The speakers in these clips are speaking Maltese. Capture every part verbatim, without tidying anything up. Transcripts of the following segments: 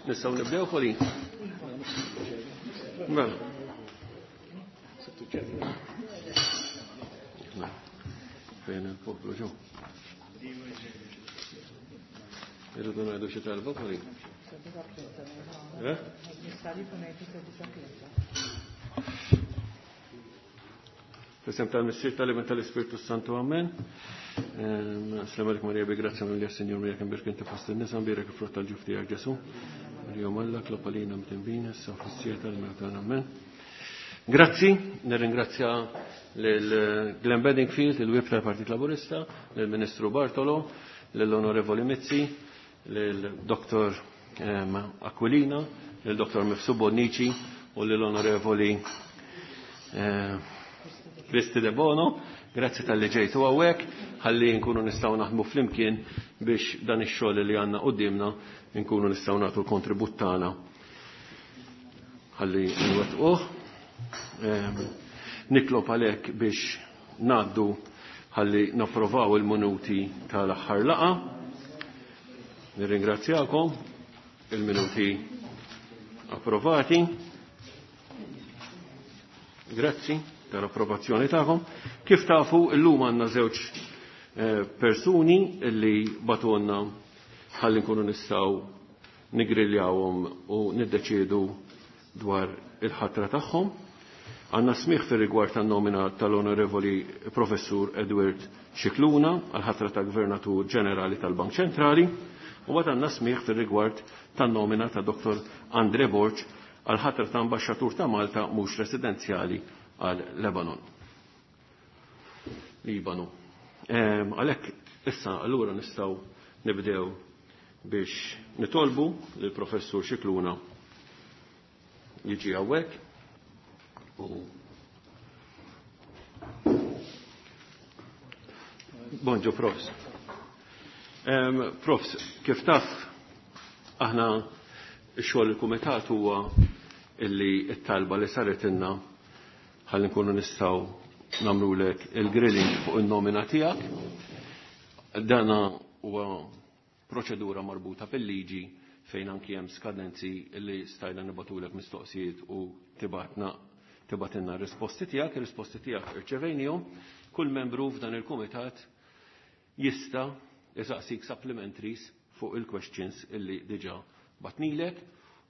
Nistgħu nibdew, Colin? Mela. Fejn il-poplu ġew? Irridu ngħidu xi talba, Colin? Eh? F'isem tal-Missier, tal-Iben, tal-Ispirtu Santu, amen. Slem għalik Marija bi grazzja mimlija, Sinjur miegħek, imbierka inti fost in-nisa, mbierek il-frott tal-ġuf tiegħek Ġesu. Marija Omm Alla, itlob għalina midinbin, issa u fis-siegħa tal-mewt tagħna, amen. Grazzi, nirringrazzja lil Glenn Bedingfield, il-Whip tal-Partit Laburista, lill-Ministru Bartolo, lill-Onorevoli Mizzi, lill-Dottor Aquilina, lill-Dottor Mifsud Bonnici u lill-Onorevoli Kristi De Bono. Grazzi tal-li ġejtu hawnhekk, ħalli nkunu nistgħu naħdmu flimkien biex dan ix-xogħol li għandna qudiemna nkunu nistgħu nagħtu l-kontribut tagħna ħalli nwettquh. Nitlob għalhekk biex ngħaddu ħalli napprovaw il-minuti tal-aħħar laqgħa. Nirringrazzjakom, il-minuti approvati. Grazzi tal-approvazzjoni tagħkom. Kif tafu, illum għandna żewġ persuni li bagħtulna ħalli nkunu nistgħu nigriljawhom u niddeċiedu dwar il-ħatra tagħhom. Għandna smigħ fir-rigward tan-nomina tal-Onorevoli Professur Edward Scicluna għal-ħatra ta' Gvernatur Ġenerali tal-Bank Ċentrali, u mbagħad għandna smigħ fir-rigward tan-nomina ta' Dottor Andre Borg għal-ħatra ta' Ambaxxatur ta' Malta mhux residenzjali għal Lebanon. Libanu. Għalhekk issa allura nistgħu nibdew biex nitolbu lill Professur Scicluna jiġi hawnhekk u Bonġu, Profs. Profs, kif taf, aħna x-xogħol il-kumitat huwa illi t-talba li saret inna ħalli nkunu nistgħu nagħmlulek il-grilling fuq in-nomina tiegħek. Dana huwa proċedura marbuta fil-liġi fejn anki hemm skadenzi li stajna nibatulek mistoqsijiet u tibatna tibatilna r-risposti tiegħek, ir-risposti tiegħek irċevejnihom. Kull membru f'dan il-kumitat jista' isaqsik supplementaries fuq il-questions illi diġà batnilek,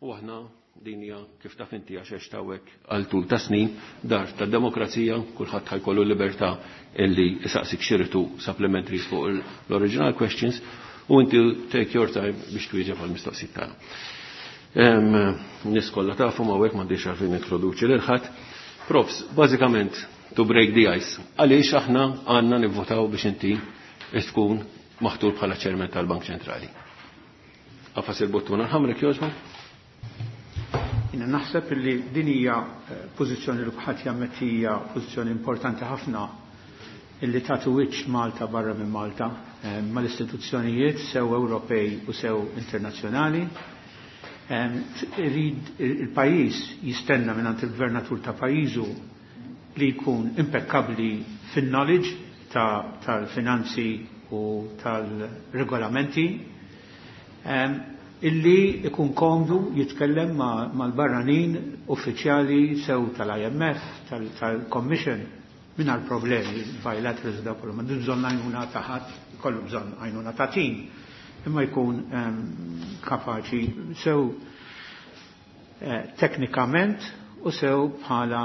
u aħna din hija kif taf inti għax għext hawnhekk għal tul ta' snin, dar tad-demokrazija, kulħadd ħajkollu libertà illi isaqsik xiritu supplementaries fuq l-original questions, u inti take your time biex twieġeb għall-mistoqsijiet tagħna. Nies kollha tafu ma hawnhekk m'għandix għalfejn introduċi lil ħadd. Profs, bażikament to break the ice, għaliex aħna għandna nivvotaw biex inti tkun maħtur bħala ċermen tal-Bank Ċentrali? Għafas il-buttuna l-ħamra jogħġbok? Jiena naħseb li din hija pożizzjoni li kulħadd jammetti hija pożizzjoni importanti ħafna illi tagħti wiċċ Malta barra minn Malta mal-istituzzjonijiet sew Ewropej u sew internazzjonali. Irid il-pajjiż jistenna minn il-gvernatur ta' pajjiżu li jkun impeccabli fin-knowledge tal-finanzi u tal-regolamenti, illi ikun komdu jitkellem mal-barranin uffiċjali sew tal-I M F, tal-Commission, mingħajr problemi, bilaterals da kollu, ma bżonn għajnuna ta' ħadd, kollu bżonn għajnuna ta' tim, imma jkun kapaċi sew teknikament u sew bħala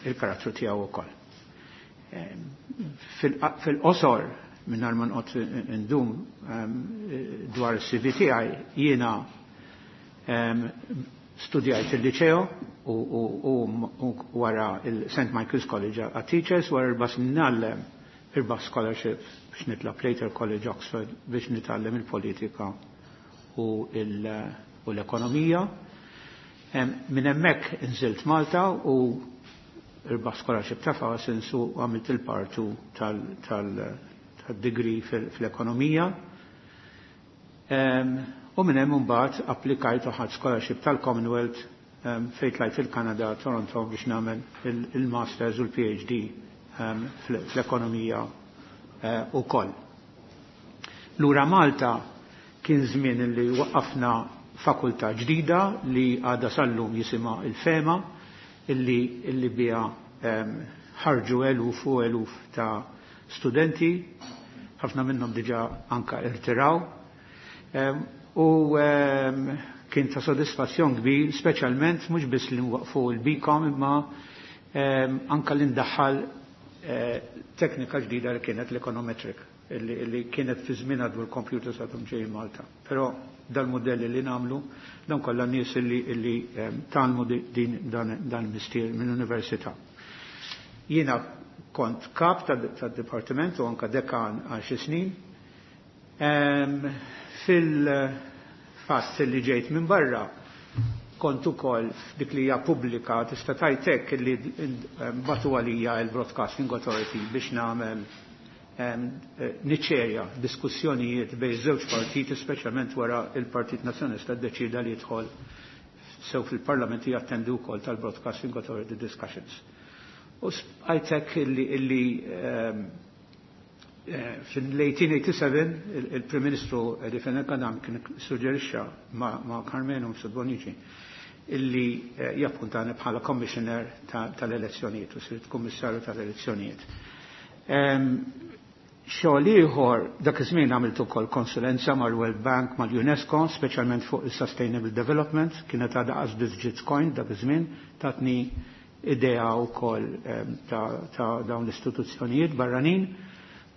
il-karattru tiegħu wkoll. Fil-qosor, mingħajr ma noqgħod indum dwar is-C V tiegħi, jiena studjajt il-liceo u wara il-Saint Michael's College għat Teachers, wara erba' snin ngħallem irbaħ scholarship biex nitla' Plater College Oxford biex nitgħallem il-politika u l-ekonomija. Minn hemmhekk inżilt Malta u irbaħ scholarship ta' Parsons u għamilt il-part two tal-degree fl-ekonomija. U minn hemm imbagħad applikajt u ħadt scholarship tal-Commonwealth fejn tlajt il-Kanada, Toronto, biex nagħmel il-Masters u l-P H D fl-ekonomija ukoll. Lura Malta Kien żmien li waqqafna fakultà ġdida li għadha sal-lum jisimha il-FEMA, illi, illi biha ħarġu eluf u eluf ta' studenti, ħafna minnhom diġà anka irtiraw. U kien ta' sodisfazzjon kbir, speċjalment mhux biss li nwaqfu l-BCom imma anka li ndaħħal teknika ġdida li kienet l-econometric, li kienet fi żmien għadu l-computers għadhom ġej Malta. Però dal-modelli li namlu, dan kollha nies li, li tgħallmu din dan, dan mistier mill-università. Jiena kont kap tad-dipartiment u anka dekan għal xi snin. Fil-fatt li ġejt minn barra kont ukoll f'dik li hija pubblika tista' tgħid hekk li batu għalija l-Broadcasting Authority biex nagħmel niċċerja diskussjonijiet bejn żewġ partiti, speċjalment wara il-Partit Nazzjonalista ddeċida li jidħol sew fil-Parlament jattendi wkoll tal-Broadcasting Authority discussions. U għajtek illi, illi fil-eighteen eighty-seven il-Prim Ministru Eddie Fenech Adami kien suġġerixxa ma' Karmenu Mifsud Bonnici illi jappuntani bħala commissioner tal-elezzjonijiet u sirt kummissarju tal-elezzjonijiet. Xogħol ieħor dak iż-żmien għamilt ukoll konsulenza mal-World Bank, mal-UNESCO, speċjalment fuq il-Sustainable Development, kienet għadha qas ġiet coined dak iż-żmien, tatni idea wkoll ta', ta dawn l-istituzzjonijiet barranin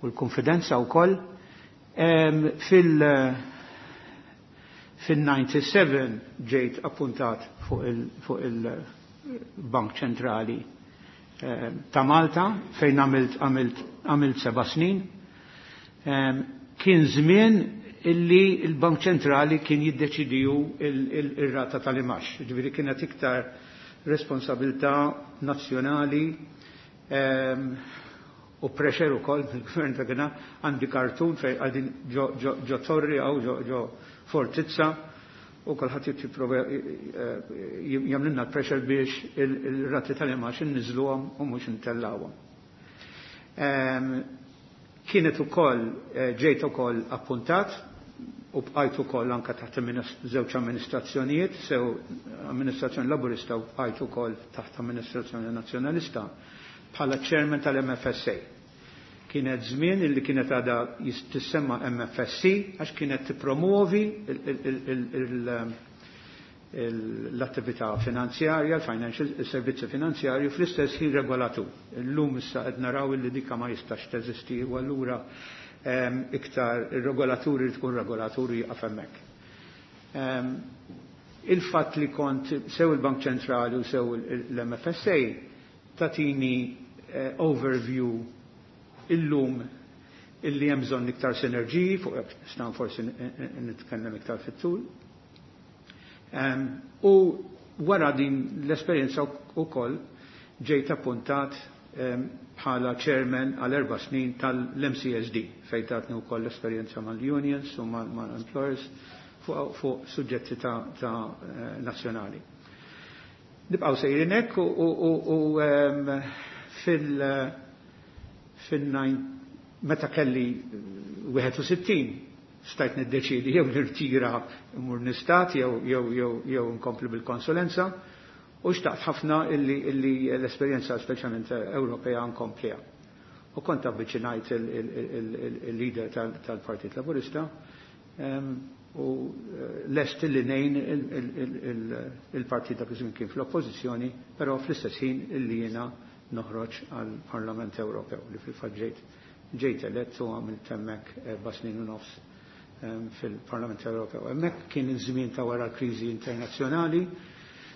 u l-konfidenza wkoll. Fil- fil-ninety-seven ġejt appuntat fuq il-Bank Ċentrali ta' Malta fejn għamilt għamilt għamilt seba' snin. Kien żmien illi il-Bank Ċentrali kien jiddeċidiju il-rata tal-imax. Ġifieri kienet iktar responsabilità nazzjonali u pressure ukoll mill-gvern ta' kien għandi kartun fejn għadin ġo torri għaw ġo fortizza u kulħadd jipprova jagħmlilna l-pressure biex il-rati tal-imax inniżluhom u mhux intellawhom. Kienet ukoll ġejt ukoll appuntat u bqajt ukoll anke taħt żewġ amministrazzjonijiet, sew amministrazzjoni Laburista u bqajt ukoll taħt amministrazzjoni Nazzjonalista bħala chairman tal-M F S A. Kienet żmien illi kienet għadha tissemma M F S C għax kienet tippromuovi l-attività finanzjarja, il-financial, il-servizzi finanzjarju fl-istess ħin regolatur. Illum issa qed naraw illi dika ma jistax teżisti u allura iktar ir-regolaturi li tkun regolaturi jaqaf hemmhekk. Il-fatt li kont sew il-Bank Ċentrali u sew l-M F S A tatini eh, overview illum illi hemm bżonn iktar sinerġiji fuq nistgħu forsi nitkellem iktar fit-tul. U wara din l-esperjenza wkoll ġejt appuntat bħala chairman għal erba' snin tal-M C S D fejn tatni wkoll l-esperjenza mal-unions u mal-employers fuq fu suġġetti ta', ta eh, nazzjonali. Nibqgħu sejrin hekk u, u, u fil fil meta kelli wieħed u sittin stajt niddeċidi jew nirtira mmur nistat jew jew jew jew nkompli bil-konsulenza u xtaqt ħafna illi, illi l-esperjenza speċjalment Ewropea nkompliha. U kont avviċinajt il-leader tal-Partit Laburista u lest li ngħin il-partit dak iż-żmien kien fl-oppożizzjoni, però fl-istess ħin illi jiena noħroġ għall-Parlament Ewropew li fil-fatt ġejt ġejt elett u għamilt hemmhekk erba' snin u nofs fil-Parlament Ewropew. Hemmhekk kien iż-żmien ta' wara l-kriżi internazzjonali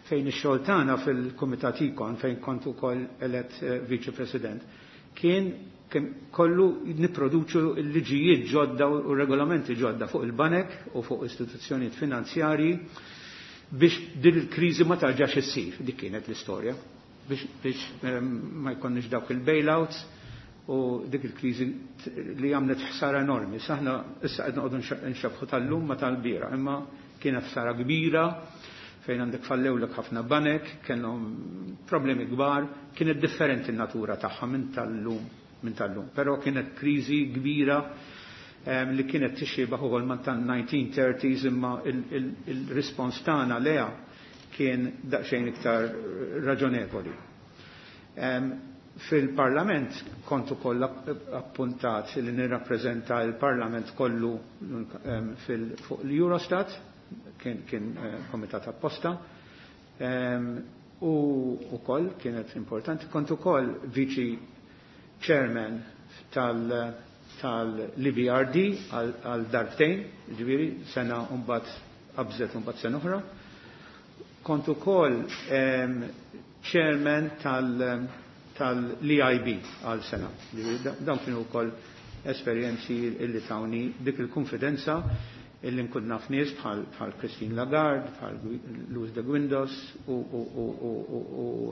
fejn ix-xogħol tagħna fil-Kumitat Econ, fejn kont ukoll elett Viċi President, kien kollu nipproduċu l-liġijiet ġodda u regolamenti ġodda fuq il-banek u fuq istituzzjonijiet finanzjarji biex din il-kriżi ma tarġax issir. Dik kienet l-istorja. Biex, biex ma jkollniex dawk il-bailouts u dik il-kriżi li għamlet ħsara enormi. Saħna issa qed noqogħdu nxebħu tal-lum ma tal-bira, imma kienet ħsara kbira fejn għandek fallewlek ħafna banek, kellhom problemi kbar, kienet differenti n-natura tagħha minn tal-lum minn tal-lum. Però kienet kriżi kbira li kienet tixxiebah ukoll ma' tan-nineteen thirties, imma il-rispons tagħna leha kien daqsxejn iktar raġonevoli. Fil-Parlament kont ukoll appuntat li nirrappreżenta l-Parlament kollu fuq l-Eurostat, kien, kien eh, komitat apposta, u ukoll kienet importanti, kont ukoll viċi chairman tal- tal-E B R D għal darbtejn, ġifieri sena, mbagħad qabżet, mbagħad sena oħra. Kont ukoll chairman tal- tal-E I B għal sena. Dawn kienu wkoll esperjenzi illi tawni dik il-konfidenza illi nkun naf nies bħal Christine Lagarde, bħal Luis de Guindos u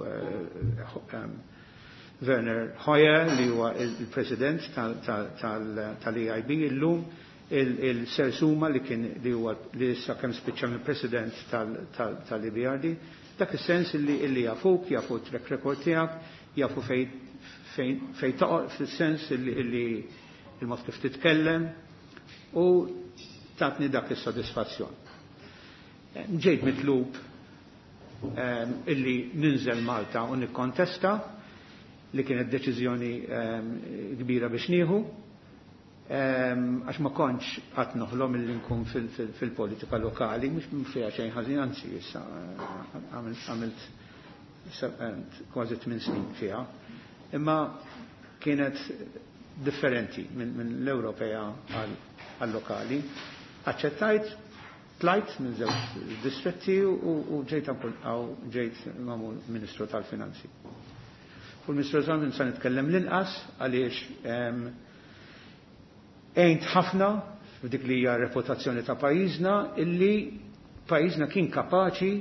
eh, Werner Hoyer, li huwa il-president tal-E I B illum, il-Sir Suma li kien li huwa li issa kemm spiċċa mill-president tal-E B R D, dak is-sens illi illi jafuk, jafu track record tiegħek, jafu fej fej toqgħod, fis-sens illi illi il-mod kif titkellem, u tatni dak is-sodisfazzjon. Ġejt mitlub illi ninżel Malta u nikkontesta, li kienet deċiżjoni kbira biex nieħu, għax ma kontx qatt noħlom illi nkun fil-politika lokali, mhux fiha xejn ħażin, anzi issa għamilt kważi tmien snin fiha. Imma kienet differenti minn l-Ewropea għal-lokali. Aċċettajt, tlajt minn żewġ distretti u ġejt ġejt magħmul Ministru tal-Finanzi. Fuq il-Ministru tal-Finanzi sa nitkellem l-inqas, għaliex għejnt ħafna f'dik li hija reputazzjoni ta' pajjiżna, illi pajjiżna kien kapaċi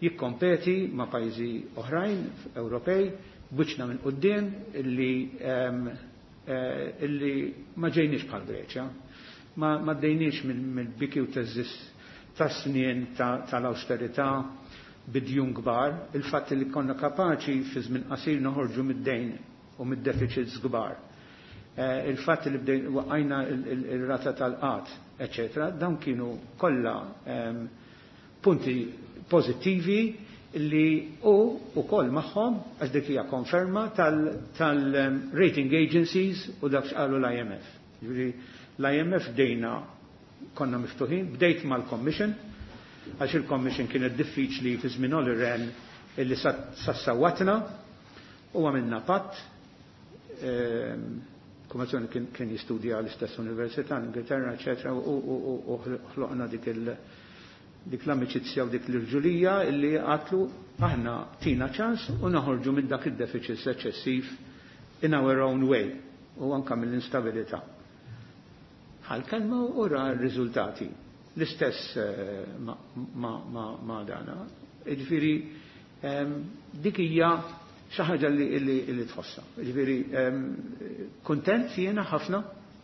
jikkompeti ma' pajjiżi oħrajn Ewropej b'wiċċna minn quddiem, illi eh, illi ma ġejniex bħal Greċja, ma, ma ddejniex mill-biki u theżżiż tas-snien tal-austerità bid-djun kbar, il-fatt li konna kapaċi fi żmien qasir noħorġu mid-dejn u mid-deficits kbar. Eh, il-fatt li bdejn waqqajna il-rata tal-qgħad, eccetera, dawn kienu kollha punti pozittivi li u ukoll magħhom, għax dik hija konferma tal-rating agencies u dak x'qalu l-I M F. Ġifieri l-I M F bdejna konna miftuħin, bdejt mal-Commission, għax il-Commission kienet diffiċli fi żmien Olli Rehn illi sassawatna u għamilna patt. Ehm, Kummissjoni kien, kien jistudja l-istess università, l-Ingilterra, eccetera, u ħloqna dik il- dik l-amicizja u dik l-irġulija illi għedtlu aħna tina ċans u naħorġu minn dak il-deficit eċċessiv in our own way u anka mill-instabilità. Ħal-kelma u ra r-riżultati. L-istess eh, ma, ma, ma, ma dana. Ġifieri, dik hija xi ħaġa li, li, li tħossa. Ġifieri, kontent jiena ħafna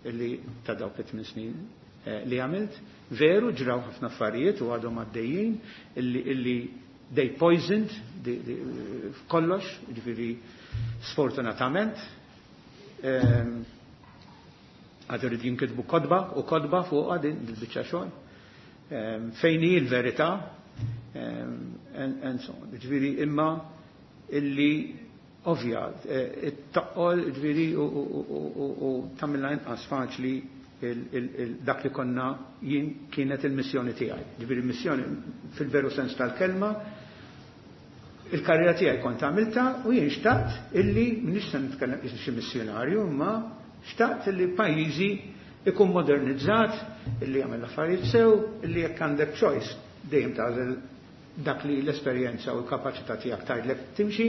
illi ta' dawk it-tmien snin eh, li għamilt. Veru ġraw ħafna affarijiet u għadhom għaddejjin illi, illi they poisoned kollox, ġifieri sfortunatament. Għadu rrid jinkitbu kotba u kotba fuq din il-biċċa xogħol. Fejn hi l-verità and so on. Ġifieri imma illi ovvja, eh, it-taqqol ġifieri u tagħmilha inqas faċli dak li konna jien kienet il-missjoni tiegħi. Ġifieri missjoni fil-veru sens tal-kelma, il-karriera tiegħi kont għamilta u jien xtaqt illi m'iniex se nitkellem xi missjonarju, imma xtaqt illi pajjiżi ikun modernizzat, illi jagħmel affarijiet sew, illi jekk għandek choice dejjem tagħżel dak li l-esperjenza u l-kapaċità tiegħek tgħidlek timxi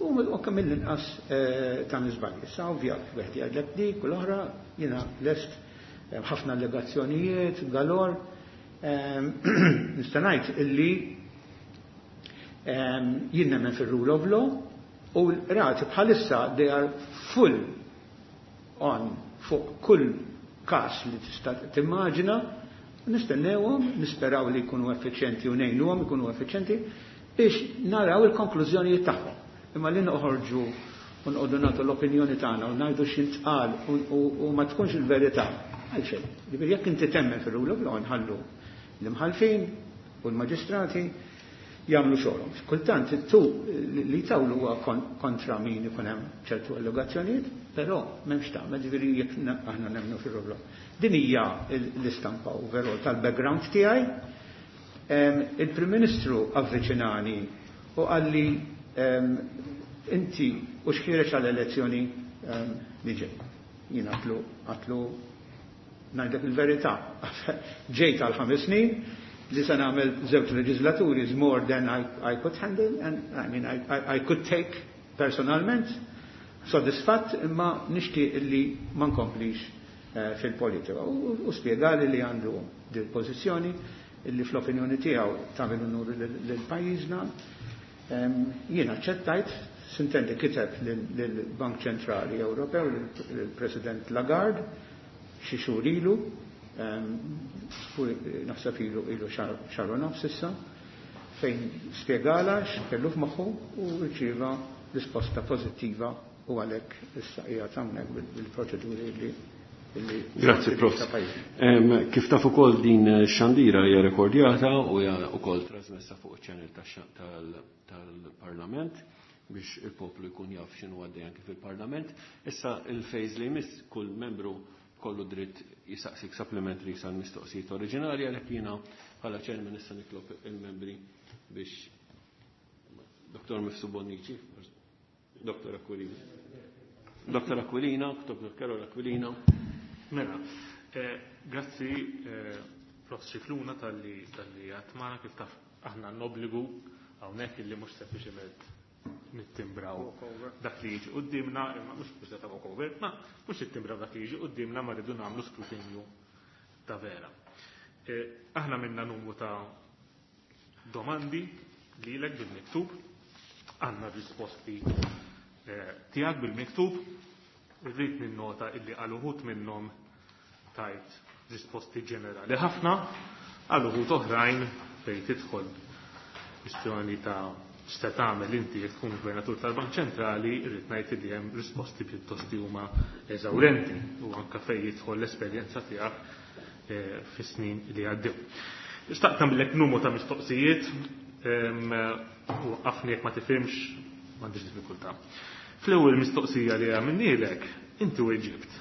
u kemm mill-inqas eh, ta' żbalji. Issa ovvja wieħed jgħidlek dik u l-oħra, jiena lest eh, ħafna allegazzjonijiet, galor. Ehm, nista' ngħid illi ehm, jien nemmen fir-rule of law u l-qrati bħalissa they are full on fuq kull każ li tista' timmaġina. Nistennewhom, nisperaw li jkunu effiċjenti u ngħinuhom ikunu effiċjenti biex naraw il-konklużjonijiet tagħhom. Imma li noħorġu u nqogħdu nagħtu l-opinjoni tagħna u ngħidu x'intqal u ma tkunx il-verità. Għalxejn. Ġifieri jekk inti temmen fir-rule of law nħallu l-imħallfin u l-maġistrati jagħmlu xogħolhom. Kultant tu li tawlu huwa kontra min ikun hemm ċertu allegazzjonijiet, però m'hemmx tagħmel, ġifieri jekk aħna nemmnu fir-rule of law. Din hija l-istampa overall tal-background tiegħi. Il-Prim Ministru avviċinani u qalli inti u x'ħiereġ għall-elezzjoni li ġej. Jien għatlu għatlu ngħidlek il-verità. Ġejt għal ħames snin li se nagħmel żewġ leġislaturi is more than I, I could handle and I mean I, I, I could take personalment, sodisfatt imma nixtieq illi ma nkomplix eh, fil-politika. U, u spjegali li għandu dil pożizzjoni illi fl-opinjoni tiegħu tagħmel unur lil pajjiżna. Jien aċċettajt, sintendi kiteb lill-Bank Ċentrali Ewropew, lill-President Lagarde, xi xhur ilu, naħseb ilu ilu xahar u nofs issa, fejn spjegala x'kellu f'moħħu u rċieva risposta pożittiva u għalhekk issa qiegħed hawnhekk bil-proċeduri li. Grazzi, Prof. Kif taf ukoll din xandira hija rekordjata u hija wkoll trasmessa fuq iċ-channel tal-Parlament biex il-poplu jkun jaf x'inhu għaddej anke fil-Parlament. Issa il-phase li jmiss kull membru kollu dritt jisaqsik supplementary sal mistoqsijiet oriġinali, għalhekk jiena bħala chairman issa nitlob il-membri biex Dottor Mifsud Bonnici, Dottor Aquilina. Dottor Aquilina, Dottor Karol Aquilina. Mela, eh, grazzi eh, Prof Scicluna tal-li tal-li għatmana kif taf aħna n-obbligu hawnhekk illi mhux sempliċement nittimbraw dak li jiġi quddiemna, imma mhux mhux ta' walkover, ma mhux nittimbraw dak li jiġi quddiemna ma rridu nagħmlu skrutinju ta' vera. Eh, aħna minna numru ta' domandi lilek bil-miktub, għandna risposti eh, tiegħek bil-miktub, irrid ninnota illi għal uħud minnhom tajt risposti ġenerali ħafna, għal uħud oħrajn fejn tidħol kwistjoni ta' x'se tagħmel inti jekk tkun gvernatur tal-Bank Ċentrali, irrid ngħid li hemm risposti pjuttost huma eżawrenti u anke fejn jidħol l-esperjenza tiegħek eh, fis-snin li għaddew. Xtaqt nagħmlek numru ta' mistoqsijiet u għafni jekk ma tifhimx m'għandix diffikultà. Fl-ewwel mistoqsija li għamilnielek, inti weġibt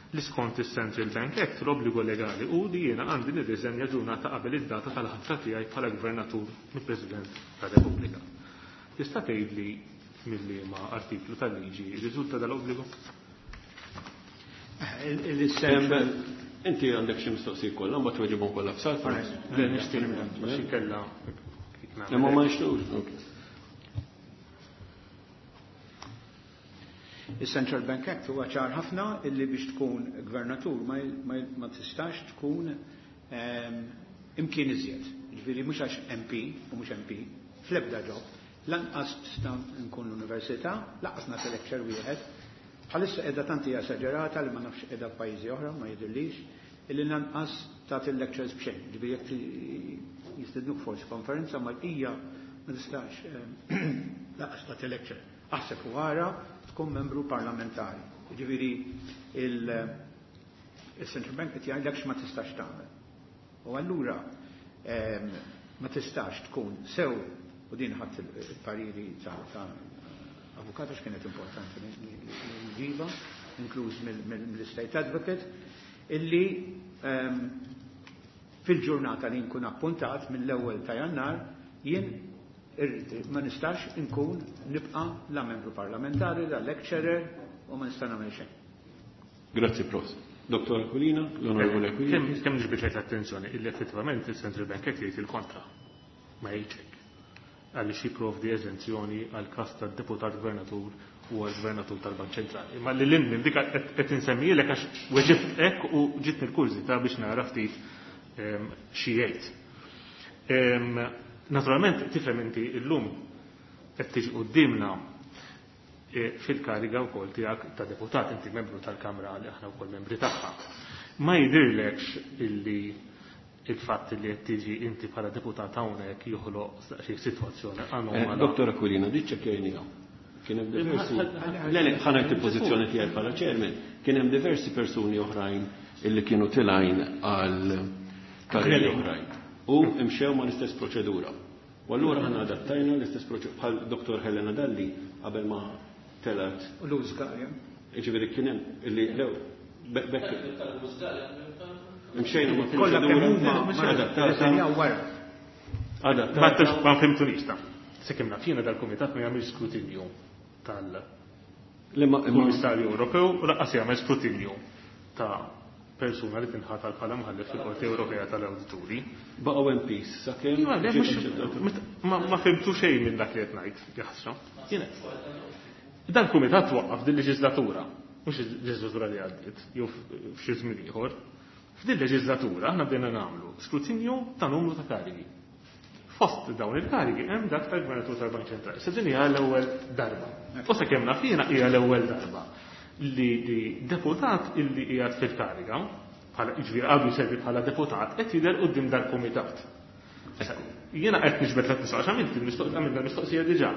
li skont is-Central Bank Act l-obbligu legali u li jiena għandi nirriżenja ġurnata qabel id-data tal-ħatra tiegħi bħala gvernatur mill-President tar-Repubblika. Tista' tgħidli mill-liema artiklu tal-liġi riżulta dal-obbligu? Inti għandek xi mistoqsijiet kollha, mbagħad tweġibhom kollha f'salfa. Le nixtieq xi kellha. Imma ma nixtiequx. Il-Central Bank Act huwa ċar ħafna illi biex tkun gvernatur ma, ma, ma tistax tkun um, imkien iżjed. Ġifieri mhux għax M P u mhux M P fl-ebda ġob, lanqas tista' nkun l-università, lanqas nagħti lecture wieħed. Bħalissa qiegħda tant hija esaġerata li ma nafx qiegħda f'pajjiżi oħra, ma jidhirlix, illi lanqas tagħti lectures b'xejn. Ġifieri jekk jistednuk forsi konferenza ma hija ma tistax lanqas tagħti lecture. Aħseb u ara tkun membru parlamentari. Ġifieri il-Central Bank qed jgħidlek x'ma tistax tagħmel. U allura ma tistax tkun sew, u din ħadd il-pariri ta' avukat għax kienet importanti li nġiba, inkluż mill-State Advocate, illi fil-ġurnata li nkun appuntat mill-ewwel ta' Jannar jien ma nistax nkun nibqa' la membru parlamentari, la lecturer u ma nista' nagħmel xejn. Grazzi, Prof. Dottor Aquilina, l-Onorevole Aquilina. Kemm kemm ġbidlek l-attenzjoni illi effettivament il-Central Bank qed jgħid il-kontra ma jgħidx hekk. Għaliex jipprovdi eżenzjoni għal każ tad-deputat gvernatur u għal gvernatur tal-Bank Ċentrali. Imma li lil minn dik qed insemmilek għax weġibt hekk u ġitni l-kurżità biex nara ftit xi jgħid. Naturalment tifhem inti llum qed tiġi quddiemna fil-kariga wkoll tiegħek ta' deputat, inti membru tal-Kamra li aħna wkoll membri tagħha. Ma jidhirlekx illi il-fatt li qed tiġi inti bħala deputat hawnhekk joħloq xi sitwazzjoni anomala. Dottor Aquilina, diċ ċekkejniha. Kien hemm diversi. Le, le, ħa ngħid il-pożizzjoni tiegħi bħala chairman. Kien hemm diversi persuni oħrajn illi kienu tilgħin għal karrieri oħrajn. U imxew ma l-istess proċedura. U allura aħna adattajna l-istess proċedura bħal Dottor Helena Dalli qabel ma telgħet. U Louis Galea. Jiġifieri kien hemm illi lew bekk. Imxejna ma' Kollha kemm huma proċedura adattata. rreżenjaw wara. Adattata. Ma fhimtunix ta'. Sakemm naf jiena dal-kumitat ma jagħmilx skrutinju tal-Kummissarju Ewropew u lanqas jagħmel skrutinju ta' persuna li tinħatar bħala mħallef fil-Qorti Ewropea tal-Awdituri. Baqgħu M Ps sakemm Ma, le, mhux, ma, ma fhimtu xejn minn dak li qed ngħid, jaħsra. Jiena. Dan kumitat waqqaf din leġislatura, mhux il-leġislatura li għaddiet, jew f'xi żmien ieħor. F'din leġislatura aħna bdejna nagħmlu skrutinju ta' numru ta' karigi. Fost dawn il-karigi hemm dak tal-Gvernatur tal-Bank Ċentrali. Se din hija l-ewwel darba. U sakemm naf jiena hija l-ewwel darba li, li deputat illi qiegħed fil-kariga, bħala jiġifieri għadu jservi bħala deputat, qed jidher quddiem dal-kumitat. Issa, jiena qed niġbed l mistoqsija, għamilt il-mistoqsija, għamilt il-mistoqsija diġà.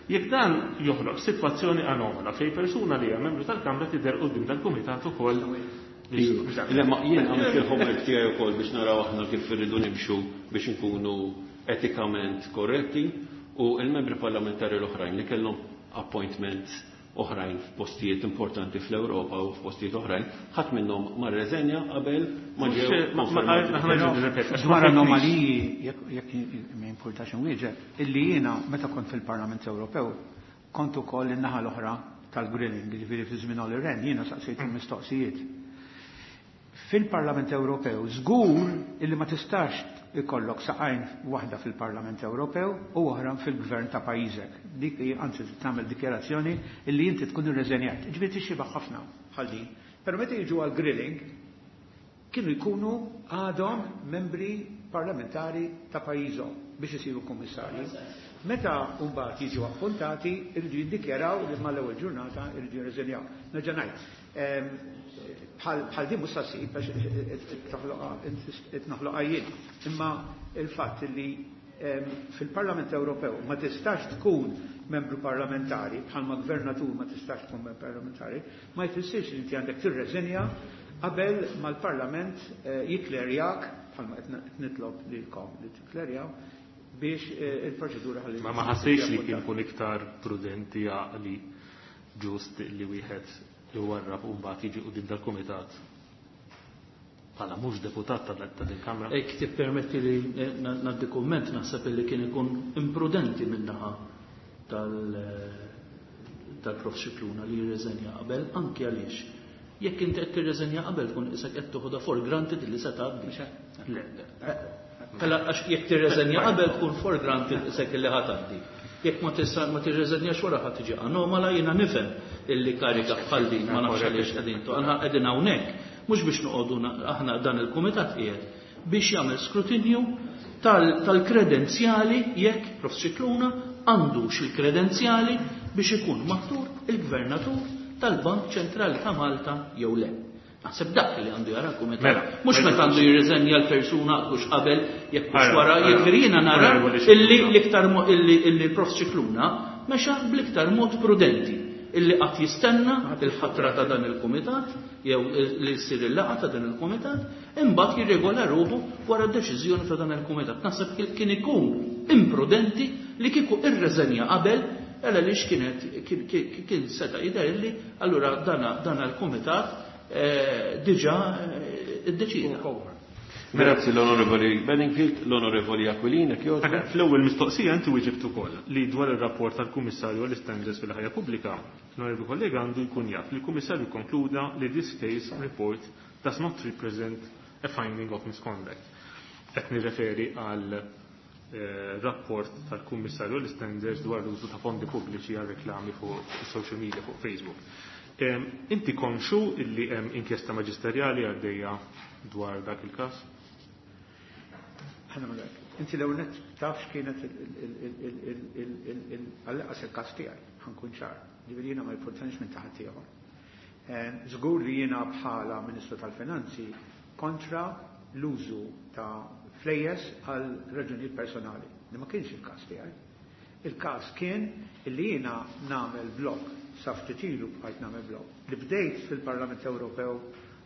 Jekk dan joħloq sitwazzjoni anomala fejn persuna li hija membru tal-Kamra tidher quddiem dal-kumitat ukoll. Le, ma jien għamilt il-homework tiegħi wkoll biex naraw aħna kif irridu nimxu biex inkunu etikament korretti, u il-membri parlamentari l-oħrajn li kellhom appointments oħrajn f'postijiet importanti fl-Ewropa u f'postijiet oħrajn, ħadd minnhom ma rreżenja qabel ma Mhux, ġew ma- ma- konfermati. aħna ġew nirrepeti, għax Dwar ma fhimtx. anomaliji, jekk, jekk ma jimpurtax inwieġeb, illi jiena meta kont fil-Parlament Ewropew kont ukoll in-naħa l-oħra tal-grilling, jiġifieri fi żmien Olli Rehn, jiena saqsejt il-mistoqsijiet. Fil-Parlament Ewropew żgur illi ma tistax ikollok saqajn waħda fil-Parlament Ewropew u oħra fil-gvern ta' pajjiżek. Dik hi, anzi, tagħmel dikjarazzjoni illi inti tkun irreżenjat. Ġifieri tixxiba ħafna bħal din. Però meta jiġu għal grilling kienu jkunu għadhom membri parlamentari ta' pajjiżhom biex isiru kummissarji. Meta mbagħad jiġu appuntati, iridu jiddikjaraw li mal-ewwel ġurnata iridu jirreżenjaw. Nerġa' ngħid, ehm, bħal, bħal din mhux ssib għax qed noħloqha jien. Imma il-fatt li, ehm, fil-Parlament Ewropew ma tistax tkun membru parlamentari, bħalma gvernatur ma tistax tkun membru parlamentari, ma jfissirx li inti għandek tirreżenja qabel mal-Parlament, eh, jiklerjak, bħalma qed nitlob lilkom li tiklerjaw, biex, eh, il-proċedura ħalli Ma ma ħassejx li kien kun iktar prudenti għaqli ġust li wieħed iwarrab u mbagħad jiġi quddiem dal-kumitat bħala mhux deputat ta' ta' din kamra. Jekk tippermetti li, eh, na-, ngħaddi kumment, naħseb li kien ikun imprudenti min-naħa tal-, eh, tal-Prof Scicluna li jirreżenja qabel, anki għaliex. Jekk inti qed tirreżenja qabel tkun isek qed toħodha for granted li se tgħaddi. Le. Mela għax jekk tirreżenja qabel tkun for granted isek li ħa tgħaddi. Jekk ma tista' ma tirreżenjax wara ħa tiġi anomala, jiena nifhem illi karika bħal din ma nafx għaliex qegħdin tu. Aħna qegħdin hawnhekk mhux biex noqogħdu na-, aħna dan il-kumitat qiegħed biex jagħmel skrutinju tal-, tal-kredenzjali jekk Prof Scicluna għandux il-kredenzjali biex ikun maħtur il-gvernatur tal-Bank Ċentrali ta' Malta jew le. Naħseb dak li għandu jara l-kumitat. Mela, Mhux mela. meta għandu jirriżenja l-persuna mhux qabel jekk mhux Mela, wara, mela. jiġifieri jiena nara Mela, mela, illi mela. l-iktar mo-, illi, illi Prof Scicluna mexa bl-iktar mod prudenti illi qatt jistenna il-ħatra ta' dan il-kumitat jew li jsir il-laqgħa ta' dan il-kumitat, imbagħad jirregola ruħu wara d-deċiżjoni ta' dan il-kumitat. Naħseb kien, kien ikun imprudenti li kieku irreżenja qabel, għala li x'kienet, kien, kien, kien seta' jidher illi allura dana, dana l-kumitat, eh, diġà, eh, iddeċida. Grazzi l-Onorevoli Bedingfield, l-Onorevoli Aquilina, kjoġ. Mela, fl-ewwel mistoqsija inti wieġibt ukoll li dwar ir-rapport tal-Kummissarju għall-Istandards fil-ħajja pubblika, l-Onorevoli kollega għandu jkun jaf li l-Kummissarju konkluda li this case report does not represent a finding of misconduct. Qed nirreferi għal, eh, rapport tal-Kummissarju għall-Istandards dwar l-użu ta' fondi pubbliċi għal reklami fuq social media, fuq Facebook. Em, inti konxu illi hemm inkjesta maġisterjali għaddejja dwar dak il-każ? Ħa nagħmlu hekk. Inti l-ewwel nett taf x'kienet għall-inqas il-każ tiegħi, ħankun ċar. Ġifieri jiena ma jipportanix minn taħt ieħor. Żgur li jiena bħala Ministru tal-Finanzi kontra l-użu ta' flejjes għal raġunijiet personali, li ma kienx il-każ tiegħi. Il-każ kien li jiena nagħmel blok, sa ftit ilu bqajt nagħmel blok, li bdejt fil-Parlament Ewropew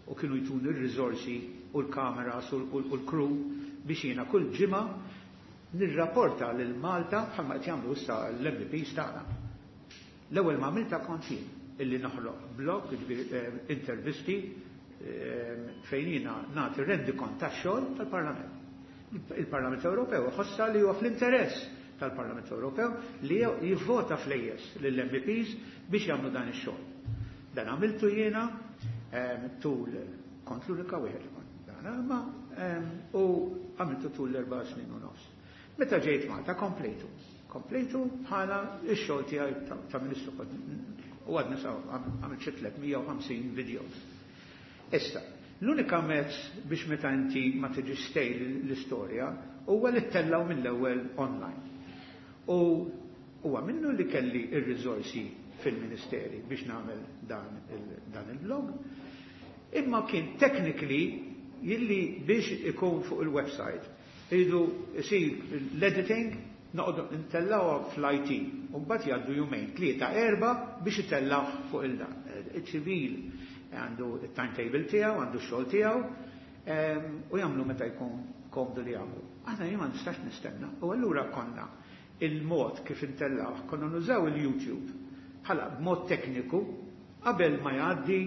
u kienu jtuni r-riżorsi u l-kameras u l-crew biex jiena kull ġimgħa nirrapporta lil Malta bħalma qed jagħmlu issa l-M Ps tagħna. L-ewwel ma għamilta kont jien illi noħloq blog, jiġifieri intervisti fejn jiena nagħti rendikont tax-xogħol tal-Parlament. Il-Parlament Ewropew ħossa li huwa fl-interess tal-Parlament Ewropew li jivvota flejjes lill-M Ps biex jagħmlu dan ix-xogħol. Dan għamiltu jiena tul, kont l-unika wieħed dan, ma u għamiltu tul l-erba' snin u nofs. Meta ġejt Malta komplejtu. Komplejtu bħala ix-xogħol tiegħi ta' ministru u għadni sa għamilt xi tliet mija u ħamsin videos. Issa, l-unika mezz biex meta inti ma tiġi stale l-istorja huwa li ttellaw mill-ewwel online. U huwa minnu li kelli ir-riżorsi fil-ministeri biex nagħmel dan il-blog. Imma kien technically jilli biex ikun fuq il-website iridu isir l-editing, noqogħdu ntellawha fl-I T u mbagħad jgħaddu jumejn, tlieta, erba' biex itellaw fuq il-dan. Iċ-ċivil għandu il-timetable tiegħu, għandu x-xogħol tiegħu u jagħmlu meta jkun komdu li jagħmlu. Aħna jien ma nistax nistenna. U allura konna il-mod kif intellaw, konna nużaw il-YouTube bħala b'mod tekniku qabel ma jgħaddi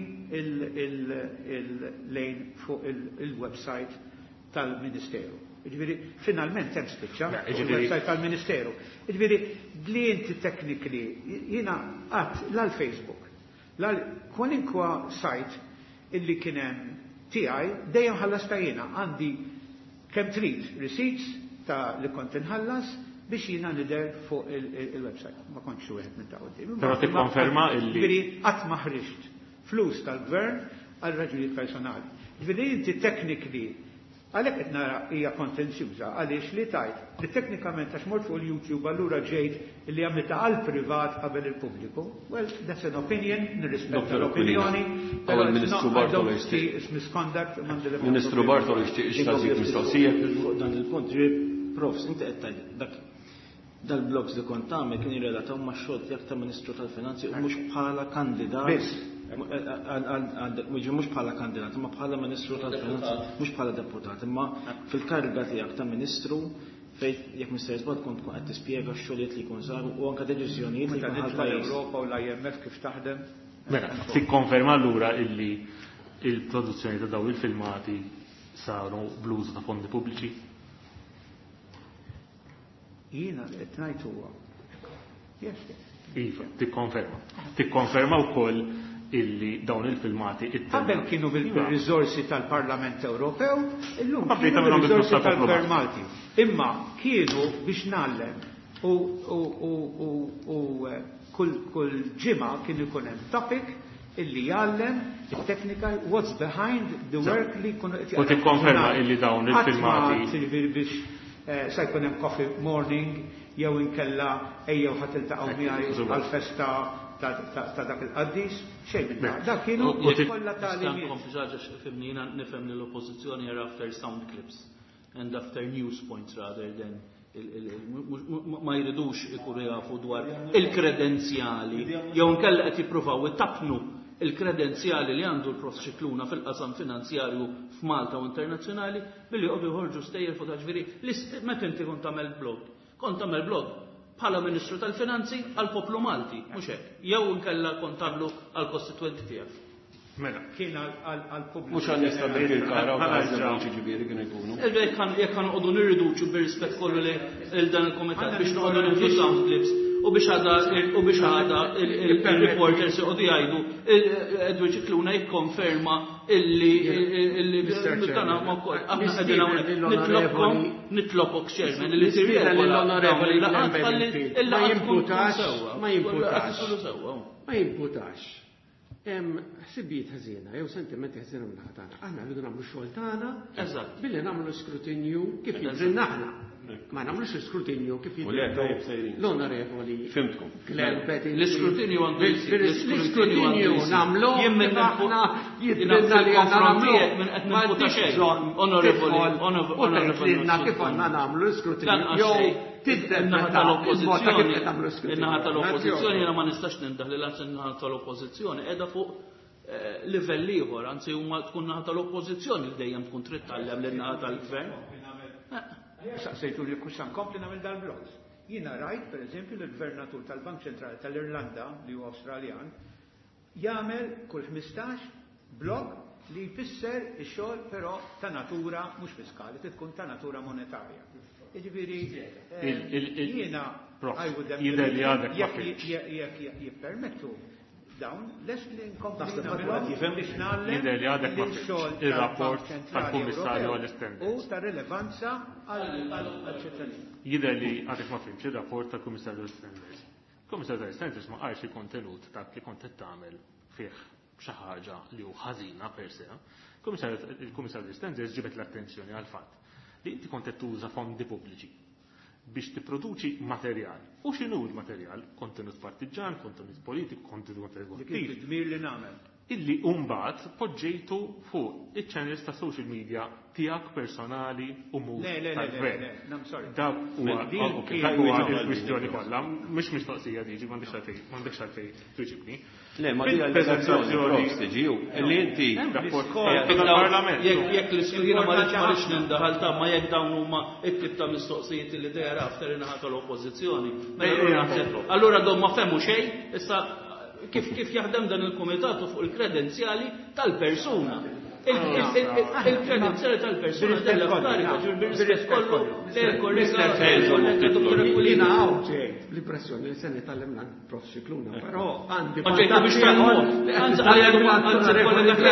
il-lejn fuq il-website tal-Ministeru. Ġifieri, finalment hemm spiċċa il-website tal-Ministeru. Ġifieri, li inti technically, jiena qatt l-Facebook, kwalinkwa site illi kien hemm tiegħi dejjem ħallasta jiena, għandi kemm trid receipts ta' li kont inħallas biex jiena nidher fuq il-website. Ma kontx wieħed minn ta' quddiem. Però tikkonferma illi Ġifieri qatt ma ħriġt flus tal-gvern għal raġunijiet personali. Ġifieri inti technically għalhekk qed nara hija kontenzjuża, għaliex li tajt li teknikament għax mort fuq il-YouTube allura ġejt li għamilta għal privat qabel il-pubbliku. Well, that's an opinion, nirrispetta l-opinjoni. Però il-Ministru Bartolo jixtieq. Misconduct. Ministru Bartolo jixtieq jistaqsik mistoqsija. Fuq dan il-punt, profs, inti qed tgħid dak dal-blogs li kont tagħmel kien jirrelataw ma' xogħol tiegħek ta' Ministru tal-Finanzi u mhux bħala kandidat. Biss. Mhux bħala kandidat, imma bħala Ministru tal-Finanzi, mhux bħala deputat, imma fil-kariga tiegħek ta' Ministru fejn jekk Mister Żball kont tkun qed tispjega x-xogħlijiet li jkun saru u anke deċiżjonijiet li jkun ħal Ewropa u l-I M F kif taħdem. Mela, tikkonferma allura illi il-produzzjoni ta' daw il-filmati saru bl-użu ta' fondi pubbliċi? Jiena qed ngħid huwa. Yes, yes. Iva, tikkonferma. Tikkonferma wkoll illi dawn il-filmati Qabel kienu bil-riżorsi tal-Parlament Ewropew, illum kienu bil-riżorsi tal-Gvern Malti. Imma kienu biex ngħallem u kull kull ġimgħa kien ikun hemm topic illi jgħallem il-teknika, what's behind the work li jkunu U tikkonferma illi dawn il-filmati biex eh, sa jkun hemm coffee morning jew inkella ejjew ħa tiltaqgħu miegħi għal-festa ta' dak il-qaddis, xejn minn dak. Dak kienu kollha tagħlimiet. Nkompli ħaġa, fimni, jiena nifhem li l-oppożizzjoni are after sound clips and after news points rather than ma jridux ikunu jafu dwar il-kredenzjali jew nkella qed jippruvaw itappnu il-kredenzjali li għandu l-Prof Scicluna fil-qasam finanzjarju f'Malta u internazzjonali billi joqogħdu joħorġu stejjer fuq, ġifieri meta inti kont tagħmel blog. Kont tagħmel blog bħala Ministru tal-Finanzi għal poplu Malti, mhux hekk? Jew inkella kont tagħmlu għal kostitwenti tiegħek. Mela. Kien għal-pubbliku. Mhux għan nista' bil-kara u għal ġifieri kienu jkunu. Jekk ħa noqogħdu nirriduċu, bir-rispett kollu li dan il-komitat, biex noqogħdu nieħdu sound clips u biex għada u biex għada il-reporters joqogħdu jgħidu Edward Scicluna jikkonferma illi illi dana ma wkoll aħna qegħdin hawnhekk nitlobkom, nitlobok, Chairman, li tirregola l-onorevoli ma jimputax, ma jimputax, ma jimputax. Hemm ħsibijiet ħażina jew sentimenti ħażina minn tagħna. Aħna rridu nagħmlu xogħol tagħna billi nagħmlu skrutinju kif jidrilna aħna. Ma nagħmlux skrutinju kif jidrilna l-onorevoli. Fimtkom. L-iskrutinju għandu L-iskrutinju nagħmlu kif aħna jidrilna li għandna nagħmlu. Ma Onorevoli, onorevoli. Kif għandna nagħmlu l-iskrutinju jew In-naħa tal-oppożizzjoni, in-naħa tal-oppożizzjoni, jiena ma nistax nindaħ li lanqas in-naħa tal-oppożizzjoni qiegħda fuq livell ieħor, anzi huma tkun naħa tal-oppożizzjoni li dejjem tkun trid tgħallem lin naħa tal-gvern. Saqsejtu li kull nkompli nagħmel dal-blogs. Jiena rajt pereżempju l-Gvernatur tal-Bank Ċentrali tal-Irlanda li huwa Awstraljan jagħmel kull ħmistax blog li jfisser ix-xogħol però ta' natura mhux fiskali, tkun ta' natura monetarja. Jiġifieri jiena jidher li għadek ma jekk jippermettu dawn lest li nkompli biex nagħlem jidher li għadek ma ir-rapport tal-Kummissarju għall-Istandards u ta' rilevanza għall-ċittadini. Jidher li għadek ma fhimx ir-rapport tal-Kummissarju għall-Istandards. Il-Kummissarju tal-Istandards ma qalx il-kontenut dak li kont qed tagħmel fih xi ħaġa li hu ħażina per se. Il-Kummissarju tal-Istandards ġibet l-attenzjoni għall-fatt li inti kont qed tuża fondi pubbliċi biex tipproduċi materjal. U x'inhu l-materjal? Kontenut partiġan, kontenut politiku, kontenut eżekuttiv. Dmir li nagħmel. Illi mbagħad poġġejtu fuq iċ-channels ta' social media tiegħek personali u mhux tal-gvern. Le, le, le, sorry. Dak huwa il-kwistjoni kollha, mhux mistoqsija diġi m'għandekx għalfejn, m'għandekx għalfejn twiġibni. Le, ma di allegazzjoni tiġi li inti tal-Parlament. Jekk l-iskriena ma rridx nindaħal ta' ma jekk dawn huma t-tip ta' mistoqsijiet li dejja after in-naħa tal-oppożizzjoni. Allura dom ma fehmu xejn, issa kif kif jaħdem dan il-kumitatu fuq il-kredenzjali tal-persuna. Il-kredenzjali tal-persuna della ġur bir-rispett kollu lejl kollega Jiena hawn ġejt bl-impressjoni li se nitgħallem Prof Scicluna, però għandi Ma ġejtu biex tgħallmu. Anzi kollega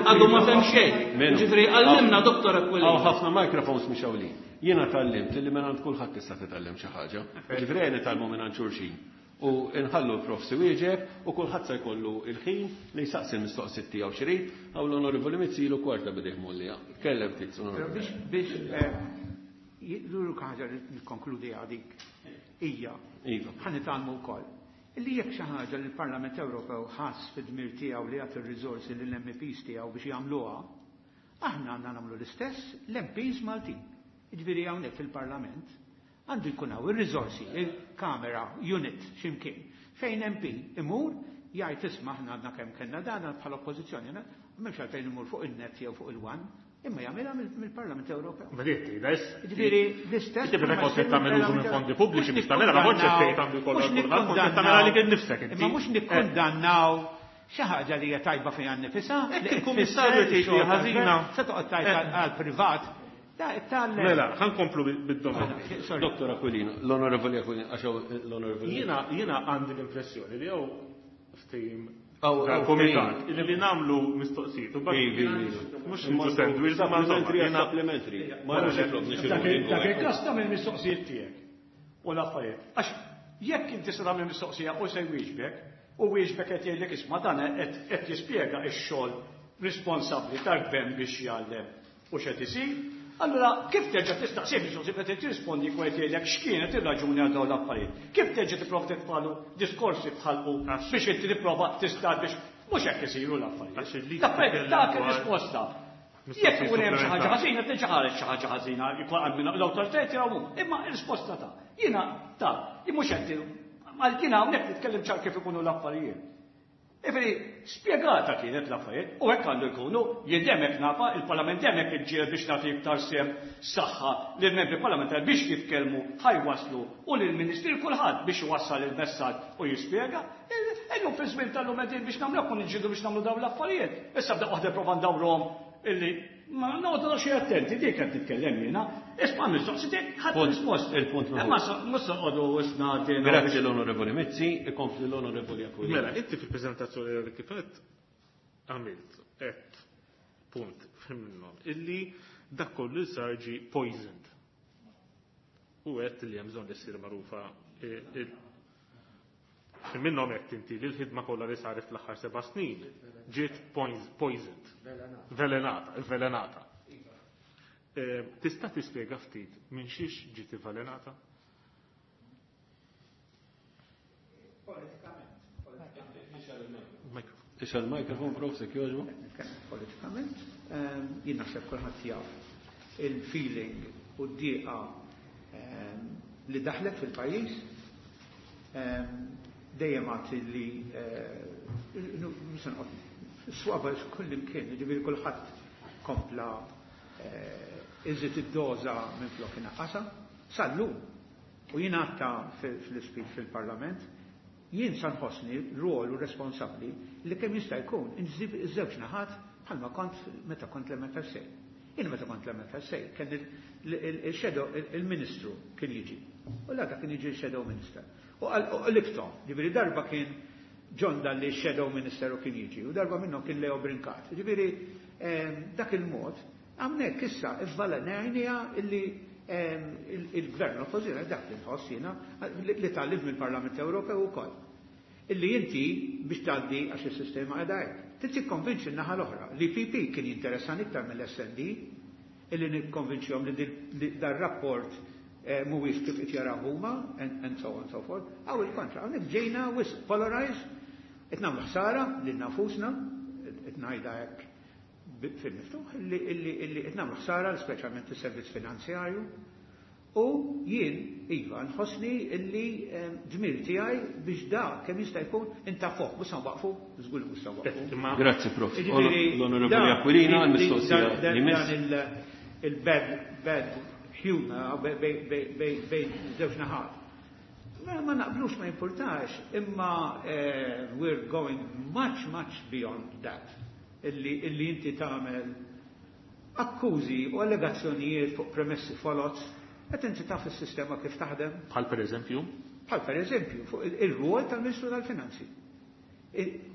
għadu ma fehem xejn. Ġifieri għallimna Dottor Aquilina. Hawn ħafna microphones mixgħulin. Jiena tgħallimt li minn għand kulħadd tista' titgħallem xi ħaġa. Ġifieri nitgħallmu minn għand xulxin. U nħallu l-prof wieġeb u kulħadd se jkollu il-ħin li jsaqsi l-mistoqsijiet tiegħu x'irid. Hawn l-Onorevoli Mizzi ilu kwarta bidejh mollija. Tkellem ftit. Biex biex l-unika ħaġa li nikkonkludi għadik hija ħa nitgħallmu wkoll. Illi jekk xi ħaġa li l-Parlament Ewropew ħass fid-dmir tiegħu li jagħti r-riżorsi lill-M Ps tiegħu biex jagħmluha, aħna għandna nagħmlu l-istess l-M Ps Maltin. Jiġifieri hawnhekk fil-Parlament għandu jkun hawn ir-riżorsi, il-kamera, unit, x'imkien, fejn M P imur jgħid isma' aħna għandna kemm kellna dan bħala oppożizzjoni, m'hemmx għalfejn imur fuq il-net jew fuq il-one, imma jagħmilha mill-Parlament Ewropew. Vedetti, da issa. Ġifieri l-istess. Inti meta kont qed tagħmel użu minn fondi pubbliċi biex tagħmilha ma kontx qed tgħid għandu jkollha kulħadd, kont qed tagħmilha għalik innifsek inti. Imma mhux nikkundannaw xi ħaġa li hija tajba fiha nnifisha. Jekk il-Kummissarju tgħid li ħażina. Se toqgħod tajt għall-privat. Mela, ħa nkomplu bid-domanda. Dottor Aquilina, l-Onorevoli Aquilina, għax l-Onorevoli. Jiena jiena għandi l-impressjoni li jew ftehim tal-komitat li nagħmlu mistoqsijiet u mhux niġu sandwich ma supplementary supplementary. Ma nafx jitlob Dak il-każ tagħmel mistoqsijiet tiegħek u l-affarijiet. Għax jekk inti se tagħmel mistoqsija u se jwieġbek, u wieġbek qed jgħidlek isma' dan qed jispjega x-xogħol responsabbli tal-gvern biex jgħallem u x'qed isir, allura kif terġa' tistaqsih mistoqsija qed tirrispondi jkun qed jgħidlek x'kienet ir-raġuni għal dawn l-affarijiet. Kif terġa' tipprova titfalu diskorsi bħalqu biex inti tipprova tista' biex mhux hekk isiru l-affarijiet. L-affarijiet dak ir-risposta. Jekk ikun hemm xi ħaġa ħażina, terġa' ħareġ xi ħaġa ħażina, jkun hemm l-awtoritajiet jaraw imma r-risposta ta' jiena ta' mhux qed għal jiena hawnhekk nitkellem ċar kif ikunu l-affarijiet. Ifri, spiegata kienet l-affarijiet, u hekk għandu jkunu, jien dejjem hekk nafa, il-Parlament dejjem hekk iġġieled biex nagħti iktar sehem saħħa lill-membri parlamentari biex jitkellmu ħa jwasslu u lill-Ministri kulħadd biex iwassal il-messaġġ u jispjega. Illum fi żmien tal-lum qegħdin biex nagħmlu hekk u niġġieldu biex nagħmlu dawn l-affarijiet. Issa bda waħda prova ndawruhom illi ma noqogħdu xi attenti dik qed nitkellem jiena. Isma' mistoqsitek ħadd risposta. Il-punt Imma mhux noqogħdu isna Grazzi l-Onorevoli Mizzi, ikompli l-Onorevoli Aquilina. Mela, inti fil-preżentazzjoni li kif qed għamilt qed punt minnhom illi dak kollu li sar ġie poisoned. U għedt li hemm bżonn li ssir magħrufa minnhom qed inti li l-ħidma kollha li saret fl-aħħar seba' snin ġiet poisoned. Velenata, velenata. Tista' tispjega ftit minn xiex ġiet velenata? Politikament. Ixgħel il-mikrofon, prof, se jogħġbu? Politikament, jien naħseb kulħadd jaf il-feeling u d-dieqa li daħlet fil-pajjiż dejjem għad li Swaba kullimkien, jiġifieri kulħadd kompla iżid id-doża minn flok inaqqasha, sal-lum. U jien għadta fl-ispeech fil-Parlament, jien sa nħossni rwol u responsabbli li kemm jista' jkun inżib iż-żewġ naħat bħalma kont meta kont l-M F S A. Jien meta kont l-M F S A kien il-shadow il-ministru kien jiġi. U l kien jiġi il-shadow minister. U qlibthom, ġifieri darba kien John Dalli shadow minister u kien jiġi, u darba minnhom kien Leo Brincat. Ġifieri dak il-mod, hawnhekk issa ivvalenajnija illi il-gvern l-oppożizzjoni, dak li nħoss jiena li tgħallimt mill-Parlament Ewropew ukoll. Illi inti biex tgħaddi, għax is-sistema qiegħda hekk. Trid tikkonvinċi n-naħa l-oħra. L-E P P kien jinteressan iktar mill-S and D illi nikkonvinċihom li dar-rapport eh, mhuwiex kif qed jaraw huma and so on and so forth. Aw il-kontra, hawnhekk ġejna wisq polarized, qed nagħmlu ħsara lil nafusna, qed ngħidha hekk fil-miftuħ, illi qed nagħmlu ħsara speċjalment is-servizz finanzjarju. U jien, iva, nħossni illi dmir tiegħi biex da kemm jista' jkun intafuh, mhux se waqfu, żgur mhux se waqfu. Grazzi, Prof. L-Onorevoli Aquilina, l-mistoqsija li miss. Il-bad bad humor bejn żewġ naħat. Ma naqblux ma importax, imma eh, we're going much, much beyond that. Illi inti tagħmel akkużi u allegazzjonijiet fuq premessi foloz. Qed inti taf is-sistema kif taħdem? Bħal per eżempju? Bħal per eżempju, fuq il-rwol tal-Ministru tal-Finanzi.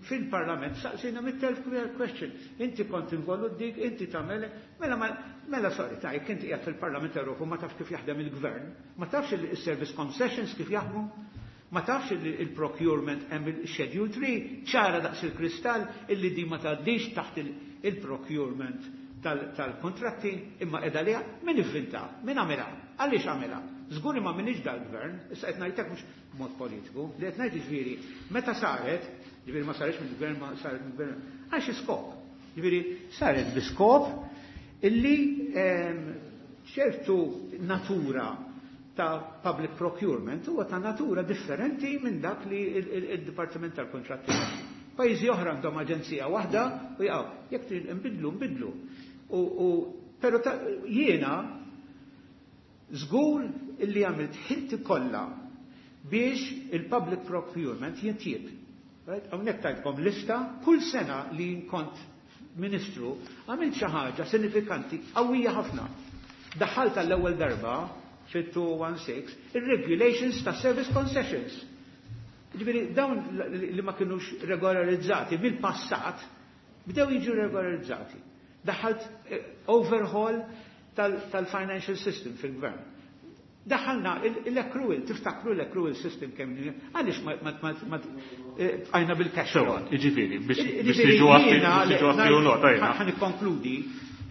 Fil-Parlament saqsina mitt elf question. Inti kont involut dik, inti tagħmel, mela mela sorry, ta' jekk inti qiegħed fil-Parlament Ewropew ma tafx kif jaħdem il-gvern, ma tafx il-service concessions kif jaħdmu, ma tafx il-procurement hemm il-Schedule three, ċara daqs il-kristall illi di ma tgħaddix taħt il-procurement tal-kontratti imma edha liha. Min ivvinta, min għamilha, għaliex għamilha? Żgur ma minix dal-gvern, issa qed ngħidlek mhux b'mod politiku, li qed ngħid ġifieri, meta saret, ġifieri ma saretx mill-gvern, ma saret mill-gvern, għal xi skop. Ġifieri saret bi skop illi ehm, ċertu natura ta' public procurement huwa ta' natura differenti minn dak li il-Dipartiment tal-Kontratti. Pajjiżi oħra għandhom aġenzija waħda u jaqgħu. Jekk trid nbidlu, nbidlu. U, pero jiena żgur illi għamilt ħilti kollha biex il-public procurement jintjieb. Hawnhekk tajtkom lista kull sena li kont ministru għamilt xi ħaġa sinifikanti qawwija ħafna. Daħħalt għall-ewwel darba fit-two sixteen il-regulations ta' service concessions. Ġifieri dawn li ma kienux regolarizzati mill-passat bdew jiġu regolarizzati. Daħalt eh, overhaul tal-financial system fil-gvern. Daħalna l-accrual, tiftakru l-accrual system kemm għaliex ma għajna bil-cash flow. Ġifieri, biex tiġu għaffi u nota jena. Ħa nikkonkludi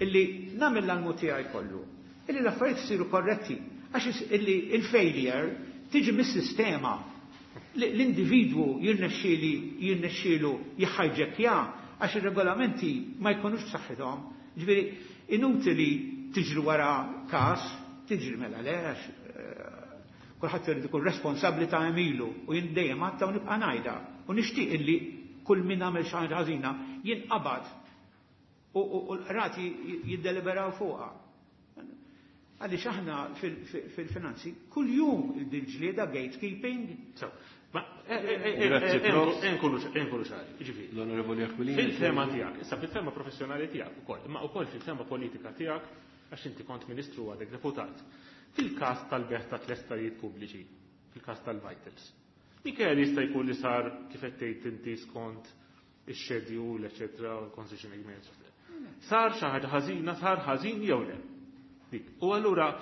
illi nagħmel l-almu tiegħi kollu. Illi l-affarijiet isiru korretti. Għax illi il-failure tiġi mis-sistema. L-individwu jirnexxieli jirnexxielu jħajġekja għax ir-regolamenti ma jkunux b'saħħithom. Ġifieri inutili tiġri wara każ, tiġri mela le, għax eh, kulħadd irid ikun responsabbli ta' għemilu u jien dejjem għadta u nibqa' ngħidha. U nixtieq illi kull min għamel xi ħaġa ħażina jinqabad u l-qrati jiddeliberaw fuqha. Għaliex aħna fil-finanzi kull jum il-ġlieda gatekeeping. Nkunu ċari, ġifieri. L-Onorevoli Aquilina. Fil-fehma tiegħek, issa fil-fehma professjonali tiegħek ukoll, imma ukoll fil-fehma politika tiegħek, għax inti kont ministru, għadek deputat. Fil-każ tal-bejgħ ta' tliet sptarijiet pubbliċi, fil-każ tal-Vitals. Mikel jista' jkun li sar kif qed tgħid inti skont ix-schedule, eċetera, concession agreements. Sar xi ħaġa ħażina, sar ħażin jew le? Dik. U allura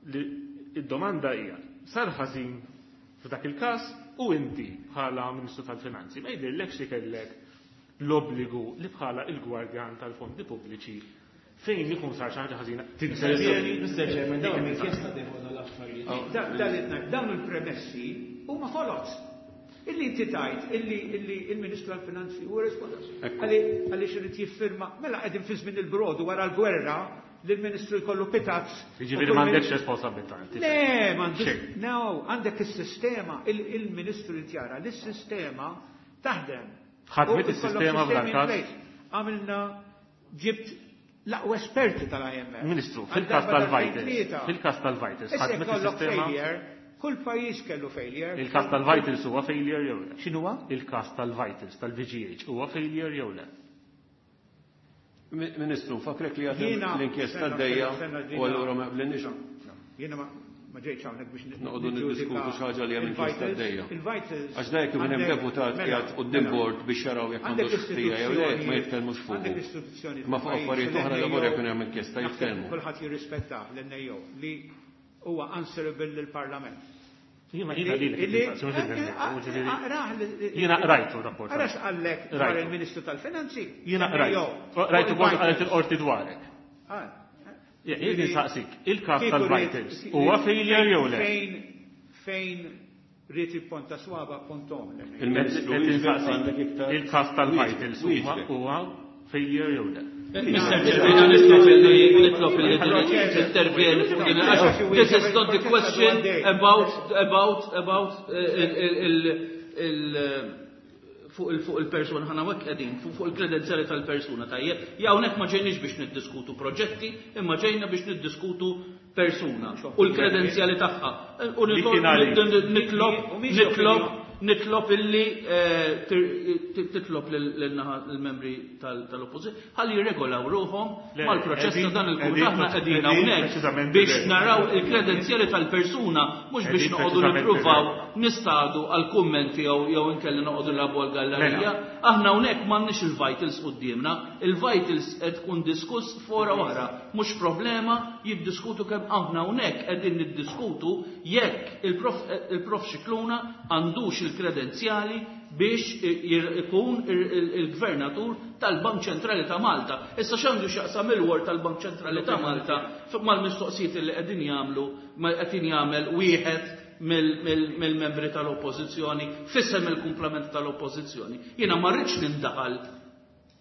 id-domanda hija, sar ħażin f'dak il-każ u inti bħala Ministru tal-Finanzi ma jidhirlekx li kellek l-obbligu li bħala il-gwardjan tal-fondi pubbliċi fejn ikun sar xi ħaġa ħażina tintervjeni? Mister Chairman, dik hemm inkjesta tieħu l-affarijiet. Dawn il-premessi huma foloz. Illi inti tajt, illi il-Ministru tal-Finanzi huwa responsabbli. Għaliex irid jiffirma, mela qegħdin fi żmien il-brodu wara l-gwerra li l-Ministru jkollu pitazz. Jiġifieri m'għandekx responsabilità. Le, m'għandek. No, għandek is-sistema, il-Ministru li tjara li s-sistema taħdem. Ħadmet is-sistema f'dan każ? Għamilna ġibt l-aqwa esperti tal-I M F. Ministru, fil-każ tal-Vitals, fil-każ tal-Vitals, ħadmet is-sistema. Kull pajjiż kellu failure. Il-każ tal-Vitals huwa failure jew le? X'inhuwa? Il-każ tal-Vitals tal-V G H huwa failure jew le? Ministru, fakrek li għadhem l-inkjesta d-dejja u allura ma qblinniex. Jiena ma ġejtx hawnhekk biex noqogħdu niddiskutu xi ħaġa li hemm inkjesta d-dejja. Il-Vitals Għax dejja kif hemm deputat qiegħed quddiem bord biex jaraw jekk għandux ħtija jew le, ma jitkellmux fuq. Għandek istituzzjoni Ma fuq affarijiet oħra l-ewwel jekk hemm inkjesta jitkellmu. Kulħadd jirrispetta l-N A O li huwa answerable lill-Parlament. Jiena jiena lilek Illi- il-mistoqsija, mhux lil-N A O, ġifieri- Aqrah li- Jiena qrajtu rapport. Ara x'qallek dwar Rajtu. il-Ministru tal-Finanzi. Jiena N A O. qrajtu. Rajtu kont Fuq qalet il-Vitals. il-qorti dwarek. Ah. Jien nistaqsik, il-każ Kieku tal-Vitals rrid- huwa failure jew le? Fejn, fejn rrid ipponta swaba pontom. Il-Ministru Qed wieġbek nistaqsik, għandek iktar il-każ tal-Vitals wieġbek. huwa huwa failure jew le? Mister Chairman, nitlob illi nitlob illi intervjeni fuq din il-għax. This is not the question about, about, about, il, il, il, fuq il, fuq il-persuna, ħana hekk qegħdin, fuq, fuq il-kredenzjali tal-persuna, tajjeb. Ja hawnhekk ma ġejniex biex niddiskutu proġetti, imma ġejna biex niddiskutu persuna u l-kredenzjali tagħha. U Li nitlob, kien għalik. nitlob, nitlob, nitlob illi, eh, tir-, tit-, titlob lil-, lil-naħa l-membri tal-, tal-oppożizzjoni ħalli jirregolaw ruħhom Le, mal-proċess ta' dan qegħdin il-kumitat. Aħna qegħdin qegħdin hawnhekk preċiżament biex ir-regola. naraw il-kredenzjali tal-persuna, mhux biex Qegħdin noqogħdu preċiżament nippruvaw ir-regola. nistadu għal kummenti jew, jew inkelli noqogħdu nilagħbu għal gallerija. Mela. Aħna hawnhekk m'għandniex il-vitals quddiemna, il-vitals qed tkun diskuss fora oħra, mhux problema jiddiskutu kemm aħna hawnhekk qegħdin niddiskutu jekk il-prof, il-prof Scicluna għandux il-kredenzjali biex ikun il-gvernatur tal-Bank Ċentrali ta' Malta. Issa x'għandu x'jaqsam il-word tal-Bank Ċentrali ta' Malta mal-mistoqsijiet li qegħdin jagħmlu, ma qegħdin jagħmel wieħed mill-, mill-, mill-membri tal-Oppożizzjoni, f'isem il-kumplament tal-Oppożizzjoni. Jiena ma rridx nindaħal,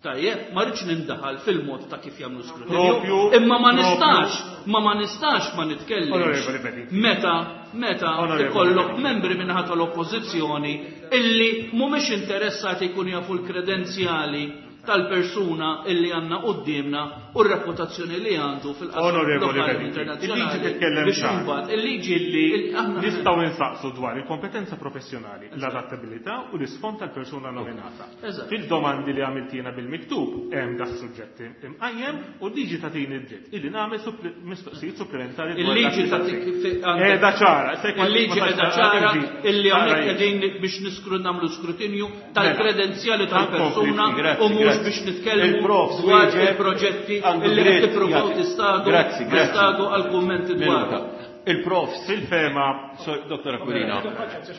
tajjeb, ma rridx nindaħal fil-mod ta' kif jagħmlu skrutinju. Propju, Imma ma propju. nistax, ma ma nistax ma nitkellimx. Onorevoli Bedingfield. Meta, meta Onorevoli ikollok Bedingfield. membri minnaħa tal-Oppożizzjoni illi mhumiex interessati jkunu jafu l-kredenzjali tal-persuna illi għandna quddiemna u r-reputazzjoni li għandu fil-qasam Onorevoli lokali Bedingfield, internazzjonali. il-liġi titkellem Biex ċar. imbagħad il-liġi Illi il-, aħna nistgħu insaqsu dwar il-kompetenza professjonali, l-adattabilità u l-isfond tal-persuna nominata. Eżatt. Fil-domandi li għamiltina bil-miktub hemm das suġġett imqajjem u l-liġi tagħtini d-dritt illi nagħmel suppli-, mistoqsijiet supplementari dwar Il-liġi dak li tagħtik tagħtik. fi-, għandek Qiegħda ċara, se jkun Il-liġi ma qiegħda tax ċara liġi. illi hawnhekk Ċara hi. qegħdin biex niskru-, nagħmlu skrutinju tal-kredenzjali Mela. tal-persuna Grazzi, u mhux grazzi. biex nitkellmu Il-prof dwar wieġeb il-proġetti għandu illi qed dritt tippruvaw jagħti. tistadu Grazzi, grazzi. tistadu għal kummenti dwar. Minuta. Il-profs fil-fema So, Dottor Aquilina,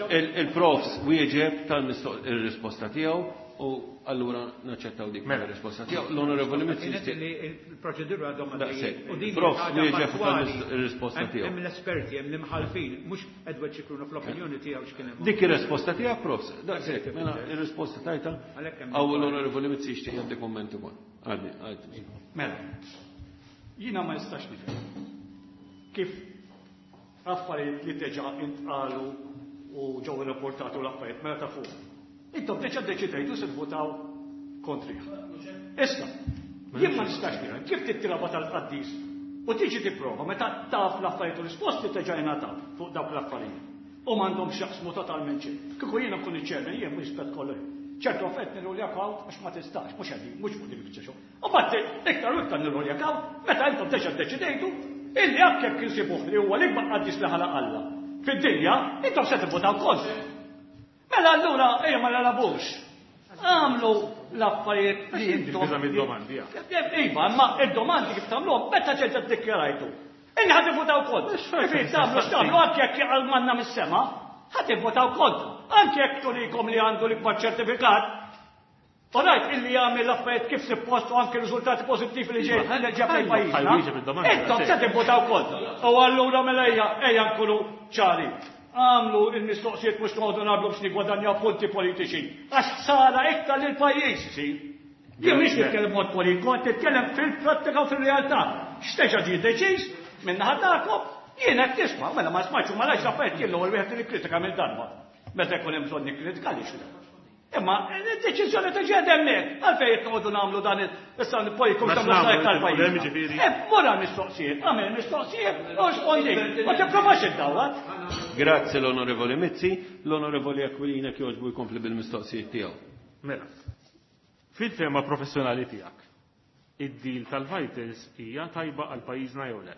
il-, il-profs wieġeb tal-mistoq il-risposta tiegħu u allura naċċettaw dik Mela. il-risposta tiegħu. L-Onorevoli Mizzi Kienet jixtieq li il-proċedura għadhom Daqshekk. għaddejjin. U din Prof, ħaġa wieġeb fattwali. tal-risposta Hemm- tiegħu. Hemm l-esperti, hemm l-imħalfin, mhux Edward Scicluna fl-opinjoni tiegħu x'kien hemm. Dik ir-risposta tiegħek, profs. Daqshekk, mela ir-risposta tajta. Għalhekk hemm Aw l-Onorevoli Mizzi jixtieq jagħti kumment ukoll. Għadni, għadni. Mela, jiena ma nistax nifhem kif affarijiet li diġà intqalu u ġew irrapportati u l-affarijiet mela ta' fuq. Intom diġà ddeċidejtu se tvotaw kontrih. Issa, jien ma nistax nifhem kif tittilaba tal-qaddis u tiġi tipprova meta taf l-affarijiet u risposti diġà jingħataw fuq dawk l-affarijiet. U m'għandhom x'jaqsmu totalment xejn. Kieku jiena nkun iċ-chairman, jien mhux rispett kollu. Ċertu affarijiet nirruljak out għax ma tistax, mhux qegħdin, mhux fuq din il-biċċa xogħol. U mbagħad iktar u iktar nirruljak out meta intom diġà ddeċidejtu illi anke jekk insibuh li huwa l-ikbar qaddis li ħalaq Alla fid-dinja, intom se tivvutaw kontra. Mela allura ejja ma nilagħbux. Għamlu l-affarijiet li intom. Biża' mid-domandi, ja. Iva, ma id-domandi kif tagħmluhom meta ġejt iddikjarajtu. Inni ħad ivvutaw kontra. Kif tagħmlu x'tagħmlu anke jekk jaqal manna mis-sema, ħad ivvutaw kontra. Anke jekk turikom li għandu l-ikbar ċertifikat. U rajt illi jagħmel l-affarijiet kif suppost u anke riżultati pożittivi li ġej li ġab lejn pajjiżna. Ħajju jiġi bid-domanda, Intom sì. se tivvutaw kontra. U allura mela ejja, ejja nkunu ċari. Għamlu il-mistoqsijiet mhux noqogħdu nagħmlu biex nigwadanjaw punti politiċi. Għax ħsara iktar lil pajjiż isir. Jien mhix nitkellem mod politiku, qed nitkellem fil-prattika u fil-realtà. X'teġa ġie deċiż minn naħa tagħkom, jien qed tisma', mela ma smajtx u ma rajtx affarijiet jien l-ewwel wieħed li nikkritika mill-darba. Meta jkun hemm bżonn nikkritika għaliex le. Imma id-deċiżjoni tiġi hemmhekk. Għalfejn qed noqogħdu nagħmlu dan issa nippolitiku x'tagħmlu tal-pajjiż. Eh, mura mistoqsijiet, għamel mistoqsijiet, u rispondi. Ma tipprovax iddawwar. Grazzi l-Onorevoli Mizzi, l-Onorevoli Aquilina kjoġbu jkompli bil-mistoqsijiet tiegħu. Mela, fil-tema professjonali tiegħek, id-deal tal-Vitals hija tajba għal pajjiżna jew le?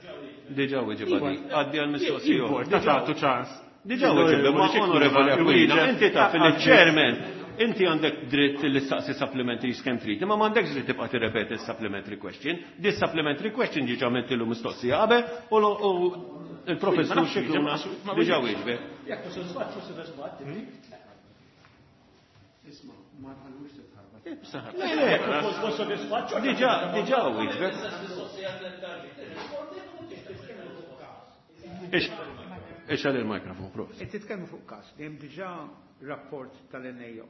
Diġà weġibha di. Għaddi għall-mistoqsija. Importa tagħtu ċans. Diġà weġibha, ma Onorevoli Aquilina, inti taf il-chairman, inti għandek dritt li staqsi supplementary kemm trid, imma m'għandekx dritt tibqa' tirrepeti supplementary question. Di supplementary question ġiġa għamiltilu mistoqsija qabel u il-professur Scicluna diġà wieġbek. Jekk mhux sodisfatt, mhux sodisfatt. Isma', ma tħallux titħarbat. Le, le, diġà diġà wieġbek. Ixgħal il-mikrofon, prof. Qed titkellmu fuq każ li hemm diġà rapport tal-N A O.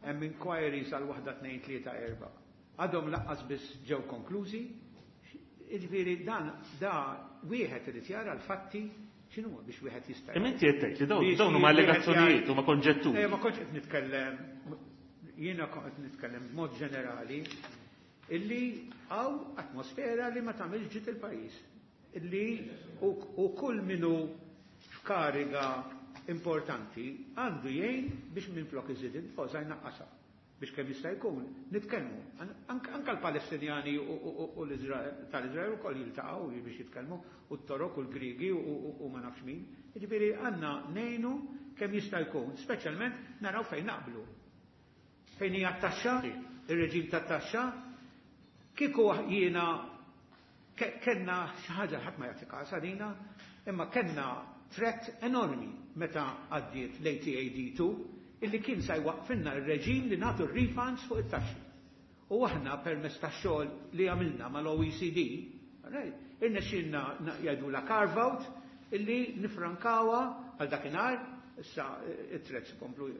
Hemm inquiries għal waħda tnejn tlieta erba'. Għadhom laqqas biss ġew konklużi. Jiġifieri dan da wieħed irid jara l-fatti x'inhu biex wieħed jista' Imma inti qed tgħid li dawn dawn huma allegazzjonijiet huma konġetturi. Eh, ma kontx qed nitkellem, jiena kont qed nitkellem b'mod ġenerali illi hawn atmosfera li ma tagħmilx ġid il-pajjiż. Illi u kull minu f'kariga importanti għandu jgħin biex minflok iżid il-foża jnaqqasha biex kemm jista' jkun nitkellmu. Anke l-Palestinjani u tal-Iżrael ukoll jiltaqgħu biex jitkellmu, u t-Torok u l-Grigi u ma nafx min. Jiġifieri għandna ngħinu kemm jista' jkun, speċjalment naraw fejn naqblu. Fejn hija t-taxxa, ir-reġim tat-taxxa, kieku jiena kellna xi ħaġa ħadd ma jagħti każ għalina, imma kellna threat enormi meta għaddiet l-A T A D two illi kien sa jwaqfinna r-reġim li nagħtu r-refunds fuq it-taxxi. U aħna permezz tax-xogħol li għamilna mal-O E C D, right, irnexxielna jgħidu la carve out illi nifrankawa għal dakinhar, issa it-threats komplu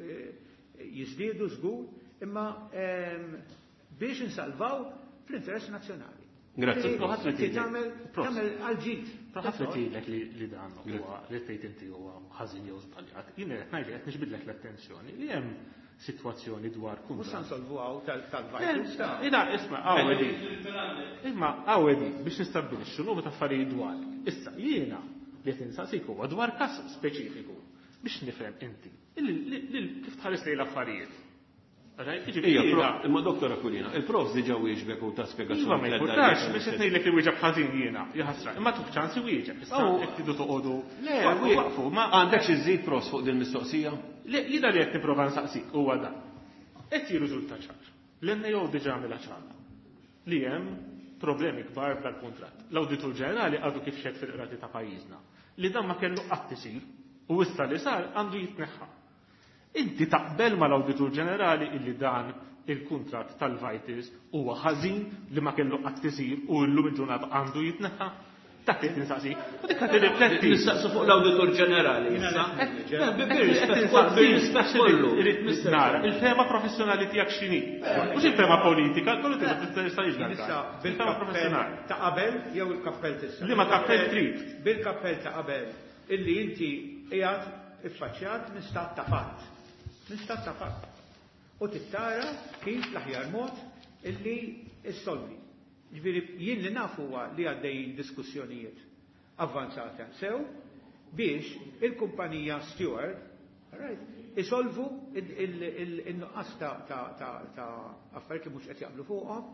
jiżdiedu żgur, imma biex insalvaw fl-interess nazzjonali. Grazie. Inti tagħmel tagħmel għal-ġid. Ħadd li tgħidlek li dan huwa li tgħid inti huwa ħażin jew żbaljat. Jien qed ngħidlek qed nixbidlek l-attenzjoni li hemm sitwazzjoni dwar kuntratt. Mhux se nsolvu hawn tal-Vitals. Ina isma' għawedi. Imma għawedi biex nistabbilixxu numru ta' affarijiet dwar. Issa jiena li qed insaqsik huwa dwar każ speċifiku biex nifhem inti kif tħares lejn l-affarijiet. Ija, imma Doktor Aquilina, il-prof diġà wieġbek u ta' spjegazzjoni. Iva, ma jimpurtax, biex qed ngħidlek li wieġeb ħażin jiena, jaħasra. Imma tuħ ċans iwieġeb, issa jekk tridu toqogħdu. Le, waqfu, ma għandekx iżżid prof fuq din mistoqsija? Le, jiena li qed nipprova nsaqsik huwa dan. Qed jirriżulta ċar. L-N A O diġà għamilha ċara li hemm problemi kbar dal-kuntratt. L-Awditur Ġenerali għadu kif xed fil-qrati ta' pajjiżna li dan ma kellu qatt isir u issa li sar għandu jitneħħa. Inti taqbel mal-Awditur Ġenerali illi dan il-kuntratt tal-Vitals huwa ħażin li ma kellu qatt isir u llum il-ġurnata għandu jitneħħa? Dak li tinsaqsi. U dik qed tirrifletti. Nistaqsu fuq l-Awditur Ġenerali issa. Bir-rispett kollu. Irid nara il-fema professjonali tiegħek x'inhi. Mhux il-fema politika, kollu tista' tista' jiġri. Bil-fema professjonali. Ta' qabel jew il-kappell t'issa. Liema kappell trid? Bil-kappell ta' qabel illi inti qiegħed iffaċċjat minn stat ta' fatt. Minn stat ta' fatt. U tittara kif l-aħjar mod illi issolvi. Ġifieri jien li naf huwa li għaddejjin diskussjonijiet avvanzati sew biex il-kumpanija Steward, right, isolvu il-nuqqas ta' affarijiet li mhux qed jaqblu fuqhom,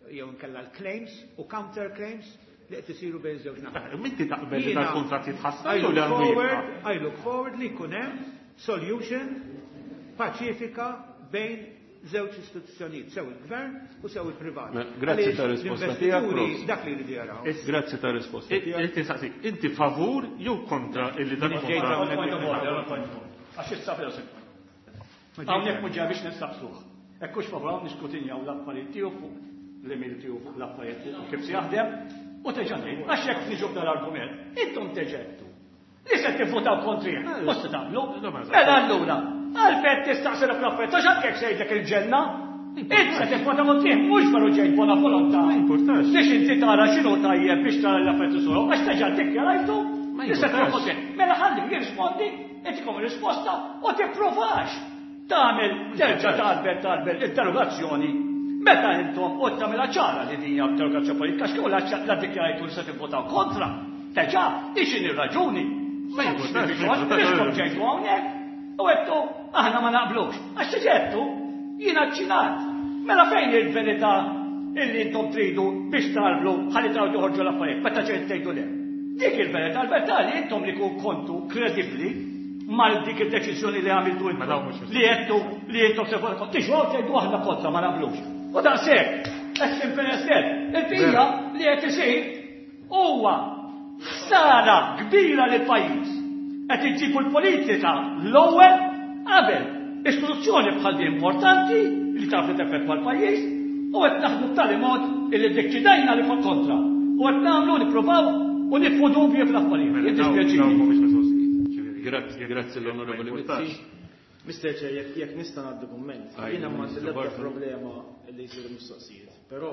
jew inkella l-claims u counter claims li qed isiru bejn żewġ naħat. Inti taqbel li dal-kuntratt jitħassar jew li għandu jibqa'? I look forward li jkun hemm solution paċifika bejn żewġ istituzzjonijiet, sew il-gvern u sew il-privat. Grazzi ta' risposta tiegħek. Dak li jridu jaraw. Grazzi ta' risposta tiegħek. Inti saqsik, inti favur jew kontra illi dan il-kuntratt? Għax issa fil Hawnhekk mhux ġej biex nistaqsuh. Hekk hux favur hawn niskutinjaw l-affarijiet tiegħu fuq l-email tiegħu fuq l-affarijiet kif se jaħdem u terġa' tgħid għax jekk niġu f'dan l-argument, intom teġettu. Li se tivvutaw kontrih, mhux se tagħmlu. Mela allura, għalfejn tistaqsi l-affarijiet, għax anke jekk se jgħidlek il-ġenna, int se tivvota kontrih, mhux veru ġejt bona volontà. Ma jimpurtax. Biex inti tara x'inhu tajjeb biex tara l-affarijiet isuru, għax terġa' ddikjarajtu li se tivvota kontrih. Mela ħalli jirrispondi, intikom risposta u tippruvax. Tagħmel terġa' tarbel tarbel interrogazzjoni meta intom u tagħmilha ċara li din hija interrogazzjoni politika x'kieku la ddikjarajtu li se tivvotaw kontra. Teġa' ixin ir-raġuni. Ma jkunx ġejtu hawnhekk u għedtu aħna ma naqblux. Għax tiġettu jiena ċċinat. Mela fejn il-verità illi intom tridu biex tarblu ħalli traw joħorġu l-affarijiet meta ġejt tgħidu le. Dik il-verità, il-verità li intom li kontu kredibbli mal dik id-deċiżjoni li għamiltu intom li għedtu li intom se votaw tiġu tgħidu aħna kontra ma naqblux. U daqshekk, as simple as that. Il-bija li qed isir huwa ħsara kbira lil pajjiż. Qed iġibu l-politika l-ewwel qabel istituzzjoni bħal din importanti li taf li teffettwa l-pajjiż u qed naħdmu b'tali mod illi ddeċidejna li fuq kontra. U qed nagħmlu nippruvaw u nitfu dubji fl-affarijiet. Jiddispjaċini. Grazzi, grazzi l-Onorevoli Mizzi. Mister Chair, jekk jekk nista' ngħaddi kumment, jiena m'għandi l-ebda problema li jsiru mistoqsijiet, però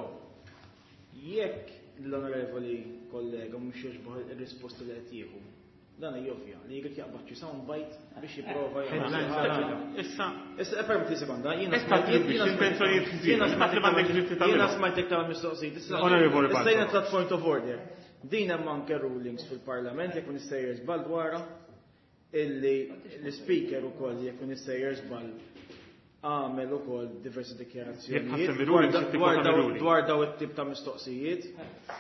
jekk l-onorevoli kollega mhux jogħġbuh ir-risposti li qed jieħu, dan jovvja li jrid jaqbad xi sound bite biex jipprova jagħmel xi ħaġa. Issa, Issa permetti sekonda, jiena Issa tribbi intenzjonijiet ħżiena, jiena taf li m'għandekx dritt tagħmilhom. Jiena smajtek tagħmel mistoqsijiet. Issa Onorevoli issa jiena Bartolo. tlaqt point of order. Din hemm anke rulings fil-Parlament jekk nistejjer żball dwarha illi l-speaker ukoll jekk nistejjer żball għamel ukoll diversi Jekk dikjarazzjonijiet ħassem dwar ir-rulings, da- jekk dwar tikkwota daw- mir-rulings. dwar daw it-tip ta' mistoqsijiet.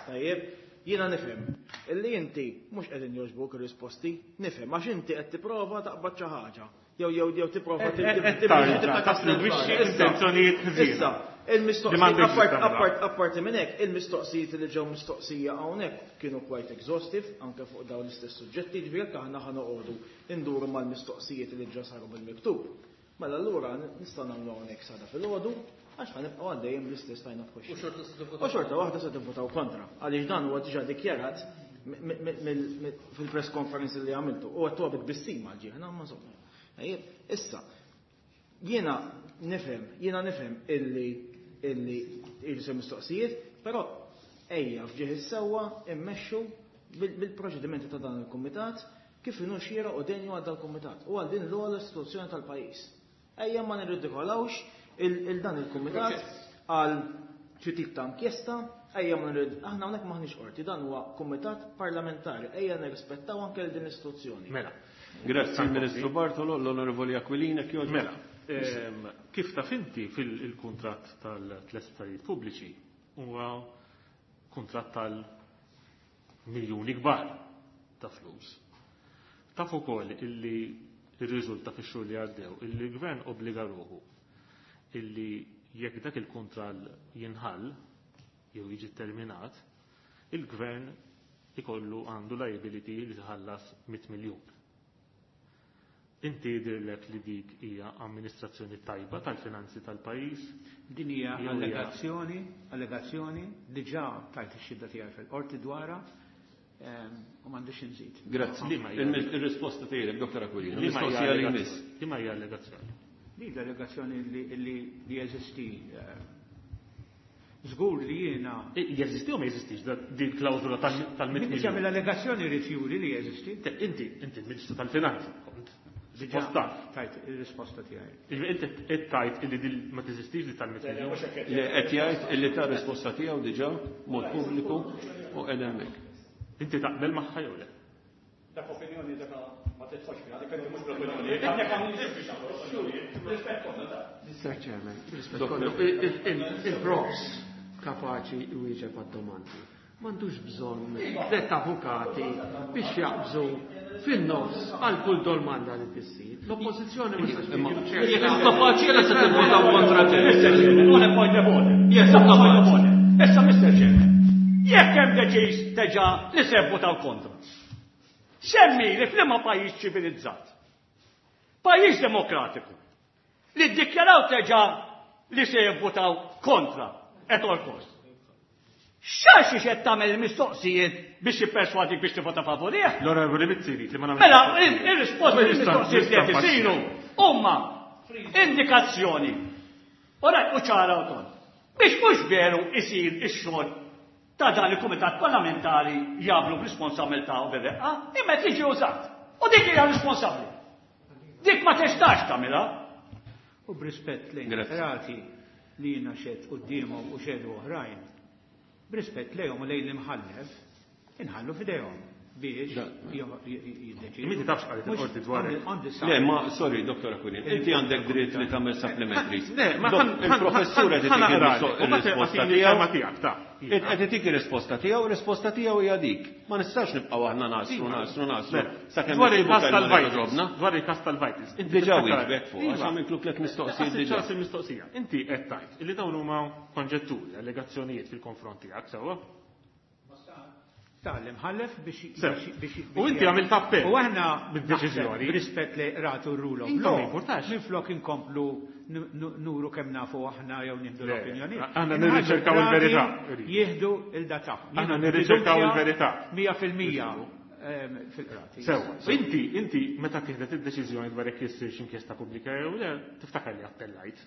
Tajjeb, jiena nifhem illi inti mhux qegħdin jogħġbuk ir-risposti, nifhem għax inti qed tipprova taqbad xi ħaġa. Jew jew jew tipprova Qed tarġa' tattribwixxi intenzjonijiet ħżiena. Issa, Li il-mistoqsijiet m'għandekx apart tagħmilha. apart apparti minn hekk, il-mistoqsijiet li ġew mistoqsija hawnhekk kienu quite exhaustive anke fuq dawn l-istess suġġetti, ġifieri jekk aħna ħa noqogħdu nduru mal-mistoqsijiet li ġa saru bil-miktub. Mela allura nistgħu nagħmlu hawnhekk sada filgħodu għax ħa nibqgħu għaddejjem bl-istess line of question. U xorta waħda se tivvotaw kontra, għaliex dan huwa diġà dikjarat fil-press conference li għamiltu u għattu għabit bissima ġieħna, ma insomma. Ejjeb, issa, jiena nifhem, jiena nifhem illi illi jridu mistoqsijiet, però ejja f'ġieħ is-sewwa immexxu bil-proċedimenti ta' dan il-kumitat kif inhu xieraq u denju għal dal-kumitat u għal din l-ogħla istituzzjoni tal-pajjiż. Ejja ma nirridikolawx il dan il-kumitat għal xi tip ta' inkjesta, ejja ma nirrid aħna hawnhekk m'aħniex qorti, dan huwa kumitat parlamentari, ejja nirrispettaw anke lil din l-istituzzjoni. Mela. Grazzi Ministru Bartolo, l-Onorevoli Aquilina, kjoġ. Mela, ehm, kif taf inti fil-kuntratt tal-tliet sptarijiet pubbliċi huwa kuntratt tal-miljuni kbar ta' flus. Taf ukoll illi rriżulta fix-xhur li għaddew illi l-gvern obbliga ruħu illi jekk dak il-kuntratt jinħall jew jiġi terminat, il-gvern ikollu għandu liability li tħallas mitt miljun. Inti jidhirlek li dik hija amministrazzjoni tajba tal-finanzi tal-pajjiż? Din hija Jew hija allegazzjoni, allegazzjoni diġà tajt ix-xhieda tiegħi fil-qorti dwarha, ehm, u m'għandix inżid. Grazzi. Liema hija Il- Il-risposta tiegħek, Doktor Aquilina. Liema hija Mistoqsija li allegazzjoni? jmiss. Liema hija allegazzjoni? Li l-allegazzjoni li, li, li jeżisti, eh, żgur li jiena E, jeżisti u ma jeżistix da-, din klawżola tal-, tal-mitt Min miljun? jagħmel allegazzjoni jrid juri li jeżisti. Te, inti, inti l-Ministru tal-Finanzi kont. Diġà Suppost taf. tajt ir-risposta tiegħi. Jiġifieri inti qed tgħid illi din ma teżistix di tal-mitt miljun? Li qed jgħid illi ta' risposta tiegħu diġà mod pubbliku u qed hemmhekk. Inti taqbel magħha jew le? Dak opinjoni dak ma tidħolx fiha, dik mhux bl-opinjoni. Dak hawn rispett kollu da. Mister Chairman, rispett kollu, il-profs kapaċi jwieġeb għad-domandi. M'għandux bżonn tliet avukati biex jaqbżu fin-nofs għal kull domanda li tissir. L-oppożizzjoni ma tistax tiġi Jekk kapaċi għala se tivvotaw kontra te. Mister Chairman, on a point of order. Yes, On a point of kapaċi. order. Issa, Mister Chairman, jekk hemm deċiż teġa li se vvotaw kontra. Semmi li f'liema pajjiż ċivilizzat, pajjiż demokratiku, li ddikjaraw teġa li se jivvotaw kontra at all cost. X'għax qed tagħmel il-mistoqsijiet biex jipperswadik biex tivvota favorih? L-Onorevoli Mizzi jrid li ma nagħmel. Mela, il-, il-risposti Ma nista' il-mistoqsijiet li qed nista' isiru huma indikazzjoni. Ora u ċara wkoll. Biex mhux veru isir ix-xogħol ta' dan il-Kumitat Parlamentari jagħmlu b'responsabilità u bir-reqqa, imma qed jiġi użat. U dik hija responsabbli. Dik ma tistax tagħmilha. U b'rispett lejn qrati li jiena xedt quddiemhom u xedu oħrajn, b'rispett lejhom u lejn l-imħallef, inħallu f'idejhom biex jiddeċidu. Inti tafx qalet il-qorti dwar. Le, ma sorry, Doktor Aquilina, inti għandek dritt li tagħmel supplementaries. Le, ma il-professur qed itik ir-risposta tiegħu. Qed itik ir-risposta tiegħu, ir-risposta tiegħu hija dik. Ma nistax nibqgħu aħna nasru, nasru, nasru. Sakemm dwar il-każ tal-Vitals. Dwar il-każ tal-Vitals. Diġà wieġbek fuq, għax għamiltlu tliet mistoqsijiet diġà. Il-mistoqsija. Inti qed tgħid illi dawn huma konġetturi, allegazzjonijiet fil-konfront tiegħek, sewwa? Tal-imħallef biex biex U inti għamilt appell. U aħna bid-deċiżjoni. B'rispett li ratu r-rule of law. Minflok inkomplu nuru kemm nafu aħna jew nieħdu l-opinjoni. Aħna nirriċerkaw il-verità. Jieħdu il-data. Aħna nirriċerkaw il-verità. Mija fil-mija fil-qrati. Sewwa. Inti inti meta tieħdet id-deċiżjoni dwar jekk issirx inkjesta pubblika jew le, tiftakar li appellajt.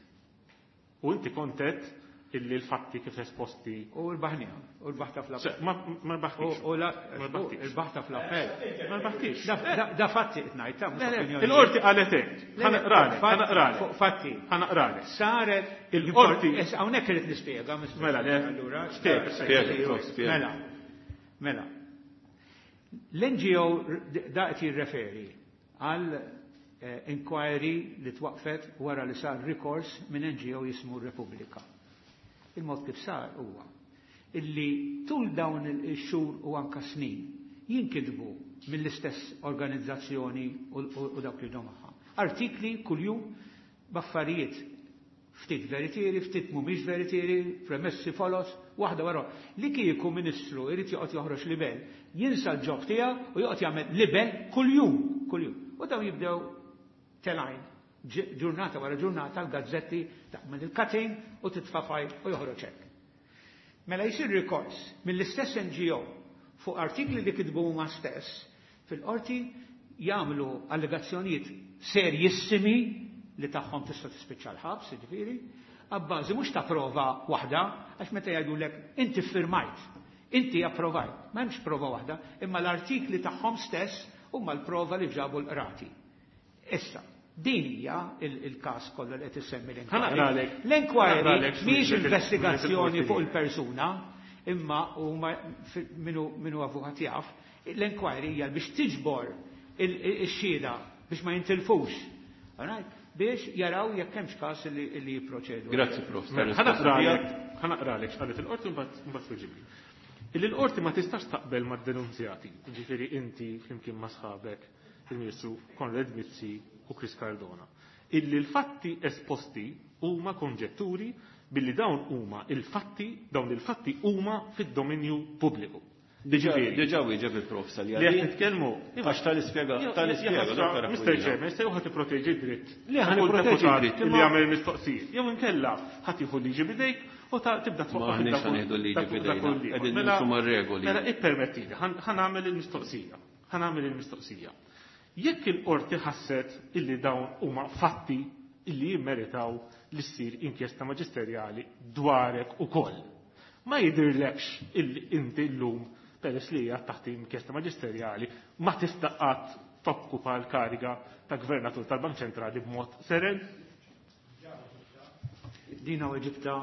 U inti kontet illi l-fatti kif esposti. U rbaħniha, u rbaħta fl-appell. Ma rbaħtix. U rbaħta fl-appell. Ma rbaħtix. Da fatti qed ngħid, ta' mhux opinjoni. Il-qorti qalet hekk. Ħa naqralek, ħa naqralek. Fatti. Ħa naqralek. Saret il-qorti. Hawnhekk irid nispjega. Mela, le. Allura. Spjega, spjega. Mela. Mela. L-N G O da qed jirreferi għal inquiry li twaqfet wara li sar rikors minn N G O jismu Repubblika. Il-mod kif sar huwa illi tul dawn il-xhur u anka snin jinkitbu mill-istess organizzazzjoni u dawk li magħha. Artikli kuljum b'affarijiet ftit veritieri, ftit mhumiex veritieri, premessi folos, waħda wara. Li kieku ministru irid joqgħod joħroġ libel, jinsa l-ġob tiegħu u joqgħod jagħmel libel kuljum, kuljum. U dawn jibdew telgħin ġurnata wara ġurnata l-gazzetti tagħmel il-cutting u titfa' fajl u joħroġ hekk. Mela jsir rikors mill-istess N G O fuq artikli li kitbu huma stess fil-qorti jagħmlu allegazzjonijiet serjissimi li tagħhom tista' tispiċċa l-ħabs, jiġifieri, abbażi mhux ta' prova waħda, għax meta jgħidulek inti ffirmajt, inti approvajt, ma hemmx prova waħda, imma l-artikli tagħhom stess huma l-prova li ġabu l-qrati. Issa, din hija il-każ kollu li qed issemmi l-inquiry. L-inquiry mhijiex investigazzjoni fuq il-persuna, imma huma minu minu avukat jaf, l-inquiry hija biex tiġbor ix-xhieda biex ma jintilfux. Biex jaraw jekk hemmx każ li jipproċedu. Grazzi, Prof. Ħa naqralek x'qalet il-qorti mbagħad tweġibli. Illi l-qorti ma tistax taqbel mad-denunzjati, jiġifieri inti flimkien ma' sħabek il-Ministru Konrad Mizzi u Chris Cardona. Illi l-fatti esposti huma konġetturi billi dawn huma il-fatti, dawn il-fatti huma fid-dominju pubbliku. Diġà diġà wieġeb il-prof Saljani. Li qed nitkellmu. Għax tal-ispjega, tal-ispjega, Doktor Mister Chairman, se ħadd tipproteġi dritt. Le ħa nipproteġi dritt li jagħmel mistoqsijiet. Jew inkella ħadd jieħu liġi bidejk u tibda twaqqaf. Ma aħniex ħanieħdu l-liġi bidejna. Qegħdin nimxu mar-regoli. Mela ippermettili, ħa nagħmel il-mistoqsija. Ħa nagħmel il-mistoqsija. Jekk il-qorti ħasset illi dawn huma fatti illi jimmeritaw li ssir inkjesta maġisterjali dwarek ukoll. Ma jidhirlekx illi inti llum peress li hija taħt inkjesta maġisterjali ma tista' qatt tokkupa l-kariga ta' gvernatur tal-Bank Ċentrali b'mod seren? Dina weġibta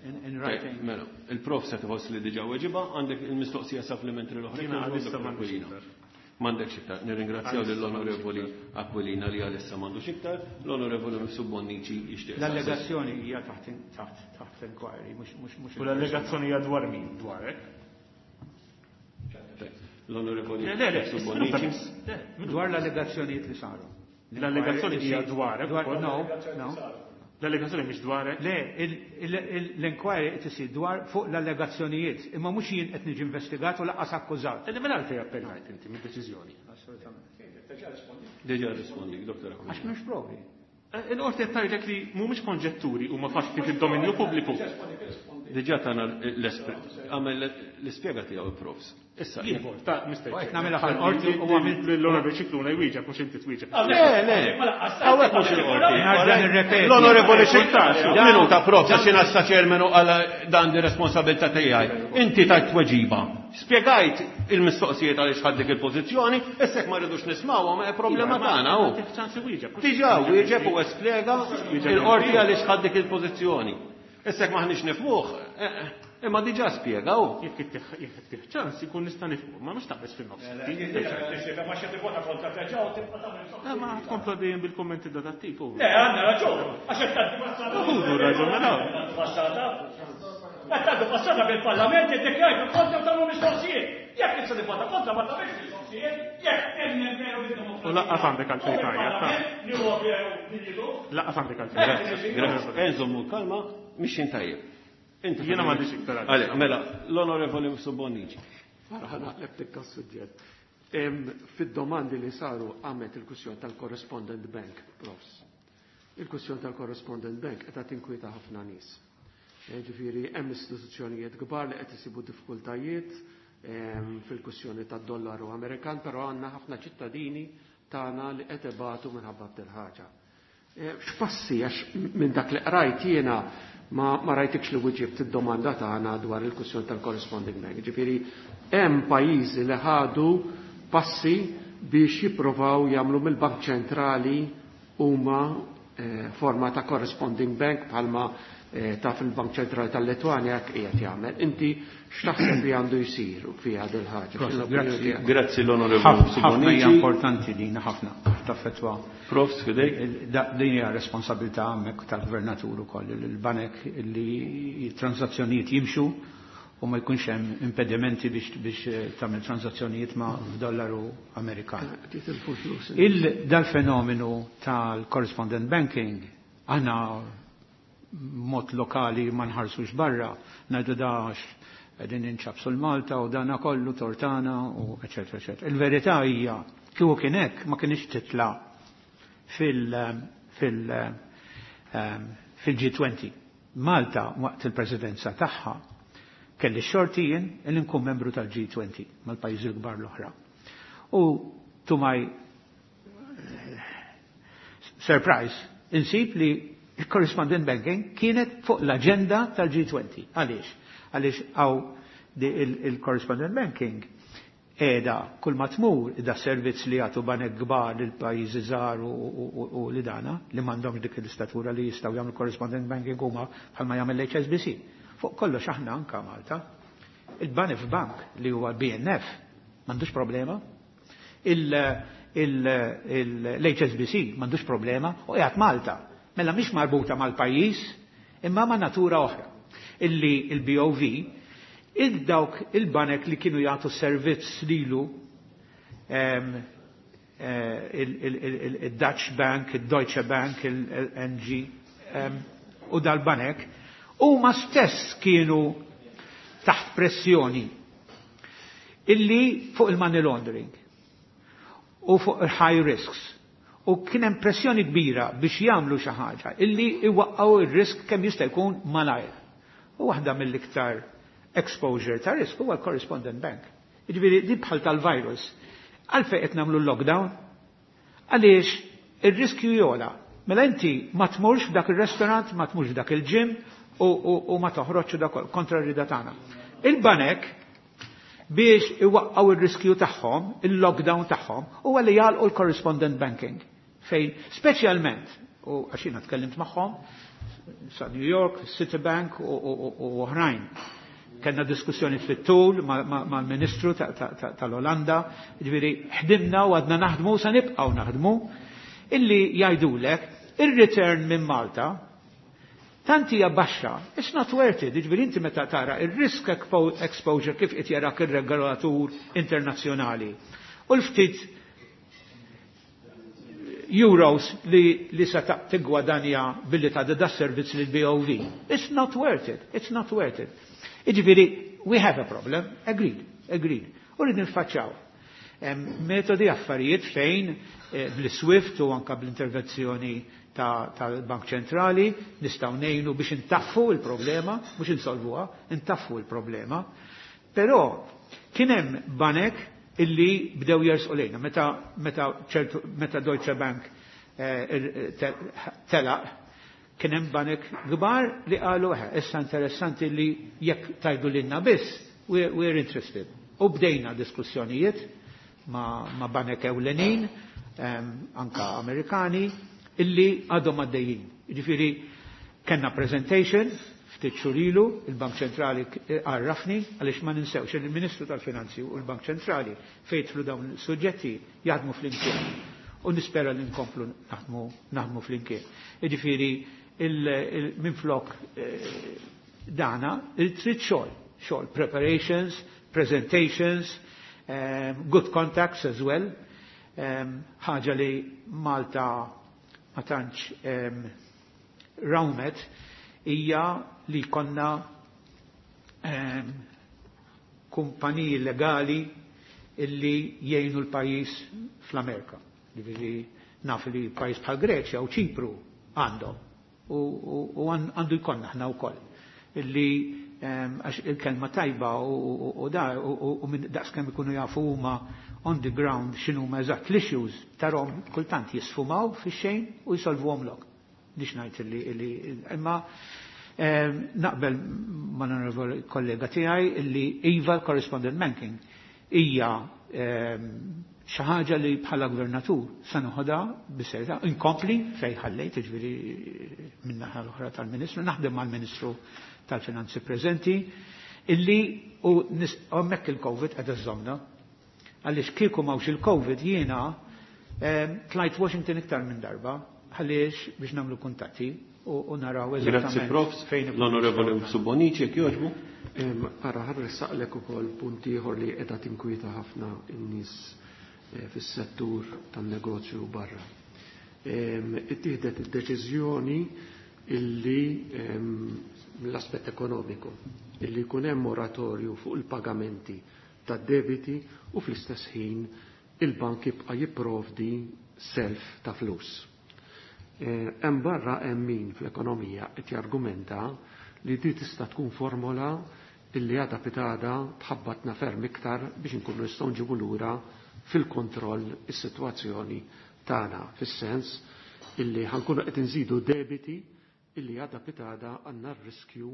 in writing. Mela, il-prof se tħoss li diġà weġiba, għandek il-mistoqsija supplementary l-oħra. Jiena għalissa m'għandix iktar. M'għandekx iktar. Nirringrazzjaw lill-Onorevoli Aquilina li għalissa m'għandux iktar, l-Onorevoli Mifsud Bonnici jixtieq. L-allegazzjoni hija taħt taħt inquiry, mhux mhux mhux. U l-allegazzjoni hija dwar min? Dwarek? L-Onorevoli Mifsud Bonnici. Dwar l-allegazzjonijiet li saru. L-allegazzjoni hija dwarek. No, no. L-allegazzjoni mhix dwarek? Le, l-inquiry qed isir dwar fuq l-allegazzjonijiet, imma mhux jien qed niġi investigat u lanqas akkużat. Illi mela għalfejn appellajt inti mid-deċiżjoni. Assolutament. Diġà rispondi, Doktor Aquilina. Għax m'hemmx provi. Il-qorti qed tgħidlek li mhumiex konġetturi huma fatti fid-dominju pubbliku. Diġà tagħna għamel l-ispjega tiegħu il-profs. Issa jien ta' Mister Qed nagħmilha fil-qorti u għamilt l-Onorevoli Scicluna jwieġeb mhux inti twieġeb. Le, le, hawnhekk mhux il-qorti. Nerġa' nirrepeti. L-Onorevoli Scicluna, minuta prof, għax jiena sa chairman u għal dan di responsabilità tiegħi. Inti tajt tweġiba. Spjegajt il-mistoqsijiet għaliex ħadt dik il-pożizzjoni, issa jekk ma rridux nismgħuhom è problema tagħna hu. Diġà wieġeb u espjega il-qorti għaliex ħadt dik il-pożizzjoni. Issa jekk m'aħniex nifhmuh, imma diġà spjega hu. Jekk ittih ċans ikun nista' nifhmu, ma mhux taqbeż fin-nofs. Ma tkompla dejjem bil-kummenti dat-tip. Le, għandna raġun, għax qed tgħaddi passata. Ħudu raġun, mela. Passata. Qed tgħaddu passata bil-Parlament iddikjarajtu kontra u tagħmlu mistoqsijiet. Jekk issa nivvota kontra ma tagħmilx mistoqsijiet, jekk temmen veru bid-demokrazija. U laqqas għandek għalfejn tgħajjat. Li huwa veru li Laqqas għandek għalfejn. Grazzi. Enżommu kalma, mixin tajjeb. Jiena m'għandix iktar. Għale, mela, l-Onorevoli Bonnici. Ħa naqleb tikka s-suġġett. Fid-domandi li saru għamet il-kwistjoni tal-Correspondent Bank, profs. Il-kwistjoni tal-Correspondent Bank qed tinkwieta ħafna nies. Ġifieri hemm istituzzjonijiet kbar li qed isibu diffikultajiet fil-kwistjoni tad-dollaru Amerikan, però għandna ħafna ċittadini tagħna li qed ibatu minħabba ħaġa. X'passi għax minn dak li qrajt jiena ma, ma rajtikx li wieġibt id-domanda tagħna dwar il-kwistjoni tal-corresponding bank. Ġifieri hemm pajjiżi li ħadu passi biex jipprovaw jagħmlu mill-Bank Ċentrali huma eh, forma ta' corresponding bank bħalma eh, ta' fil-Bank Ċentrali tal-Letwanja hekk qiegħed jagħmel. Inti x'taħseb li għandu jsir fiha din ħaġa? Grazzi l-Onorevoli Ħafna hija importanti din ħafna taffettwa. Prof, fidejk. Din hija responsabilità hemmhekk tal-gvernatur ukoll il-banek li transazzjonijiet jimxu u ma jkunx hemm impedimenti biex biex tagħmel transazzjonijiet ma' f'dollaru Amerikan. Il dal-fenomenu tal-correspondent banking aħna mod lokali ma nħarsux barra, ngħidu dax qegħdin inċabsu l-Malta u dana kollu tortana u eċetera eċetera. Il-verità hija kieku kien hekk ma kienx titla' fil fil fil-G twenty. Malta waqt il-presidenza tagħha kelli xorti jien li nkun membru tal-G twenty mal-pajjiżi l-kbar l-oħra. U to my surprise, insib li il-correspondent banking kienet fuq l-agenda tal-G twenty. Għaliex? Għaliex għaw il-correspondent banking qiegħda kull ma tmur da servizz li jagħtu banek kbar lil pajjiżi żgħar u li dana li m'għandhomx dik l-istatura li jistgħu jagħmlu correspondent banking huma bħalma jagħmel l-H S B C. Fuq kollox aħna anka Malta, il-Banif Bank li huwa B N F m'għandux problema, l-H S B C m'għandux problema u qiegħed Malta. Mela mhix marbuta mal-pajjiż imma ma' natura oħra. Illi il-B O V il-dawk il-banek li kienu jagħtu servizz lilu il-Dutch Bank, il-Deutsche Bank, il-N G u dal-banek huma stess kienu taħt pressjoni illi fuq il-money laundering u fuq il-high risks u kien hemm pressjoni kbira biex jagħmlu xi ħaġa illi iwaqqgħu ir-risk kemm jista' jkun malajr. U waħda mill-iktar exposure ta' risk huwa l-correspondent bank. Jiġifieri di bħal tal-virus. Għalfejn qed nagħmlu l-lockdown? Għaliex ir-riskju jola. Mela inti ma tmurx f'dak ir-restaurant, ma tmurx f'dak il-gym u, u, u ma toħroġx dak kontra r-rida tagħna. Il-banek biex iwaqqgħu ir-riskju tagħhom, il-lockdown tagħhom, huwa li jagħlqu l-correspondent banking. Fejn speċjalment, u għax jiena tkellimt magħhom, sa New York, Citibank u, u, u, u oħrajn. Kellna diskussjoni fit-tul mal-Ministru tal-Olanda, ġifieri ħdimna u għadna naħdmu sa nibqgħu naħdmu, illi jgħidulek ir-return minn Malta tant hija baxxa, it's not worth it, ġifieri inti meta tara ir-risk exposure kif qed jarak ir-regolatur internazzjonali. U l-ftit euros li, li sa tigwadanja billi ta' da servizz lil B O V. It's not worth it, it's not worth it. Jiġifieri, we have a problem, agreed, agreed. U rrid niffaċċjaw. Metodi affarijiet fejn eh, bl-SWIFT u anka bl-intervenzjoni tal-Bank Ċentrali nistgħu ngħinu biex intaffu l-problema, mhux insolvuha, intaffu l-problema. Però kien hemm banek illi bdew jersqu lejna. Meta, meta, ċertu, meta Deutsche Bank eh, telaq, kien hemm banek kbar li qalu, eh, issa interessanti li jekk tajdu lilna biss, we're, we're interested. U bdejna diskussjonijiet ma, ma banek ewlenin, um, anka Amerikani, illi għadhom għaddejjin. Jiġifieri kellna presentation ftit xhur ilu, il-Bank Ċentrali għarrafni għaliex ma ninsewx il-Ministru tal-Finanzi u l-Bank Ċentrali fejn dawn is-suġġetti jaħdmu flimkien. U nispera li nkomplu naħdmu naħdmu flimkien. Jiġifieri minflok dana il-trid xogħol, xogħol preparations, presentations, um, good contacts as well. Um, ħaġa li Malta ma tantx um, rawmet hija li konna um, kumpaniji legali illi jgħinu l-pajjiż fl-Amerika. Ġifieri naf li pajjiż bħal Greċja u Ċipru għandhom u, u, u għandu jkollna aħna wkoll illi għax il-kelma tajba u, u, da u, u minn daqskemm ikunu jafu huma on the ground x'inhuma eżatt l-issues tarhom kultant jisfumaw fix-xejn u jsolvuhom lok. Nix ngħid illi, illi imma naqbel ma' l kollega tiegħi illi iva l-correspondent banking hija xi ħaġa li bħala gvernatur se noħodha bis-serjetà inkompli fejn ħallejt, jiġifieri min-naħa l-oħra tal-Ministru, naħdem mal-Ministru tal-Finanzi preżenti, illi u hemmhekk il-Covid qed iżżommna. Għaliex kieku m'hawnx il-Covid jiena tlajt Washington iktar minn darba għaliex biex nagħmlu kuntatti u naraw eżattament. Grazzi Prof. L-Onorevoli Subonici, jekk jogħġbu. Ara, ħa nressaqlek ukoll punt ieħor li qiegħda tinkwieta ħafna n-nies fis-settur tan-negozju barra. Ittieħdet id-deċiżjoni illi mill-aspett ekonomiku illi jkun hemm moratorju fuq il-pagamenti tad-debiti u fl-istess ħin il-bank jibqa' jipprovdi self ta' flus. Hemm barra hemm min fl-ekonomija qed jargumenta li di tista' tkun formola illi għada pitada tħabbatna ferm iktar biex inkunu nistgħu nġibu lura fil-kontroll is-sitwazzjoni tagħna, fis-sens illi ħankunu qed inżidu debiti illi għada pitada għandna r-riskju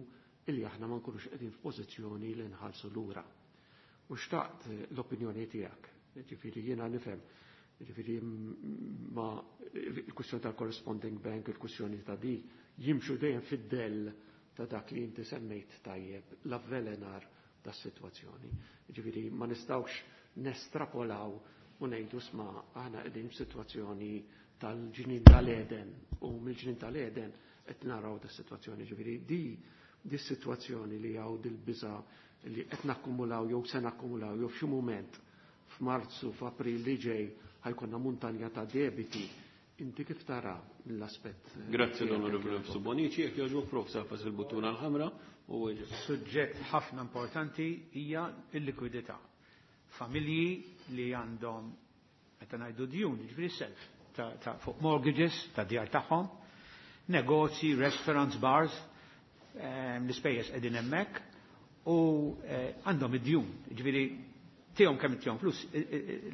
illi aħna ma nkunux qegħdin f'pożizzjoni li nħallsu lura. U xtaqt l-opinjoni tiegħek, ġifieri jiena nifhem, ġifieri ma il-kwistjoni tal-corresponding bank, il-kwistjoni ta' di, jimxu dejjem fid-dell ta' dak li inti semmejt tajjeb, l-avvelenar tas-sitwazzjoni. Ġifieri ma nistgħux nestrapolaw u ngħidu sma aħna qegħdin f'sitwazzjoni tal-ġnien tal-Eden u mill-ġnien tal-Eden qed naraw da sitwazzjoni. Ġifieri di di sitwazzjoni li hawn dil-biża li qed nakkumulaw jew se nakkumulaw jew f'xi mument f'Marzu, f'April li ġej ħajkonna muntanja ta' debiti. Inti kif tara l-aspett? Grazzi l-Onorevoli Bonici, jekk jogħġbok Prof safas il-buttuna l-ħamra u Suġġett ħafna importanti hija l-likwidità. Familji li għandhom meta ngħidu djun, jiġifieri self ta', ta fuq mortgages ta' djar tagħhom, negozji, restaurants, bars, l-ispejjeż qegħdin hemmhekk u għandhom id-djun, jiġifieri tihom kemm tihom flus,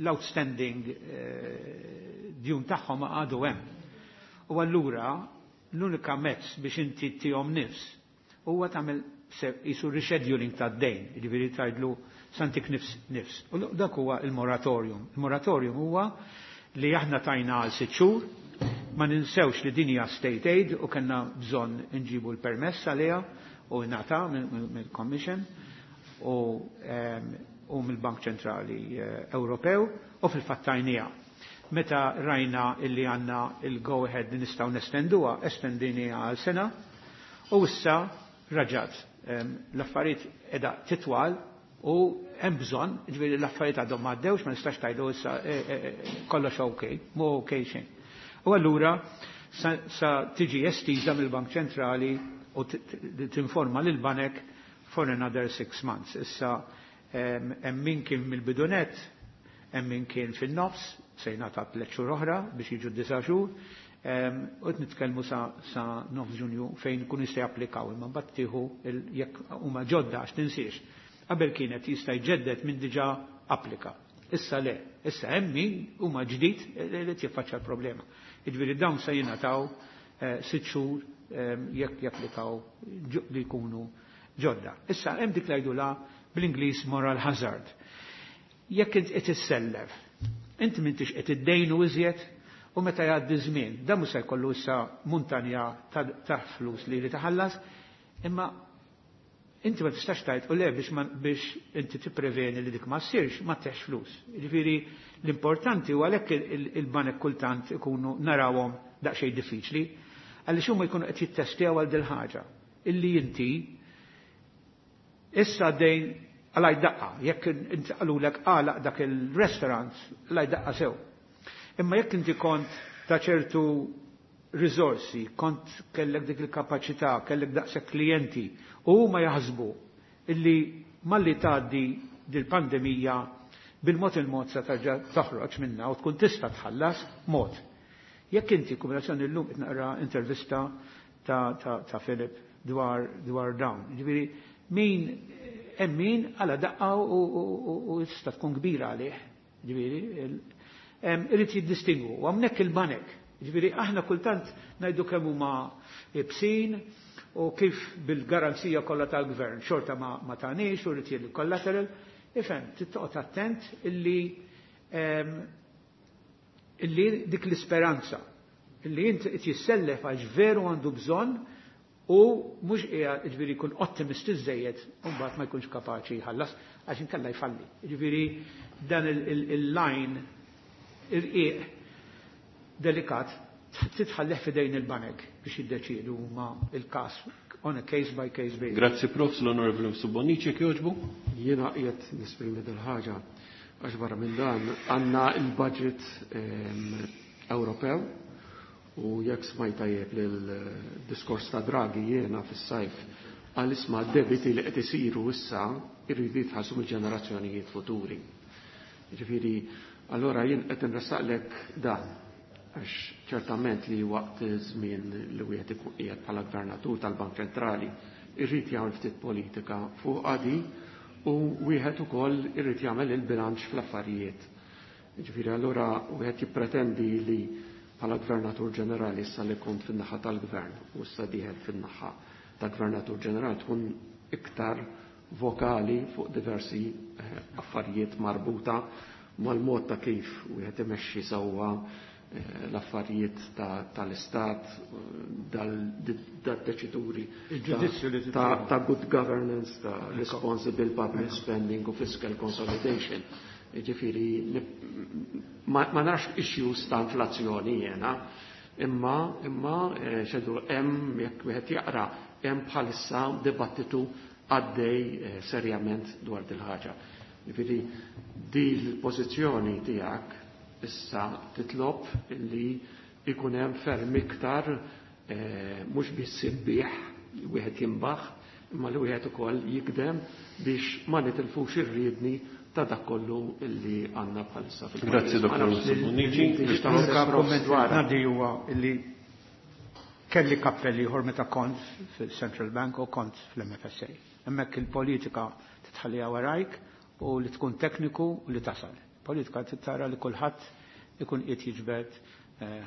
l-outstanding djun tagħhom għadu hemm. U allura l-unika mezz biex inti tihom nifs huwa tagħmel jisu rescheduling tad-dejn, jiġifieri tgħidlu santik nifs nifs. U dak huwa il-moratorium. Il-moratorium huwa li aħna tajna għal sitt xhur, ma ninsewx li din hija state aid u kellna bżonn inġibu l-permess għaliha u ngħata mill-Commission u u mill-Bank Ċentrali Ewropew u fil-fatt tajniha. Meta rajna illi għandna il-go ahead li nistgħu nestenduha, estendiniha għal sena u issa raġat. L-affarijiet qiegħda titwal u hemm bżonn, ġifieri l-affarijiet għadhom ma għaddewx, ma nistax tgħidu issa kollox okej, mhu okej xejn. U allura sa, sa tiġi estiża mill-Bank Ċentrali u tinforma lil banek for another six months. Issa hemm min kien mill-bidunet, hemm min kien fin-nofs, se jingħata tliet xhur oħra biex jiġu disa' xhur, u qed nitkellmu sa, sa nofs Ġunju fejn kun jista' japplikaw, imma mbagħad tieħu jekk huma ġodda għax tinsiex. Qabel kienet jista' jġedded minn diġà applika. Issa le, issa hemm min huma ġdid li jiffaċċja l-problema. Jiġifieri dawn se jingħataw sitt xhur jekk japplikaw li jkunu ġodda. Issa hemm dik li la Bl-Ingliż moral hazard. Jekk int qed issellef, inti m'intix qed iddejnu iżjed u meta jgħaddi żmien, dan mhux se jkollu issa muntanja ta' flus li jrid iħallas, imma inti ma tistax tgħid u le biex biex inti tippreveni li dik ma ssirx ma teħx flus. Jiġifieri l-importanti u għalhekk il-banek kultant ikunu narawhom daqsxejn diffiċli, għaliex huma jkunu qed jittestjaw għal dil ħaġa illi inti issa dejn għalaj daqqa, jekk inti qalulek għalaq dak il-restaurant, għalaj daqqa sew. Imma jekk inti kont ta' ċertu risorsi, kont kellek dik il-kapaċità, kellek daqshekk klijenti, u huma jaħsbu illi malli tgħaddi dil-pandemija bil-mod il-mod se terġa' toħroġ minna u tkun tista' tħallas mod. Jekk inti kombinazzjoni llum qed naqra intervista ta', ta, ta' Philip dwar, dwar dawn. Ġifieri min hemm min għala daqqa u tista' tkun kbira għalih. Ġifieri irid jiddistingwu. U hawnhekk il-banek. Ġifieri aħna kultant ngħidu kemm huma ibsin u kif bil-garanzija kollha tal-gvern xorta ma, ma tagħniex u rrid collateral. Ifhem, tittoqgħod attent illi illi dik l-isperanza illi int qed jissellef għax veru għandu bżonn u mhux qiegħed jiġifieri jkun ottimist iżejjed u mbagħad ma jkunx kapaċi jħallas għax inkella jfalli. Jiġifieri dan il-line irqiq delikat titħalleh f'idejn il-banek biex jiddeċiedu huma il-każ on a case by case basis. Grazzi Prof, l-Onorevoli Bonnici jogħġbu. Jiena qiegħed nesprimi dil-ħaġa għax barra minn dan għandna il-budget Ewropew u jekk smajt tajjeb lil-diskors ta' Draghi jiena fis-sajf għal isma' debiti li qed isiru issa irridu jitħallsu mill-ġenerazzjonijiet futuri. Ġifieri, allora jien qed inressaqlek dan għax ċertament li waqt żmien li wieħed ikun qiegħed bħala gvernatur tal-Bank Ċentrali irrid jagħmel ftit politika fuq għadi u wieħed ukoll irrid jagħmel il-bilanċ fl-affarijiet. Ġifieri allura wieħed jippretendi li bħala gvernatur ġenerali issa li kont fin-naħa tal-gvern u issa dieħel fin-naħa ta' gvernatur ġenerali tkun iktar vokali fuq diversi affarijiet marbuta mal-mod ta' kif wieħed imexxi sewwa l-affarijiet tal-istat, dal-deċiduri ta' good governance, ta' responsible public spending u fiscal consolidation. Ġifieri, ma narax issues ta' inflazzjoni jena, imma imma xedu hemm jekk wieħed jaqra hemm bħalissa dibattitu għaddej serjament dwar dil-ħaġa. Ġifieri, di l-pożizzjoni tiegħek issa titlob li ikun hemm ferm iktar mhux biss ibbieħ wieħed jimbaħ, imma li wieħed ukoll jikdem biex ma nitilfux ir-riedni ta' dak kollu illi għandna bħalissa fil-pajjiż. Grazzi Dottor Bonnici. Komment ngħaddi huwa illi kelli kappell ieħor meta kont fil-Central Bank u kont fl-M F S A. Hemmhekk il-politika titħallija warajk u li tkun tekniku u li tasal. Politika tara li kulħadd ikun qiegħed jiġbed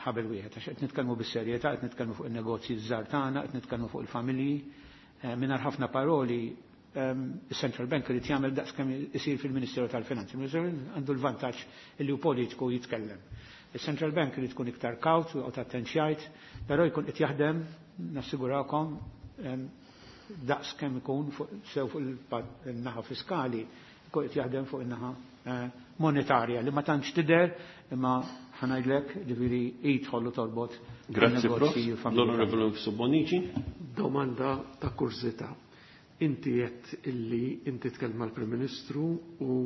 ħabel wieħed għax qed nitkellmu bis-serjetà, qed nitkellmu fuq in-negozji żgħar tagħna, qed nitkellmu fuq il-familji. Mingħajr ħafna paroli, is-Central Bank irid jagħmel daqskemm isir fil-Ministeru tal-Finanzi. Il-Ministeru għandu l-vantaġġ li hu politiku jitkellem. Il-Central Bank irid tkun iktar kawt u joqgħod attent x'jgħid, però jkun qed jaħdem, nassigurakom, daqskemm ikun sew fuq il-naħa fiskali, jkun qed jaħdem fuq in-naħa monetarja li ma tantx tidher imma ħanajdlek ġifieri jidħollu torbot. Grazzi Prof. L-Onorevole Bonnici. Domanda ta' kurżità. Inti qed illi inti tkellem mal-Prim Ministru u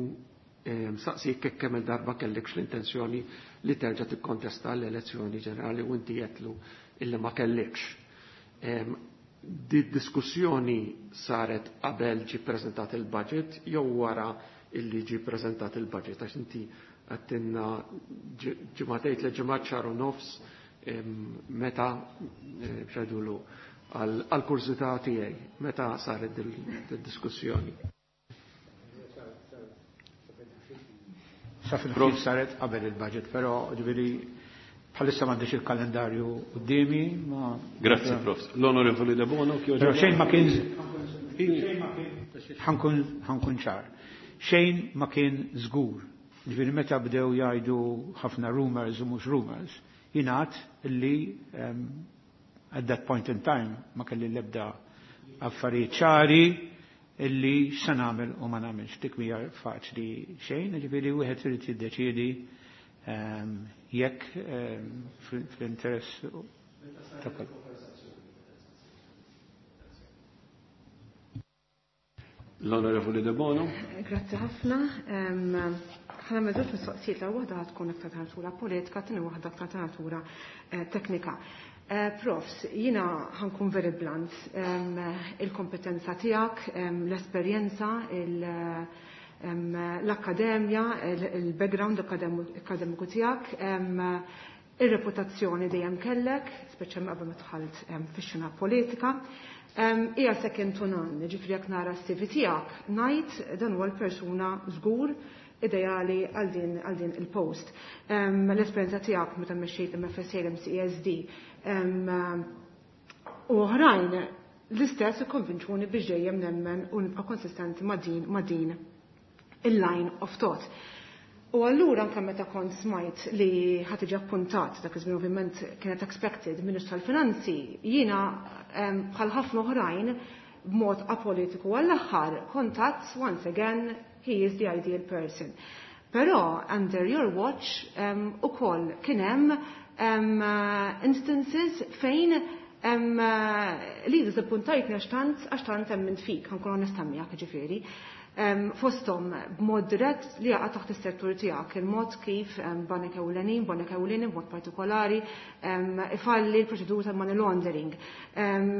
saqsi jekk kemm il-darba kellekx l-intenzjoni li terġa' tikkontesta l-elezzjoni ġenerali u inti qedlu illi ma kellekx. Di diskussjoni saret qabel ġie ppreżentat il-budget jew wara illi ġie ppreżentat il-budget, għax inti għattinna ġimgħatejn tliet ġimgħat xahar u nofs meta xedulu għal kurżità tiegħi meta saret dil-diskussjoni. Sa fil-ħin saret qabel il-budget, però ġifieri bħalissa m'għandix il-kalendarju quddiemi, ma Grazzi Prof. L-Onorevoli De Bono, Però xejn ma kien xejn ma kien Ħa nkun ċar. Xejn ma kien żgur. Ġifieri meta bdew jgħidu ħafna rumors u mhux rumors, jingħad illi um, at that point in time ma kelli l-ebda affarijiet ċari illi x'se nagħmel u ma nagħmilx. Dik mhija faċli xejn, ġifieri wieħed irid jiddeċiedi um, jekk um, fl-interess ta' kull. L-Onorevoli De Bono. Grazzi ħafna. Ħa nagħmel żewġ mistoqsijiet, l waħda tkun aktar ta' natura politika, tieni waħda aktar ta' natura eh, teknika. Eh, Profs, jiena ħa nkun very blunt. Il-kompetenza tiegħek, l-esperjenza, l-akkademja, il-background akademiku tiegħek, ir-reputazzjoni dejjem kellek, speċjalment qabel ma dħalt fix-xena politika. Hija second to none, ġifieri jekk nara s-C V tiegħek, ngħid dan huwa l-persuna żgur ideali għal din għal din il-post. L-esperjenza tiegħek meta mexxejt M F S A, M C E S D u oħrajn l-istess ikkonvinċuni biex dejjem nemmen u nibqa' konsistenti ma' din ma' din il-line of thought. U allura anke meta kont smajt li ħa tiġi appuntat, dak iż-żmien ovvjament kienet expected, Ministru tal-Finanzi, jiena bħal ħafna oħrajn b'mod apolitiku għall-aħħar kontat once again he is the ideal person. Però under your watch um, ukoll kien hemm um, instances fejn um, li disappuntajtni għax tant għax tant hemm fik, ħa nkun onesta miegħek ġifieri. Um, fosthom b'mod dirett li jaqa' taħt is-settur tiegħek, il-mod kif um, banek ewlenin, banek ewlenin b'mod partikolari um, ifalli l-proċedura ta' money laundering, um,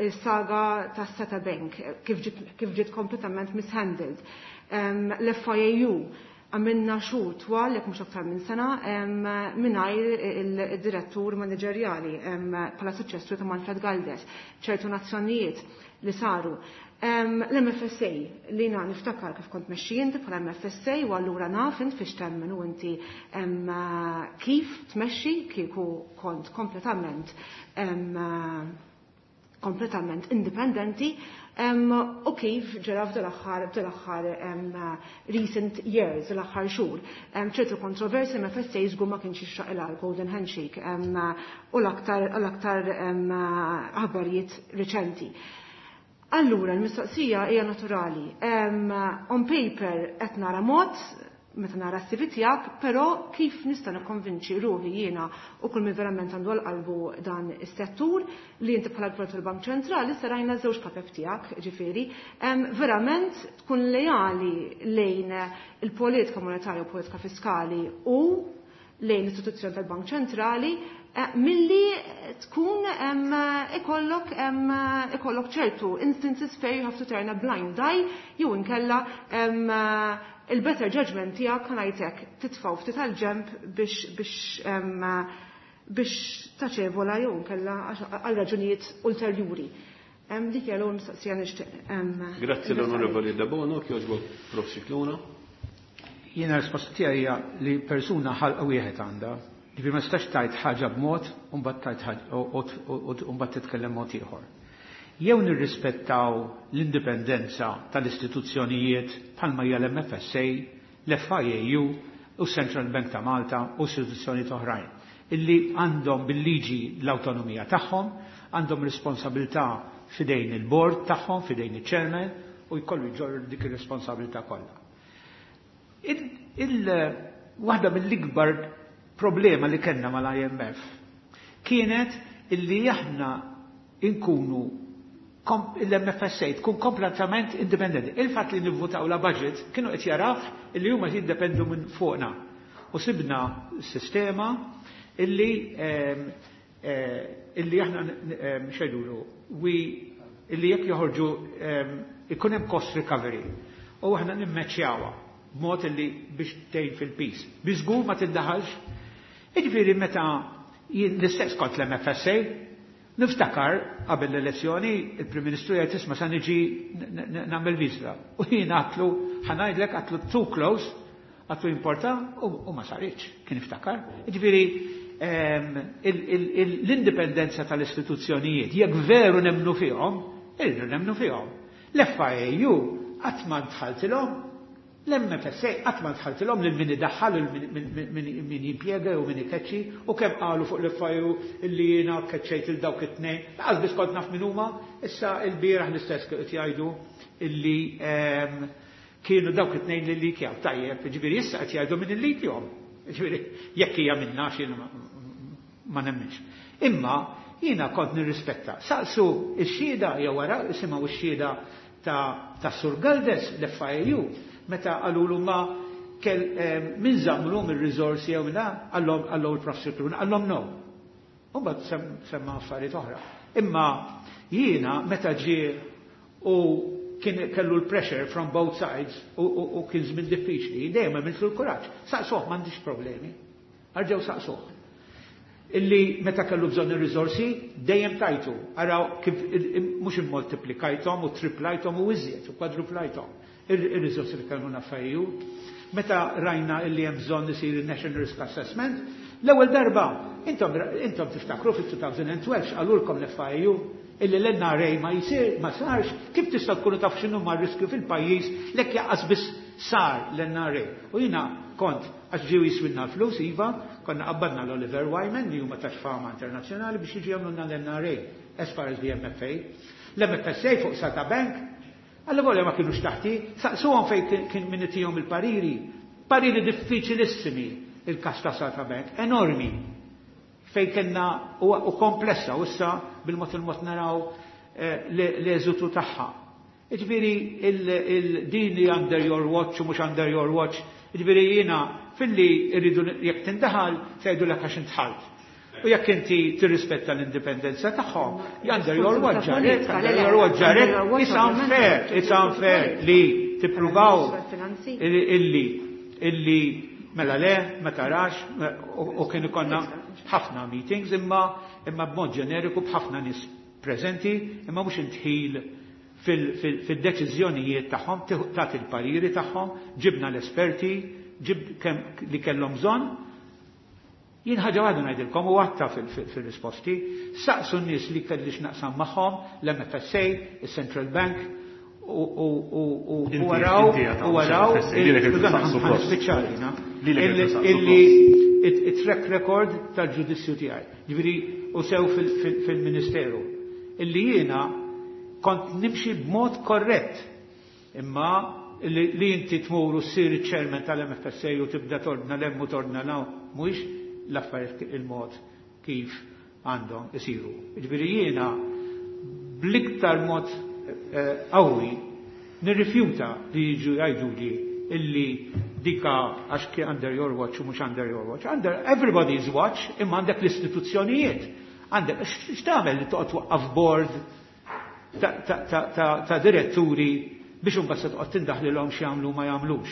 il-saga ta' Seta Bank, kif ġiet, kif ġiet kompletament mishandled, um, l-F I A U, għamilna xhur twal, jekk mhux aktar minn sena, mingħajr il-direttur manageriali bħala suċċessur ta' Manfred Galdes, ċertu nazzjonijiet li saru. L-M F S A li na niftakar kif kont mexxi inti bħala M F S A u allura naf int fiex temmen u inti kif tmexxi kieku kont kompletament kompletament indipendenti u kif ġara f'dal-aħħar f'dal-aħħar recent years, l-aħħar xhur. ċertu kontroversi M F S A żgur ma kienx jixraq il golden handshake u l-aktar l-aktar aħbarijiet riċenti. Allura, l-mistoqsija hija naturali. On paper qed nara mod, meta nara s-C V tiegħek, però kif nista' nikkonvinċi ruħi jiena u kull min verament għandu għal qalbu dan is-settur li inti bħala Gvern tal-Bank Ċentrali se rajna żewġ kapep tiegħek, ġifieri, verament tkun lejali lejn il-politika monetarja u politika fiskali u lejn l-istituzzjoni tal-Bank Ċentrali eh, milli tkun ikollok ikollok ċertu instances fejn you have to turn a blind eye jew inkella il-better judgment tiegħek, ħa ngħidlek, titfgħu ftit tal-ġemp biex biex biex taċevola jew inkella għal raġunijiet ulterjuri. Dik hija l-ewwel mistoqsija nixtieq. Grazzi l-Onorevoli Debono, kjoġbok Prof Scicluna. Jiena risposta tiegħi hija li persuna ħalqa wieħed għandha. Ġifieri ma tistax tajt ħaġa b'mod u mbagħad tajt ħaġa u mbagħad titkellem mod ieħor. Jew nirrispettaw l-indipendenza tal-istituzzjonijiet bħalma hija l-M F S A, l-F I A U u Central Bank ta' Malta u istituzzjonijiet oħrajn illi għandhom bil-liġi l-autonomija tagħhom, għandhom responsabilità fidejn il-board tagħhom, fidejn il-chairman u jkollu jġorr dik ir-responsabilità kollha. Il, waħda mill-ikbar problema li kellna mal-I M F kienet illi aħna inkunu l-M F S A tkun kompletament indipendenti. Il-fatt li nivvutaw la budget kienu qed jaraw illi huma jiddependu minn fuqna. U sibna sistema illi ehm, eh, illi aħna ehm, xejdulu illi jekk joħorġu ehm, ikun hemm cost recovery. U aħna nimmeċjawha b'mod illi biex tgħin fil-peace. Biżgur ma tiddaħalx. Jiġifieri meta l-istess kont l-M F S A, niftakar qabel l-elezzjoni il-Prim Ministru jgħid, "Isma' sa niġi nagħmel viżra." U jien għedtlu, ħa ngħidlek, għedtlu too close, għedtlu importa u ma saritx, kien iftakar. Jiġifieri l-indipendenza tal-istituzzjonijiet, jekk veru nemnu fihom, irridu nemnu fihom. L-F I A U qatt ma dħaltilhom, l-M F S A qatt ma dħaltilhom lil min idaħħal, min jimpjega u min ikeċċi, u kemm qalu fuq l-F I U illi jiena keċċejt il dawk it-tnejn, lanqas biss kont naf min huma. Issa il-bieraħ l-istess qed jgħidu illi ehm, kienu dawk it-tnejn li leakjaw. Tajjeb, ġifieri issa qed jgħidu min illeakjahom. Ġifieri jekk hija minna x'jiena ma nemminx. Imma jiena kont nirrispetta. Saqsu x-xhieda jew wara isimgħu x-xhieda ta' ta' Sur Galdes, l-F I U, meta qalulu ma kell eh, min żammlu mir-riżorsi jew minna, qallhom qallhom il-Professor Scicluna, qallhom no. U mbagħad semma affarijiet oħra. Imma jiena meta ġie u kien kellu l-pressure from both sides u, u, u kien żmien diffiċli, dejjem għamiltlu l-kuraġġ. Saqsuh, m'għandix problemi. Arġew saqsuh. Illi meta kellu bżonn ir-riżorsi, dejjem tajtu. Araw kif mhux immoltiplikajthom u triplajthom u iżjed u kwadruplajthom ir-riżorsi li kellmu F I U. Meta rajna illi hemm bżonn isir il-National Risk Assessment, l-ewwel darba intom intom tiftakru fit-elfejn u tnax qalulkom l-F I U illi l-N R A ma jisir ma sarx, kif tista' tkunu taf x'inhu ma riskju fil-pajjiż lek lanqas biss sar l-N R A? U jiena kont għax ġew jiswinna l-flus, iva, konna qabbadna l-Oliver Wyman li huma ta' fama internazzjonali biex jiġu jagħmlulna l-N R A as far as the M F A. L-M F S A fuq Sata Bank, għalla volja ma kienux taħti, saqsuhom fejn kien min itihom il-pariri. Pariri diffiċilissimi il-kas ta' Sata Bank, enormi. Fejn kellna u, u komplessa, u issa bil-mod il-mod naraw eh, l-eżitu tagħha. Ġifieri din li under your watch u mhux under your watch, ġifieri jiena filli rridu jekk tindaħal se jgħidu għax intħalt. U jekk inti tirrispetta l-indipendenza tagħhom, under your watch ġarek, under your watch ġarek, it's unfair, it's unfair li tippruvaw illi illi mela le, ma tarax, u kien ikonna ħafna meetings imma imma b'mod ġeneriku b'ħafna nies preżenti, imma mhux intħil fil-deċiżjonijiet tagħhom, tagħti il-pariri tagħhom, ġibna l-esperti, ġib kemm li kellhom bżonn. Jien ħaġa waħda ngħidilkom u għatta fil-risposti, saqsu n-nies li kelli x'naqsam magħhom, l-M F S A, il-Central Bank, u waraw, u waraw, illi il-track record tal-ġudizzju tiegħi. Ġifieri u sew fil-Ministeru. Illi jiena kont nimxi b'mod korrett. Imma li inti tmur u ssir il-chairman tal-M F S A u tibda tordna l-hemm u tordna 'l hawn, mhuwiex l-affarijiet il-mod kif għandhom isiru. Ġifieri jiena bl-iktar mod qawwi nirrifjuta li jiġu jgħiduli illi dika għax under your watch u mhux under your watch. Under everybody's watch, imma għandek l-istituzzjonijiet. Għandek, x'tagħmel li toqgħod twaqqaf board ta' diretturi biex imbagħad se toqgħod tindaħlilhom x'jagħmlu ma jagħmlux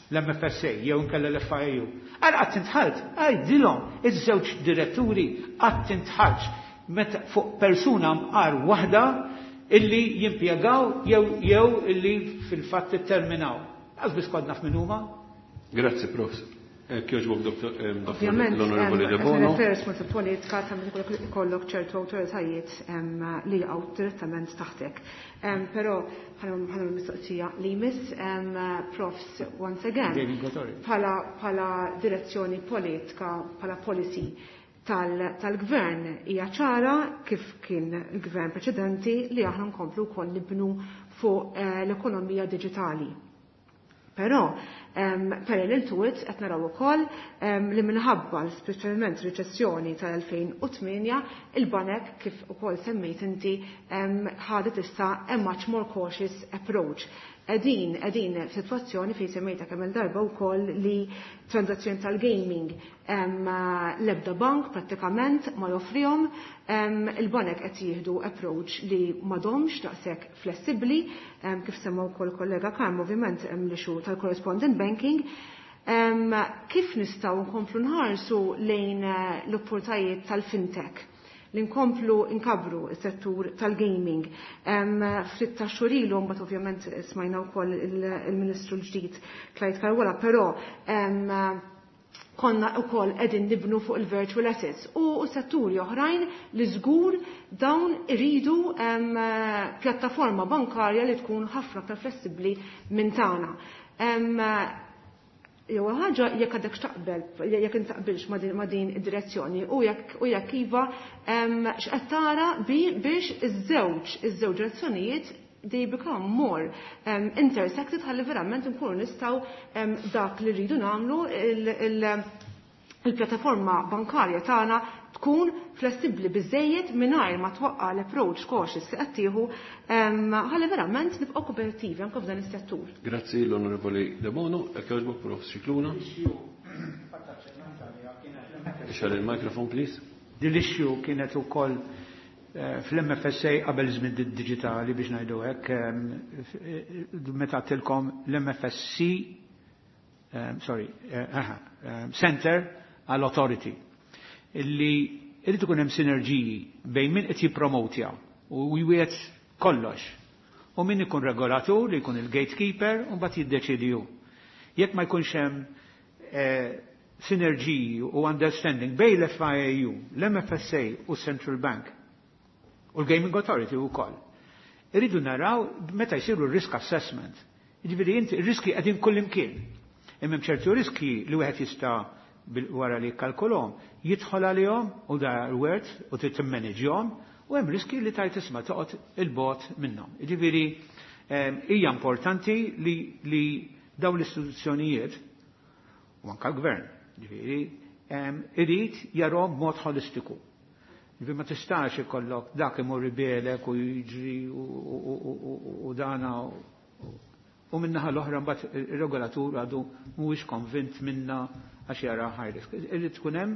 l-M F S A jew inkella l-F I U? Għal qatt intħalt, għajdilhom iż-żewġ diretturi qatt intħalx meta fuq persuna mqar waħda illi jimpjegaw jew jew illi fil-fatt terminaw. Għax biss kont naf min huma. Grazzi, Prof. Kjoġbok, Doktor Ovvjament, l-Onorevoli De Bono. Per politika ta' ikollok ċertu awtoritajiet li jaqgħu direttament taħtek. Però ħana mistoqsija li jmiss, Profs, once again, bħala direzzjoni politika, bħala policy tal-gvern hija ċara kif kien il-gvern preċedenti li aħna nkomplu wkoll nibnu fuq eh, l-ekonomija diġitali. Però um, parallel to it qed naraw ukoll um, li minħabba speċjalment riċessjoni tal-elfejn u tmienja il-banek, kif ukoll semmejt inti, um, ħadet issa a much more cautious approach. Edin, edin f'sitwazzjoni fejn semmejta kemm il-darba wkoll li transazzjoni tal-gaming l-ebda bank prattikament ma joffrihom, il-banek qed jieħdu approach li m'għadhomx daqshekk flessibbli, kif semma wkoll kollega Karm, ovvjament l-issue tal-correspondent banking. Kif nistgħu nkomplu nħarsu lejn eh, l-opportunitajiet tal-fintech li nkomplu nkabru s-settur tal-gaming? Ftit ta' xhur ilu mbagħad ovvjament smajna wkoll il-Ministru l-ġdid Clyde Caruana, però Konna wkoll qegħdin nibnu fuq il-virtual assets u setturi oħrajn li żgur dawn iridu pjattaforma bankarja li tkun ħafna aktar flessibbli minn tagħna. Jew ħaġa jekk għadek x'taqbel, jekk intaqbilx ma' din id-direzzjoni u jekk u jekk iva x'qed tara biex iż-żewġ iż-żewġ direzzjonijiet they become more um, intersected ħalli verament nkunu nistgħu um, dak li rridu nagħmlu il-pjattaforma bankarja tagħna tkun flessibbli biżejjed mingħajr ma twaqqa l-approach cautious li qed tieħu ħalli verament nibqgħu kompetittivi anke f'dan is-settur. Grazzi l-Onorevoli Debono, jekk jogħġbok Prof Scicluna. Ixgħel il-microphone please. Din l-issue kienet ukoll fl-M F S A qabel żmien digitali, biex ngħidu hekk, meta tilkom l-M F S C, sorry, Center għall Authority illi irid ikun hemm sinerġiji bejn min qed jippromotja u jwiegħed kollox u min ikun regolatur li jkun il-gatekeeper u mbagħad jiddeċidi hu. Jekk ma jkunx hemm sinerġiji u understanding bejn l-F I A U, l-M F S A u Central Bank u l-Gaming Authority u koll. Irridu naraw meta jsiru risk assessment. Ġifieri inti riski qegħdin kull imkien. Imma ċertu riski li wieħed jista' wara li jikkalkulhom, jidħol għalihom u da worth u trid timmanagejhom, u hemm riski li tajt isma' toqgħod il-bogħod minnhom. Ġifieri hija importanti li, li dawn l-istituzzjonijiet u anka l-gvern, ġifieri, irid jarahom b'mod holistiku. Ġifieri ma tistax ikollok dak imur ibelek u jiġri u dana u minnaħa l-oħra mbagħad ir-regolatur għadu mhuwiex konvint minna għax jara high risk. Irid tkun hemm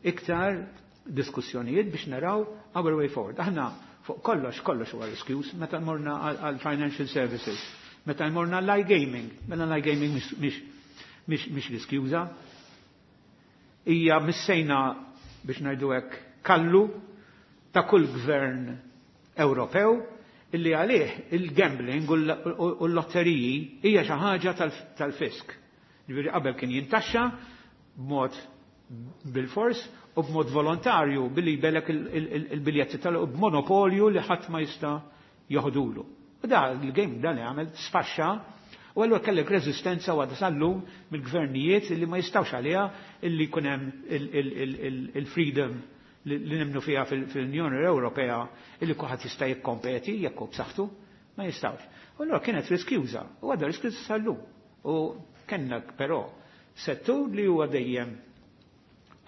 iktar diskussjonijiet biex naraw our way forward. Aħna fuq kollox, kollox huwa riskjuż meta morna għal financial services, meta morna għall iGaming, mela l-iGaming mhix mhix riskjuża. Hija missejna, biex ngħidu hekk, kallu ta' kull gvern Ewropew illi għalih il-gambling u l-lotteriji hija xi ħaġa tal-fisk. Ġifieri qabel kien jintaxxa b'mod bil-fors u b'mod volontarju billi jbellek il-biljetti tal b'monopolju li ħadd ma jista' joħdulu. U da il-game dan li għamel sfaxxa u allura kellek reżistenza u għadha sal-lum mill-gvernijiet illi ma jistawx għaliha illi jkun hemm il-freedom li nemnu fiha fil-Unjoni Ewropea illi kulħadd jista' jikkompeti jekk hu b'saħħtu, ma jistawx. U allura kienet riskjuża u għadha riskjuża sal-lum. U kellna però settur li huwa dejjem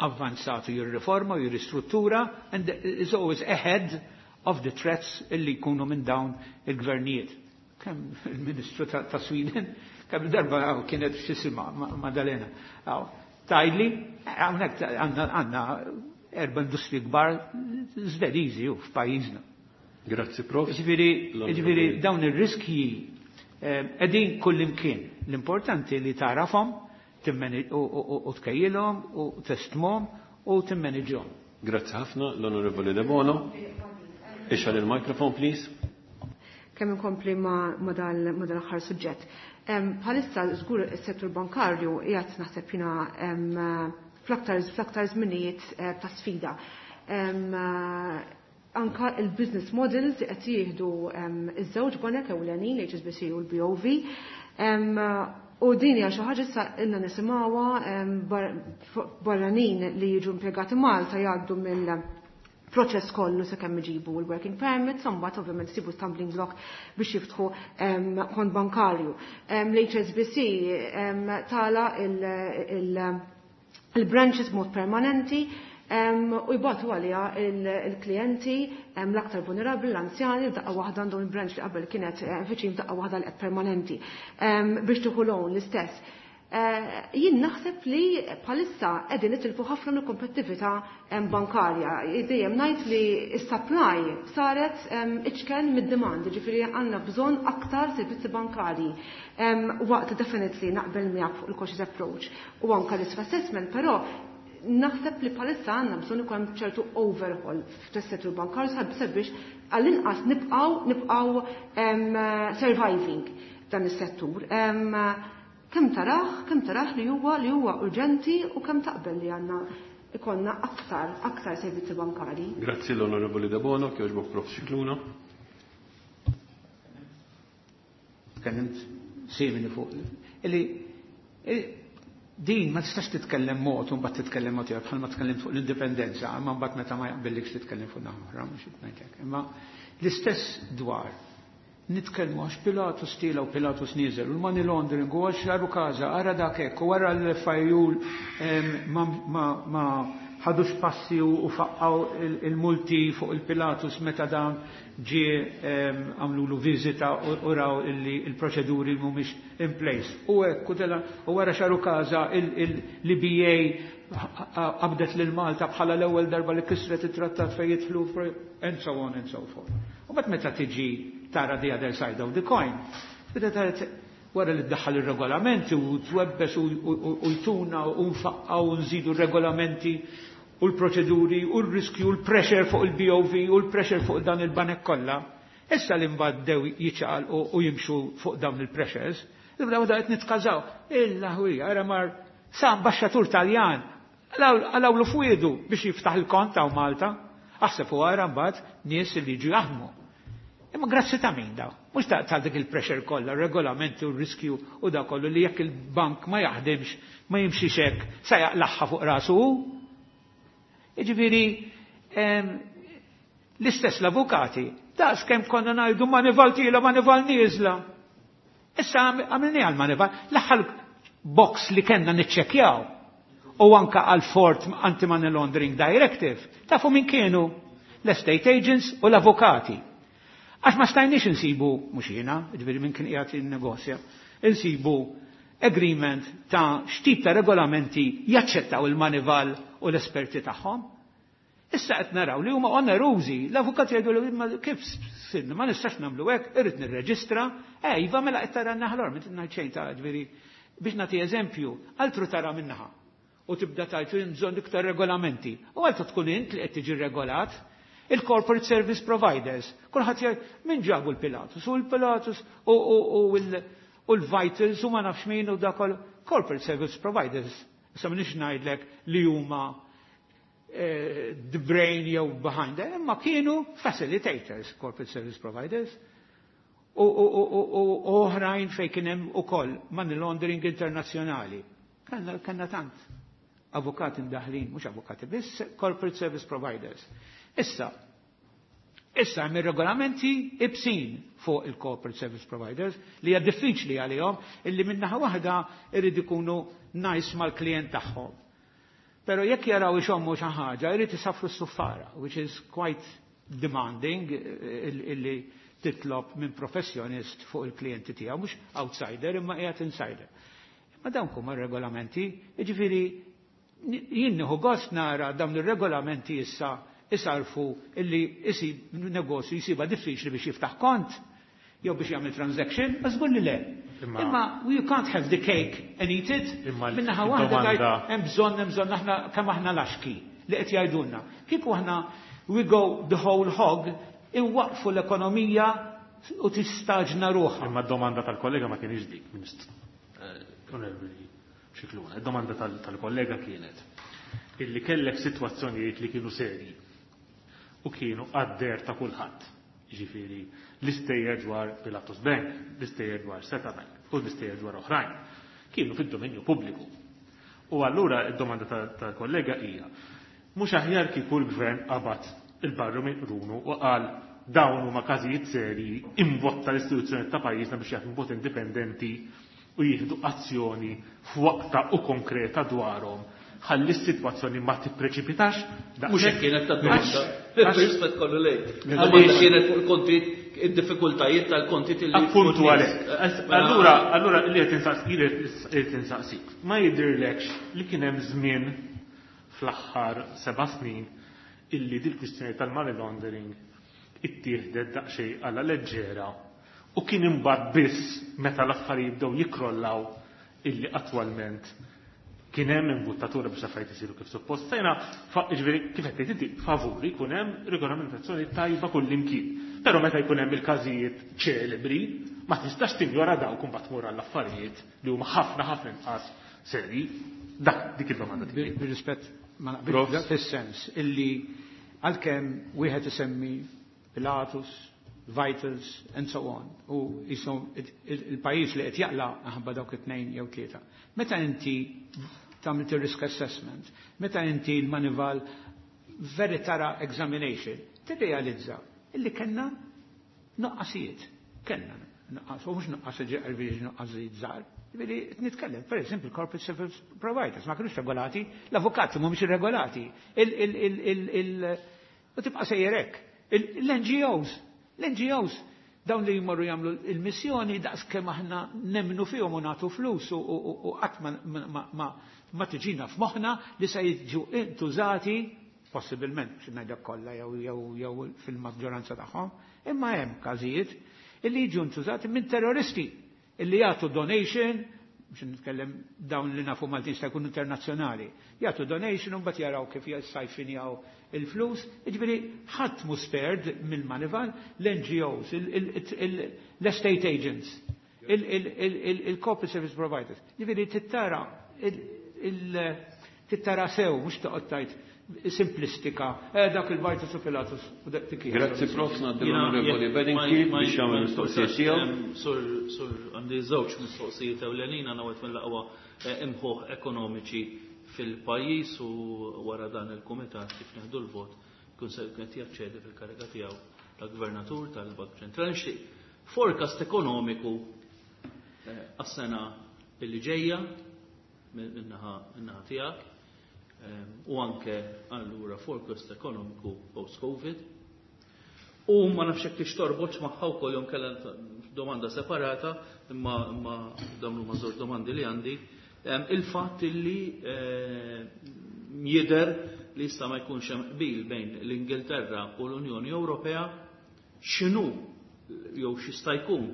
avvanzatu, jirriforma u jirristruttura and is always ahead of the threats illi jkunu minn dawn il-gvernijiet. Kemm il-Ministru ta' Sweden, kemm darba kienet x'jisimha Madalena. Tajli, hawnhekk għandna erba' industri kbar Svediżi u f'pajjiżna. Grazzi, Prof. Ġifieri dawn ir-riskji qegħdin kullimkien. L-importanti li tarafhom u tkejjilhom u testmhom u timmaniġhom. Grazzi ħafna l-Onorevoli Debono. Ixgħel il-microphone, please. Kemm inkompli ma dal-aħħar suġġett. Bħalissa żgur is-settur bankarju qiegħed, naħseb jiena, fl-aktar fl-aktar żminijiet eh, ta' sfida. Anka il-business models qed jieħdu iż-żewġ banek ewlenin, l-H S B C u l-B O V. U din hija xi ħaġa issa ilna nisimgħuha, barranin li jiġu impjegati Malta jgħaddu mill proċess kollu sakemm iġibu l-working permit, mbagħad ovvjament sibu stumbling block biex jiftħu kont bankarju. L-H S B C tala il-branches mod permanenti u jbatu għalija il-klienti l-aktar vulnerabli, l-anzjani, daqqa waħda għandhom il-branch li qabel kienet eh, viċin daqqa waħda li permanenti biex tieħu loan l-istess. Eh, jien naħseb li bħalissa qegħdin nitilfu ħafna mill-kompetittività bankarja. Dejjem ngħid li s-supply saret iċken mid-demand, ġifieri għandna bżonn aktar servizzi bankarji. Waqt definitely naqbel miegħek fuq il-cautious approach u anke risk assessment, però naħseb li bħalissa għandna bżonn ikun ċertu overhaul fis-settur bankarju sabiex għall-inqas nibqgħu nibqgħu surviving dan is-settur. Kemm tarah, kemm tarah li huwa li huwa urġenti u kemm taqbel li għandna ikollna aktar aktar servizzi bankari. Grazzi l-Onorevoli Debono, kjoġbok Prof Scicluna. Tkellimt simili fuq. Illi din ma tistax titkellem mod u mbagħad titkellem mod ieħor bħalma tkellimt fuq l-indipendenza, imma mbagħad meta ma jaqbillikx titkellem fuq naħa oħra, mhux qed ngħidlek. Imma l-istess dwar nitkellmu għax Pilatus tila u Pilatus nieżel u l-money laundering u għax Għarukaża, ara dak hekk, u wara l-F I U ma ħadux passi u faqqaw il-multi fuq il-Pilatus meta dan ġie għamlulu viżita u raw illi il-proċeduri mhumiex in place. U hekk u wara Għarukaża l-E B A qabdet lil Malta bħala l-ewwel darba li kisret it-trattat fejn jidħlu and so on and so forth. U mbagħad meta tiġi tara the other side of the coin, tibda tara wara li ddaħħal ir-regolamenti u twebbes u jtuna u nfaqqaw u nżidu r-regolamenti u l-proċeduri u l-riskju u l-pressure fuq il-B O V u l-pressure fuq dan il-banek kollha. Issa li mbagħad bdew jiċaqalqu u jimxu fuq dawn il-pressures, nibdew da qed nitkażaw. Illa ħwija, ara mar sa ambaxxatur Taljan għalawlu fwiedu biex jiftaħ il-kont hawn Malta. Aħseb u ara mbagħad nies li jiġu jaħdmu. Imma grazzi ta' min daw? Mhux ta' ta' dik il-pressure kollha, regolamenti u r-riskju u da kollu li jekk il-bank ma jaħdimx, ma jimxix hekk, sa jaqlaħħa fuq rasu hu. Jiġifieri l-istess l-avukati, daqs kemm konna ngħidu Moneyval tiela, Moneyval nieżla. Issa għamilni għal Moneyval, l-aħħar box li kellna niċċekjaw u anka għal Fourth Anti-Money Laundering Directive, tafu min kienu? L-estate agents u l-avukati. Għax ma stajniex insibu, mhux jiena, ġifieri minn kien qiegħed jinnegozja, insibu agreement ta' x'tip ta' regolamenti jaċċettaw il-Moneyval u l-esperti tagħhom. Issa qed naraw li huma onerużi, l-avukati jgħidu li ma kif sinna ma nistax nagħmlu hekk, irrid nirreġistra, eh iva mela qed tara naħlor, minn ngħid xejn ta' ġifieri biex nagħti eżempju, altru tara minnaħa u tibda tajt bżonn iktar regolamenti. U altru tkun int li qed tiġi regolat, il-corporate service providers. Kulħadd jgħid min ġabu l-Pilatus u l-Pilatus u l-Vitals u ma nafx min u dakol corporate service providers. Issa m'iniex ngħidlek li huma eh, the brain jew behind them, imma kienu facilitators, corporate service providers. U oħrajn fej kien hemm ukoll money laundering internazzjonali. Kellna tant avukati mdaħlin, mhux avukati biss, corporate service providers. Issa, issa hemm ir-regolamenti ibsin fuq il-corporate service providers li hija diffiċli għalihom illi minnaħa waħda irid ikunu nice mal-klient tagħhom. Pero jekk jaraw ixommu xi ħaġa, jrid isafru s-suffara, which is quite demanding illi titlob minn professjonist fuq il-klijenti tiegħu, mhux outsider imma qiegħed insider. Imma dawn huma regolamenti, jiġifieri jien nieħu gost nara dawn ir-regolamenti issa isarfu illi isib negozju jisiba diffiċli biex jiftaħ kont jew biex jagħmel transaction, ma żgur li le. Imma you can't have the cake and eat it. Minnaħa waħda tgħid hemm bżonn hemm bżonn aħna kemm aħna laxki li qed jgħidulna. Kieku aħna we go the whole hog, inwaqfu l-ekonomija u tistaġna ruħha. Imma d-domanda tal-kollega ma kienx dik, Ministru. Onorevoli Scicluna, id-domanda tal-kollega kienet illi kellek sitwazzjonijiet li kienu serji u kienu għad-deher ta' kulħadd. Ġifieri l-istejjer dwar Pilatus Bank, l-istejjer dwar Seta Bank u l-istejjer dwar oħrajn. Kienu fid-dominju pubbliku. U allura id-domanda tal-kollega hija, mhux aħjar kieku l-gvern qabad il-barru minn qrunu u qal dawn huma każijiet serji, imbotta l-istituzzjoni ta' pajjiżna biex jaħdmu b'mod indipendenti u jieħdu azzjoni f'waqta u konkreta dwarhom ħalli s-sitwazzjoni ma tippreċipitax? Mhux hekk kienet ta' domanda. Rispett kollu lejk. Domanda kienet fuq il-kontit, id-diffikultajiet tal-kontit illi. Appuntu għalhekk. Allura, allura li qed insaqsik. Ma jidhirlekx li kien hemm żmien fl-aħħar seba' snin illi dil-kwistjoni tal-money laundering ittieħdet daqsxejn għala leġġera u kien imbagħad biss meta l-affarijiet bdew jikrollaw illi attwalment kien hemm imbuttatura biex affarijiet isiru kif suppost? Sejna, ġifieri kif qed tgħid inti, favuri jkun hemm regolamentazzjoni tajba kull imkien. Però meta jkun hemm il-każijiet ċelebri, Ma tistax tinjora dawk u mbagħad tmur għall-affarijiet li huma ħafna ħafna inqas serji. Dak dik id-domanda tiegħi. Bir-rispett ma naqbilx fis-sens illi għalkemm wieħed isemmi Pilatus, Vitals and so on. U jisom il-pajjiż li qed jaqla aħba dawk it-tnejn jew tlieta. Meta inti tagħmel risk assessment, meta inti l-Moneyval very thorough examination, tirrealizza illi kellna nuqqasijiet. Kellna nuqqas, u mhux nuqqas ġifieri nuqqasijiet żgħar. Ġifieri nitkellem, per eżempju, corporate service providers ma kinux regolati, l-avukati mhumiex irregolati. U tibqa' sejjer hekk. L-N G Os, l-N G Os, dawn li jmorru jagħmlu il-missjoni daqs kemm aħna nemnu fihom u nagħtu flus u qatt ma tiġina f'moħħna li se jiġu intużati possibilment, biex ngħidlek kollha jew jew jew fil-maġġoranza tagħhom, imma hemm każijiet illi jiġu ntużati minn terroristi illi jagħtu donation, biex nitkellem dawn li nafu Maltin sta jkunu internazzjonali, jagħtu donation u mbagħad jaraw kif jissajfinjaw il-flus, jiġifieri ħadd mhu spared mill-Moneyval, l-N G Os, l-estate agents, il-corporate service providers. Jiġifieri tittara tittara sew, mhux toqgħod tgħid simplistika, eh, dak il-Vitals u Pilatus u dak tik. Grazzi, Profs Ngħaddi l-Onorevoli Bedingfield biex jagħmel mistoqsija tiegħu. Sur, sur, għandi żewġ mistoqsijiet ewlenin. Għandna wieħed mill-aqwa eh, imħuħ ekonomiċi fil-pajjiż u wara dan il-kumitat kif neħdu l-vot kun se qed jaċċedi fil-kariga tiegħu tal-Gvernatur tal-Bank Ċentrali. Nixtieq forecast ekonomiku eh, għas-sena illi ġejja min-naħa tiegħek u anke allura forecast ekonomiku post-Covid. U ma nafx hekk tix torbotx magħha wkoll jew kellha domanda separata, imma imma dawn huma żewġ domandi li għandi. Il-fatt illi eh, jidher li jista' ma jkunx hemm qbil bejn l-Ingilterra u l-Unjoni Ewropea, x'inhu jew x'jista' jkun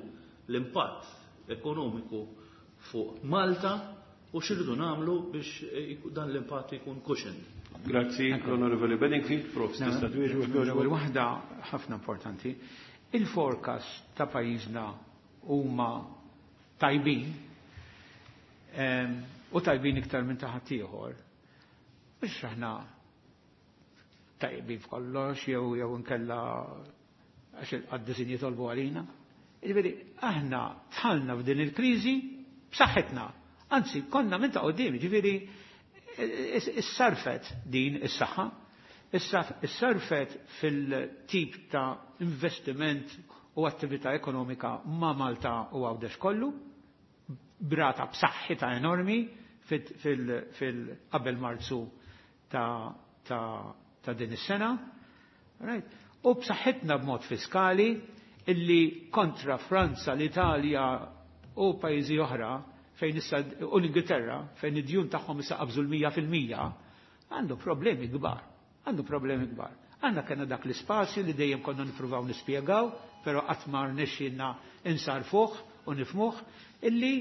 l-impatt ekonomiku fuq Malta u x'irridu nagħmlu biex eh, dan l-impatt ikun cushioned. Grazzi, l-Onorevoli Bedingfield. Prof, tista' twieġeb. L-ewwel waħda ħafna importanti. Il-forecast ta' pajjiżna huma tajbin em, u tajbin iktar minn ta' ħaddieħor. Mhux aħna tajbin f'kollox jew jew inkella għax il-qaddisin jitolbu għalina. Jiġifieri aħna dħalna f'din il-kriżi b'saħħitna. Anzi, konna minn ta' qudiem, jiġifieri issarfet din is-saħħa, issarfet fil-tip ta' investiment u attività ekonomika ma' Malta u Għawdex kollu, brata b'saħħitha enormi fil-qabel Marzu ta', ta, ta' din is-sena. Right? U b'saħħitna b'mod fiskali illi kontra Franza, l-Italja u pajjiżi oħra fejn issa u l-Ingilterra fejn id-djun tagħhom issa qabżu l-mija fil-mija, għandu problemi kbar. Għandu problemi kbar. Għandna kellna dak l-ispazju li dejjem konna nippruvaw nispjegaw, però qatt ma rnexxielna insarfuh u nifmuh illi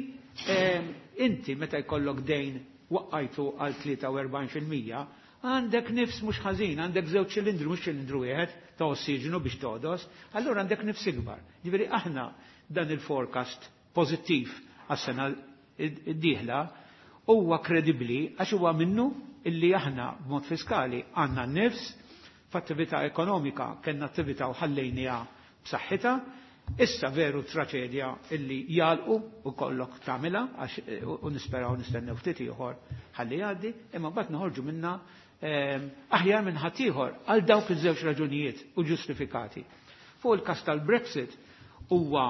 eh, inti meta jkollok dejn waqqajtu għal tlieta u erbgħin fil-mija, għandek nifs mhux ħażin, għandek żewġ ċilindru, mhux ċilindru wieħed ta' ossiġenu biex todos, allura għandek nifs ikbar. Ġifieri aħna dan il-forecast pożittiv għas-sena id-dieħla huwa kredibbli għax huwa minnu illi aħna b'mod fiskali għandna nifs f'attività ekonomika, kellna attività u ħallejniha b'saħħitha. Issa veru traċedja illi jalqu u kollok tagħmilha għax u nisperaw nistennew ftit ieħor ħalli jgħaddi, imma mbagħad noħorġu minna aħjar minn ħaddieħor għal dawk iż-żewġ raġunijiet u ġustifikati. Fuq il-każ tal-Brexit huwa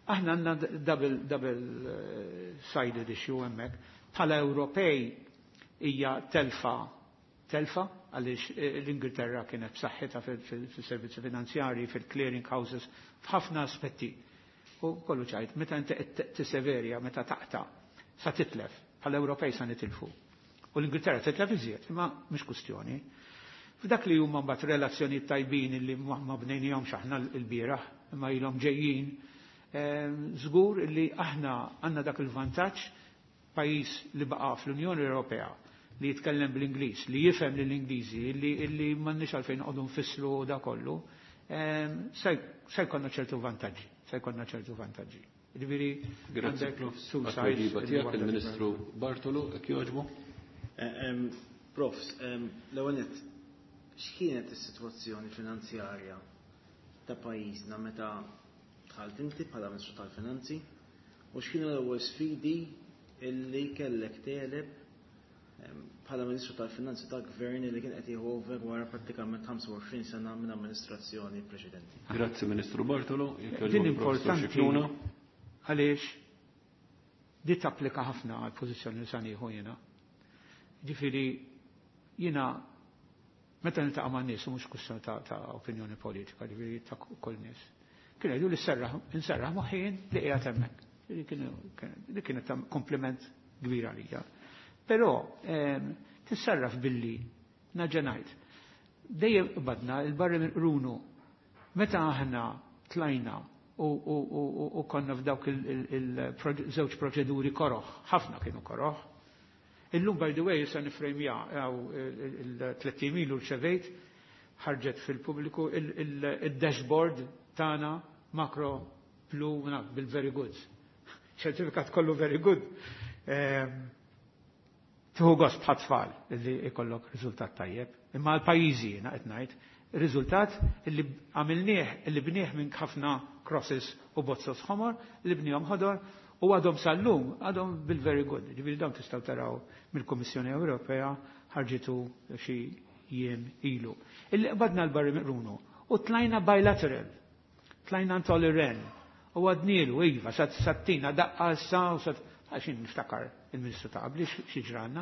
aħna għandna double, double sided issue hemmhekk. Bħala Ewropej hija telfa telfa għaliex l-Ingilterra kienet b'saħħitha fil-servizzi finanzjarji, fil-clearing houses, f'ħafna aspetti. U kollu ċajt, meta inti tisseverja, meta taqta, sa titlef, bħala Ewropej sa nitilfu. U l-Ingilterra titlef iżjed, imma mhux kustjoni. F'dak li huma mbagħad relazzjoni tajbin li ma bnejnihomx aħna l-bieraħ, imma ilhom ġejjin, żgur li aħna għandna dak il-vantaġġ, pajjiż li baqa' fl-Unjoni Ewropea, li jitkellem bl-Ingliż, li jifhem lill-Ingliżi, li, li m'għandniex għalfejn noqogħdu nfissru da kollu, se jkollna ċertu vantaġġi, se jkollna ċertu vantaġġi. Ġifieri Grazzi Profs. Għat-tweġiba tiegħek il-Ministru Bartolo, jekk jogħġbu. Profs, l-ewwel nett, x'kienet is-sitwazzjoni finanzjarja ta' pajjiżna meta dħalt inti bħala Ministru tal-Finanzi u x'kienu l-ewwel sfidi illi kellek tegħleb bħala Ministru tal-Finanzi ta' Gvern li kien qed jieħu over wara prattikament ħamsa u għoxrin sena minn amministrazzjoni preċedenti. Grazzi Ministru Bartolo, jekk Din jogħġbok Professor importanti Scicluna. għaliex di tapplika ħafna għal pożizzjoni li sa nieħu jiena. Ġifieri jiena meta niltaqa' man nies mhux kwistjoni ta', ta' opinjoni politika, ġifieri ta' kull nies. Kienu jgħidu li serraħ, inserraħ moħħi li qiegħed hemmhekk. Li kienu, li kienet ta' kompliment kbir għalija. Però, ehm, tissarraf billi naġa' ngħid. Dejjem qbadna il-barri minn qrunu. Meta aħna tlajna u, u, u, u, u konna f'dawk il-żewġ proċeduri koroħ, ħafna kienu koroħ. Illum, by the way, issa nifrejmja għaw il-tliet ilu rċevejt, ħarġet fil-pubbliku il-dashboard tagħna macro blue bil-very good. Ċertifikat kollu very good. Ehm, Tieħu gost bħat tfal li ikollok riżultat tajjeb. Imma l-pajjiżi jiena qed ngħid, riżultat li għamilnieh, li bnieh minn ħafna crosses u bozzos ħomor, li bnihom ħodor u għadhom sal-lum, għadhom bil-very good. Ġifieri dawn tistgħu taraw mill-Kummissjoni Ewropea ħarġitu xi jiem ilu. Illi qbadna l-barri miqrunu u tlajna bilateral, tlajna Olli Rehn u għadnilu, iva, sat sattina daqqa issa u sat għaxin niftakar il-Ministru ta' qabli xi ġranna,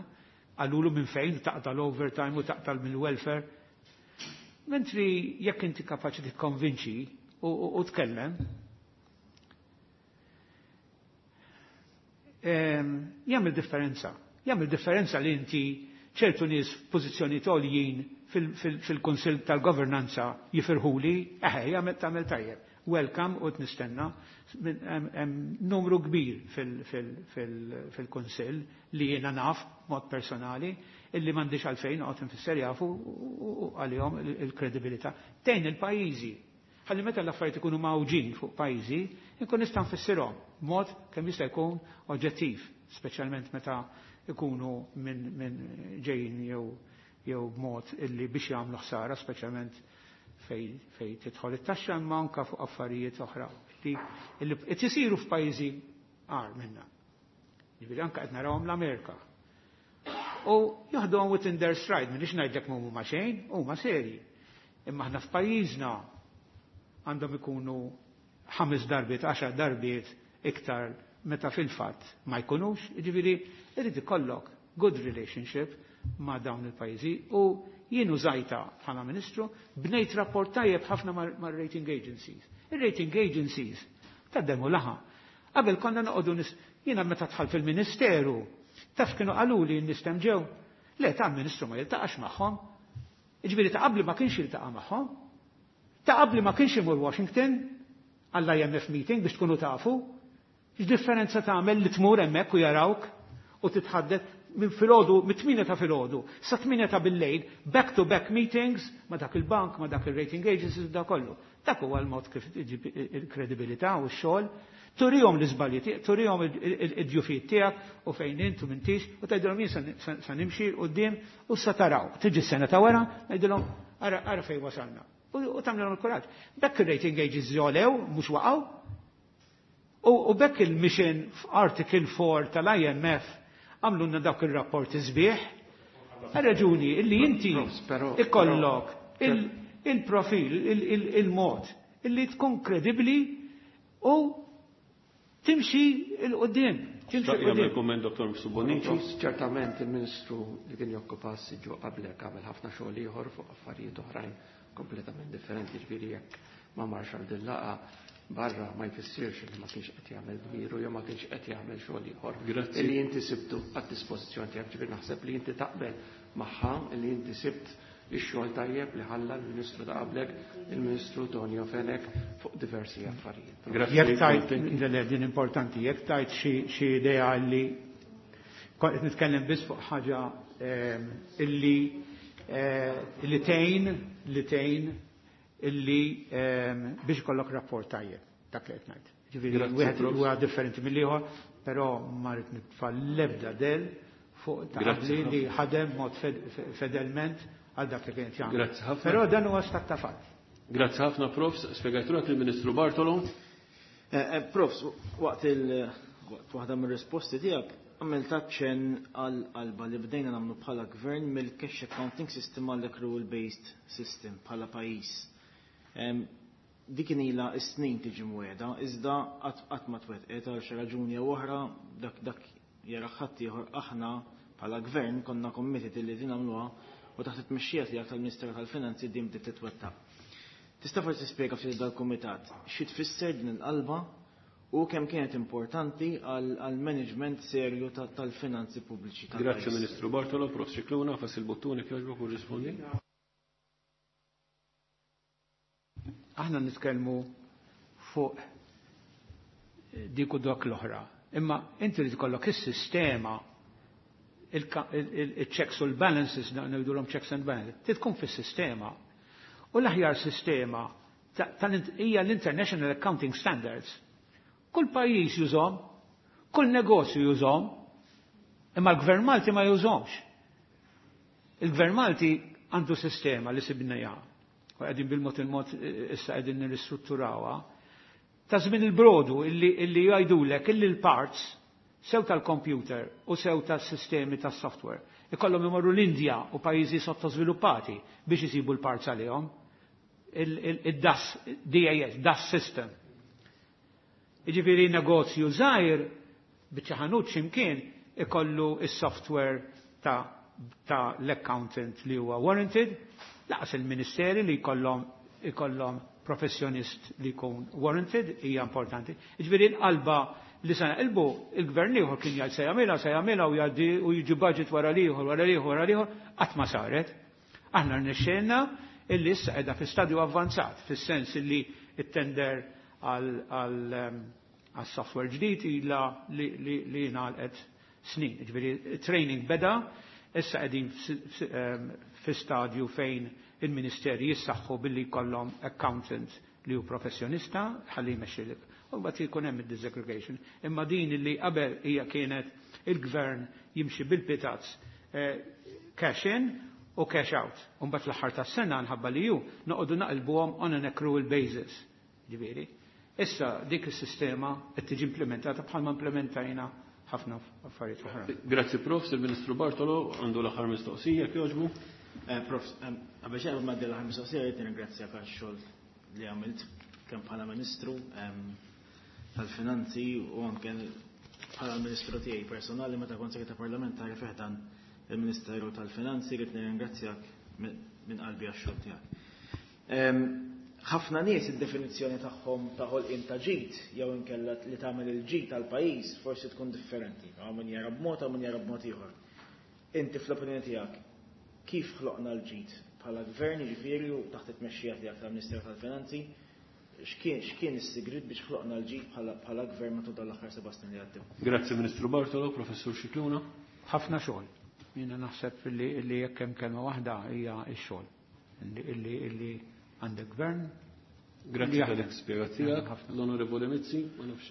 qalulu minn fejn taqta' l-overtime u taqta' mill-welfare. Mentri jekk inti kapaċi tikkonvinċi u, u, u tkellem, ehm, jagħmel differenza. Jagħmel differenza li inti ċertu nies f'pożizzjoni għoljin fil-Kunsill tal-Governanza jifirħuli, eħe, jagħmel tagħmel tajjeb. Welcome u nistenna hemm numru kbir fil-Kunsill li jiena naf mod personali illi m'għandix għalfejn noqgħod infisser jafu għalihom il-kredibilità. Tgħin il-pajjiżi. Ħalli meta l-affarijiet ikunu mawġin fuq pajjiżi, inkun nista' nfissirhom b'mod kemm jista' jkun oġġettiv, speċjalment meta ikunu minn min ġejjin jew jew b'mod illi biex jagħmlu ħsara, speċjalment fej, fej tidħol it-taxxa imma anke fuq affarijiet oħra li li qed isiru f'pajjiżi agħar minna. Ġifieri anke qed narawhom l-Amerika. U jaħduhom within their stride, m'iniex ngħidlek m'huma xejn, huma serji. Imma aħna f'pajjiżna għandhom ikunu ħames darbiet, għaxar darbiet iktar meta fil-fatt ma jkunux, ġifieri irid ikollok good relationship ma' dawn il-pajjiżi u jien użajta bħala Ministru bnejt rapport tajjeb ħafna mar-rating agencies. Ir-rating agencies taddemu laħa. Qabel konna noqogħdu nis, jiena meta dħalt fil-Ministeru, taf kienu qaluli n-nies hemm ġew. Le, ta' Ministru ma jiltaqax magħhom. Jiġifieri ta' qabli ma kienx jiltaqa' magħhom. Ta' qabli ma kienx imur Washington għall-I M F meeting biex tkunu tafu. X'differenza tagħmel li tmur hemmhekk u jarawk u titħaddet minn filgħodu, mit-tmienja ta' filgħodu, sa tmienja ta' bil-lejl, back to back meetings ma' dak il-bank, ma' dak il-rating agencies, da kollu. Dak huwa l-mod kif iġib il-kredibilità u x-xogħol. Turihom l-iżbalji tiegħek, turihom id-djufijiet tiegħek u fejn int u m'intix, u tgħidilhom jien sa-, sa nimxi quddiem u sa taraw. Tiġi s-sena ta' wara, ngħidilhom ara, ara fejn wasalna. U, u tagħmilhom il-kuraġġ. Bekk ir-rating agencies jolew, mhux waqgħu. U, u bekk il-mission f'Article four tal-I M F għamlunna dawk il-rapporti sbieħ. Raġuni illi inti Però, ikollok però, il-, il-profil, il-, il-, il-mod illi tkun kredibli u timxi il-qoddim. Timxi Xtaq il-qoddim. jagħmel kumment Doktor Bonnici. Ċertament il-Ministru li kien jokkupa s-siġġu qablek għamel ħafna xogħol ieħor fuq affarijiet oħrajn kompletament differenti, ġifieri jekk ma marx għal din laqgħa barra ma jfissirx li ma kienx qed jagħmel dmiru jew ma kienx qed jagħmel xogħol ieħor. Grazzi. Illi inti sibtu għad-dispożizzjoni tiegħek, ġifieri naħseb li inti taqbel magħha li inti sibt ix-xogħol tajjeb li ħalla l-Ministru ta' qablek, il-Ministru Tonio Fenech fuq diversi affarijiet. Grazzi. Jekk tajt, le, le, din importanti, jekk tajt xi, xi idea li kont qed nitkellem biss fuq ħaġa, ehm, illi, eh, illi tgħin, li tgħin illi, ehm, biex ikollok rapport tajjeb, dak li qed ngħid. Ġifieri wieħed huwa differenti mill-ieħor, però ma rrid nitfa' l-ebda del fuq ta' qabli li ħadem mod fedelment għal dak li kien jagħmel. Grazzi ħafna. Però dan huwa stat ta' fatt. Grazzi ħafna, Profs. Spjegajtulek il-Ministru Bartolo. Eh, eh, Profs, waqt il waqt waħda mir-risposti tiegħek għamilt aċċenn għal qalba li bdejna nagħmlu bħala gvern mill-cash accounting system għall accrual based system bħala pajjiż. Dik kien ilha s-snin tiġi mweda, iżda qatt ma twettqet għal xi raġuni jew oħra, dak dak jara ħadd ieħor. Aħna bħala gvern konna committed illi din nagħmluha u taħt it-tmexxija tiegħek tal-Ministeru tal-Finanzi din bdiet titwettaq. Tista' forsi tispjega ftit dal-kumitat xi tfisser din il-qalba u kemm kienet importanti għal management serju tal-finanzi pubbliċi tal-pajjiż? Grazzi Ministru Bartolo. Prof Scicluna, fas il-bottuni kjoġbok u rispondi. Aħna nitkellmu fuq dik u dak l-oħra. Imma inti li tkollok is-sistema, il-checks u l-balances, ngħidulhom checks and balances, tkun fis-sistema. U l-aħjar sistema hija l-International Accounting Standards. Kull pajjiż jużhom, kull negozju jużhom, imma l-Gvern Malti ma jużhomx. Il-Gvern Malti għandu sistema li sibnejha. U qegħdin bil-mod il-mod issa qegħdin nirristrutturawha. Ta' żmien il-brodu illi, illi jgħidulek illi l-parts sew tal-computer u sew tas-sistemi tas-software ikollhom imorru l-Indja u pajjiżi sottosviluppati biex isibu l-parts għalihom. Il-D A S, D A S, D A S system. Jiġifieri negozju żgħir biċċa ħanut x'imkien ikollu is-software ta' ta' l-accountant li huwa warranted, laqas il-ministeri li jkollhom ikollhom professjonist li jkun warranted hija importanti. Jiġifieri l-qalba li se naqilbu, il-gvern ieħor kien jgħid se jagħmilha, se jagħmilha u jgħaddi u jiġi budget wara l-ieħor, wara l-ieħor, wara l-ieħor, qatt ma saret. Aħna rnexxielna illi issa qiegħda fi stadju avvanzat, fis-sens illi it-tender għal software ġdid ilha li, li, li ngħalqet snin. Ġifieri training beda, issa qegħdin fi stadju fejn il-ministeri jissaħħu billi jkollhom accountant li hu professjonista ħalli jmexxi. U mbagħad jkun hemm id-disaggregation. Imma din li qabel hija kienet il-gvern jimxi bil-pitazz, eh, cash in u cash out. U mbagħad fl-aħħar tas-sena nħabba li ju noqogħdu naqilbuhom on an accrual basis. Ġifieri. Issa dik is-sistema qed tiġi implementata bħalma implementajna ħafna affarijiet oħra. Grazzi Profs, il-Ministru Bartolo għandu l-aħħar mistoqsija, jogħġbu. Eh, Prof, qabel xejn ma l-aħħar mistoqsija, rrid nirringrazzjak għax-xogħol li għamilt kemm bħala Ministru tal-Finanzi u anke bħala Ministru tiegħi personali meta kont segretar parlamentari fi ħdan il-Ministeru tal-Finanzi. Rrid nirringrazzjak minn qalbi għax-xogħol tiegħek. Ħafna nies id-definizzjoni tagħhom ta' ħolqien ta' ġid jew inkella li tagħmel il-ġid tal-pajjiż forsi tkun differenti. Hawn min jara b'mod, hawn min jara b'mod ieħor. Inti fl-opinjoni tiegħek kif ħloqna l-ġid bħala gvern, jiġifieri u taħt it-tmexxija tiegħek tal-Ministeru tal-Finanzi, x'kien x'kien is-sigriet biex ħloqna l-ġid bħala gvern matul dan l-aħħar seba' snin li għaddew? Grazzi Ministru Bartolo, Professur Scicluna. Ħafna xogħol. Jiena naħseb li, li jekk hemm kelma waħda hija x-xogħol. Illi illi għandek gvern. Grazzi tal-ispjega tiegħek. L-Onorevole Mizzi, ma nafx.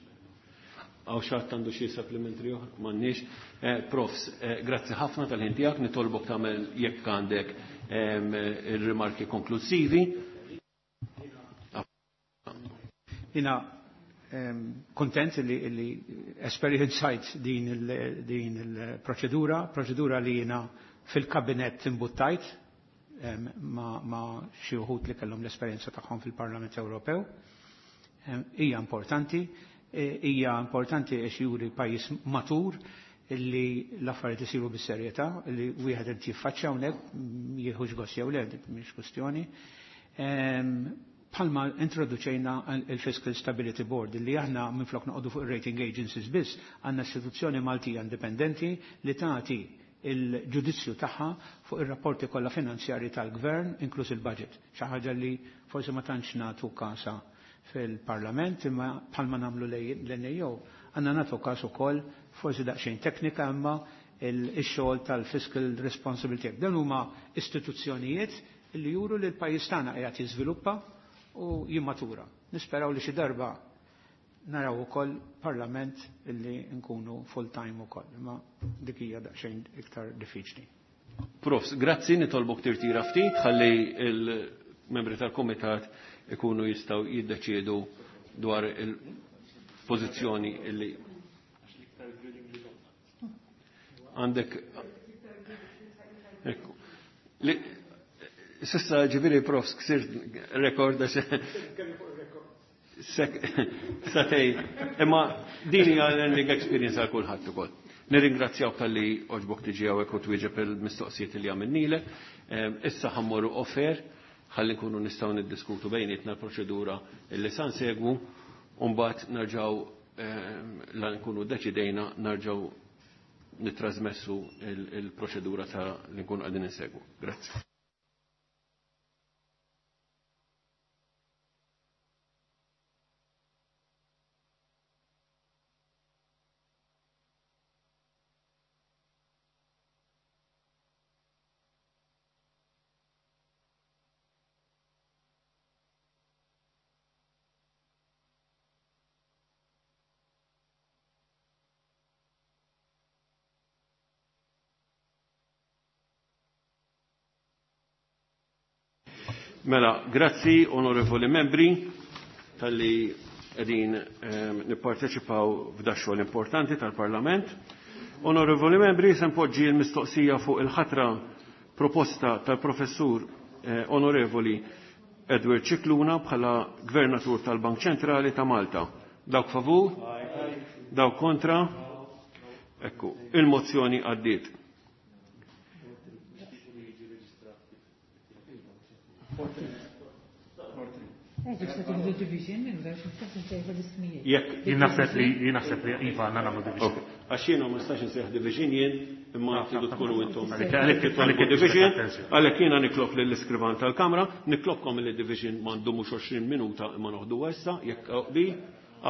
Hawn xi ħadd għandu xi supplementary oħra? M'għandniex. Eh, profs, eh, grazzi ħafna tal-ħin tiegħek, nitolbok tagħmel jekk għandek ir-rimarki konklusivi. Jiena kontent li, li esperjenzajt din il-proċedura, proċedura li jiena fil-kabinet imbuttajt ma, ma xi wħud li kellhom l-esperjenza tagħhom fil-Parlament Ewropew. Hija importanti, e, hija importanti għax juri pajjiż matur illi l-affarijiet isiru bis-serjetà, li wieħed irid jiffaċċja hawnhekk, jieħux gost jew le, mhix kwestjoni. Bħalma introduċejna il-Fiscal Stability Board, li aħna minflok noqogħdu fuq rating agencies biss, għandna istituzzjoni Maltija indipendenti li tagħti il-ġudizzju tagħha fuq ir-rapporti kollha finanzjarji tal-gvern, inkluż il-budget. Xi ħaġa li forsi ma tantx nagħtu kasa fil-Parlament, imma bħalma nagħmlu l-N A O, għandna nagħtu każ ukoll forsi daqsxejn teknika, imma il-xogħol tal-Fiscal Responsibility. Dan huma istituzzjonijiet li juru li l-pajjiż tagħna qiegħed jiżviluppa u jimmatura. Nisperaw li xi darba naraw ukoll parlament illi nkunu full time ukoll, imma dik hija daqsxejn iktar diffiċli. Profs, grazzi, nitolbok tirtira ftit, ħalli il-membri tal-komitat ikunu jistgħu jiddeċiedu dwar il-pożizzjoni illi għandek. Ekku. Sissa ġifieri profs ksirt rekord għax satej, imma din hija learning experience għal kulħadd ukoll. Nirringrazzjawk talli għoġbok tiġi hawnhekk u twieġeb il-mistoqsijiet li għamilnilek. Issa ħammorru offer ħalli nkunu nistgħu niddiskutu bejnietna l-proċedura li sa nsegwu u mbagħad nerġgħu la nkunu deċidejna nerġgħu nittrasmessu il-proċedura ta' li nkunu qegħdin insegwu. Grazzi. Mela, grazzi onorevoli membri tal-li qegħdin eh, nipparteċipaw f'da xogħol importanti tal-Parlament. Onorevoli membri, se npoġġi l-mistoqsija fuq il-ħatra proposta tal-professur eh, onorevoli Edward Scicluna bħala Gvernatur tal-Bank Ċentrali ta' Malta. Dawk favur? Dawk kontra? Ekku, il-mozzjoni għaddiet. Jekk Jien naħseb li jien naħseb li iva għandna nagħmlu division. Għax jiena ma nistax insejjaħ division jien, imma tridu tkunu intom. Għalhekk Titolbu division, għalhekk jiena nitlob lill-iskrivan tal-Kamra, nitlobkom li division m'għandu mhux għoxrin minuta imma noħdu issa, jekk aqbil,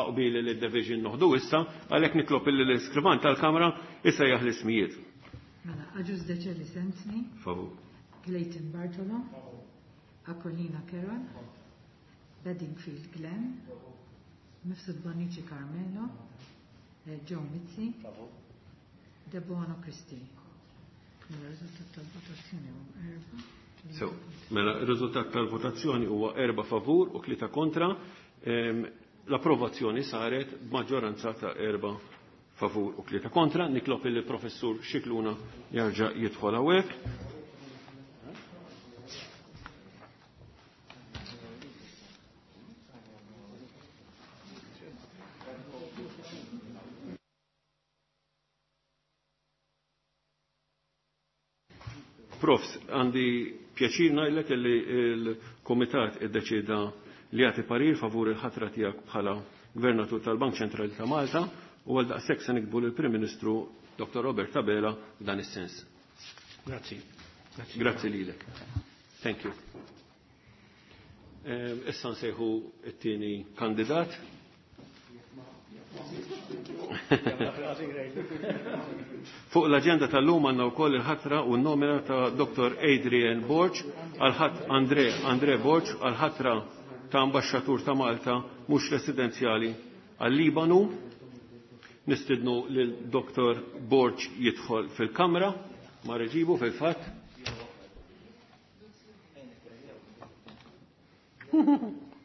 aqbil li d-division noħdu issa, għalhekk nitlob lill-iskrivan tal-Kamra isejjaħ l-ismijiet. Mela, Agius Decelis Anthony, Favur. Clayton Bartolo, Aquilina Carol, Bedingfield Glenn, Mifsud Bonnici Carmelo, eh, Joe Mizzi, Debono Christi. Mela, riżultat tal-votazzjoni huwa erba'. So, mela, il-riżultat tal-votazzjoni huwa erba' favur u tlieta kontra. Ehm, L-approvazzjoni saret b'maġġoranza ta' erba' favur u tlieta kontra. Nitlob il-professur Scicluna jarġa' jidħol hawnhekk. Profs, għandi pjaċir ngħidlek li l-Kumitat iddeċieda li jagħti parir favur il-ħatra tiegħek bħala Gvernatur tal-Bank Ċentrali ta' Malta u għal daqshekk se nikbu lill-Prim Ministru Doktor Robert Abela f'dan is-sens. Grazzi. Grazzi. Grazzi lilek. Thank you. Issa nsejħu t-tieni kandidat. Fuq l-aġenda tal-lum għandna wkoll il-ħatra u n-nomina ta' Doktor Adrian Borg għal-ħat Andre, Andre Borg għal-ħatra ta' ambaxxatur ta' Malta mhux residenzjali għal-Libanu. Nistidnu lil Doktor Borg jidħol fil-kamra, ma reġibu fil-fatt.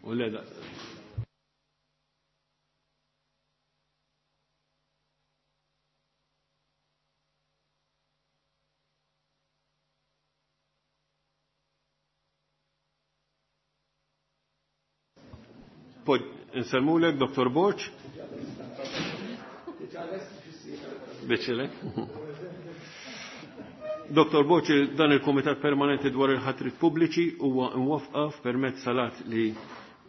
U leda. Nselmulek, Doktor Borg. Biċilek. Doktor Borg, dan il-Komitat Permanenti dwar il-ħatrit pubbliċi huwa imwaffqa permezz salat li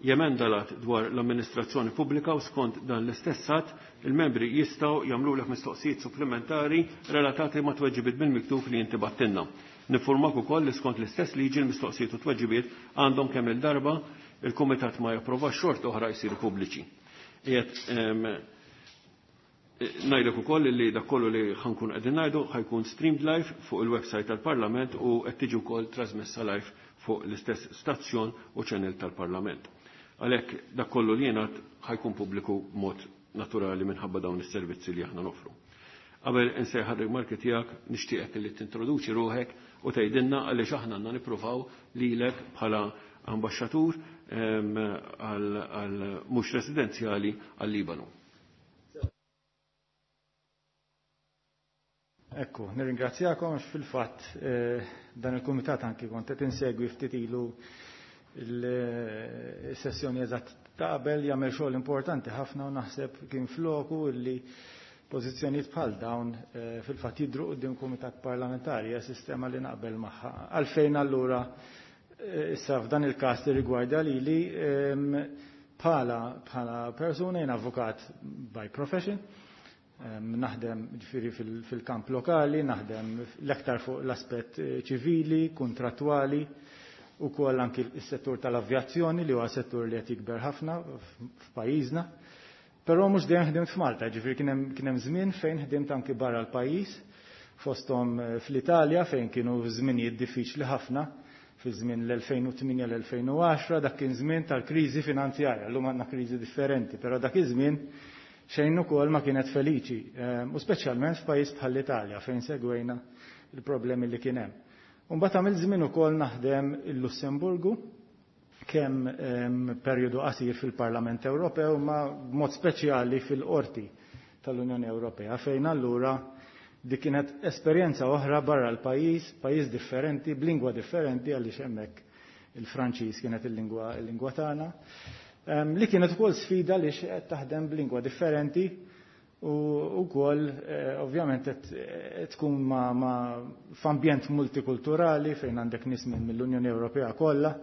jemenda lat dwar l-amministrazzjoni pubblika u skont dan l-istess att il-membri jistgħu jagħmlulek mistoqsijiet supplementari relatati ma' tweġibiet bil-miktub li inti battinna. Nifurmak ukoll li skont l-istess liġi l-mistoqsijiet u tweġibiet għandhom kemm il-darba il-Kumitat ma japprova xort oħra jsiru pubbliċi. Qiegħed ngħidlek ukoll li dak kollu li ħankun qegħdin ngħidu ħajkun streamed live fuq il-website tal-Parlament u qed tiġi wkoll trasmessa live fuq l-istess stazzjon u channel tal-Parlament. Għalhekk dak kollu li jingħad ħa jkun pubbliku b'mod naturali minħabba dawn is-servizzi li aħna nofru. Qabel insejħ ir-rimarki tiegħek, nixtieqek li tintroduċi ruħek u tgħidilna għaliex aħna għandna nippruvaw lilek bħala ambaxxatur għal mhux residenzjali għal-Libanu. Ekku, nirringrazzjakom għax fil-fatt dan il-kumitat anki kont qed insegwi ftit ilu il-sessjoni eżatt ta' qabel jagħmel xogħol importanti ħafna u naħseb kien floku illi pożizzjonijiet bħal dawn fil-fatt jidhru quddiem kumitat parlamentari hija sistema li naqbel magħha. Għalfejn allura issa f'dan il-każ li rigwarda lili bħala bħala persuna jien avukat by profession, naħdem ġifieri fil-kamp lokali, naħdem l-aktar fuq l-aspett ċivili, kontrattwali, u koll anki s-settur tal-avjazzjoni li huwa settur li qed jikber ħafna f'pajjiżna. Però mhux dejjem ħdimt f'Malta, ġifieri kien hemm żmien fejn ħdimt anki barra l-pajjiż, fosthom fl-Italja fejn kienu żminijiet diffiċli ħafna, fi żmien l-elfejn u tmienja l-elfejn u għaxra, dak kien żmien tal-kriżi finanzjarja, llum għandna kriżi differenti, però dak iż-żmien xejn ukoll ma kienet feliċi, u speċjalment f'pajjiż bħall-Italja fejn segwejna il-problemi li kien hemm. U mbagħad għamilt żmien ukoll naħdem il-Lussemburgu, kemm perjodu qasir fil-Parlament Ewropew, ma b'mod speċjali fil-Qorti tal-Unjoni Ewropea, fejn allura dik kienet esperjenza oħra barra l-pajjiż, pajjiż differenti, b'lingwa differenti għaliex hemmhekk il-Franċiż kienet il-lingwa il-lingwa tagħna. Li kienet ukoll sfida li qed taħdem b'lingwa differenti u wkoll ovvjament qed tkun ma, ma f'ambjent multikulturali fejn għandek nies mill-Unjoni Ewropea kollha.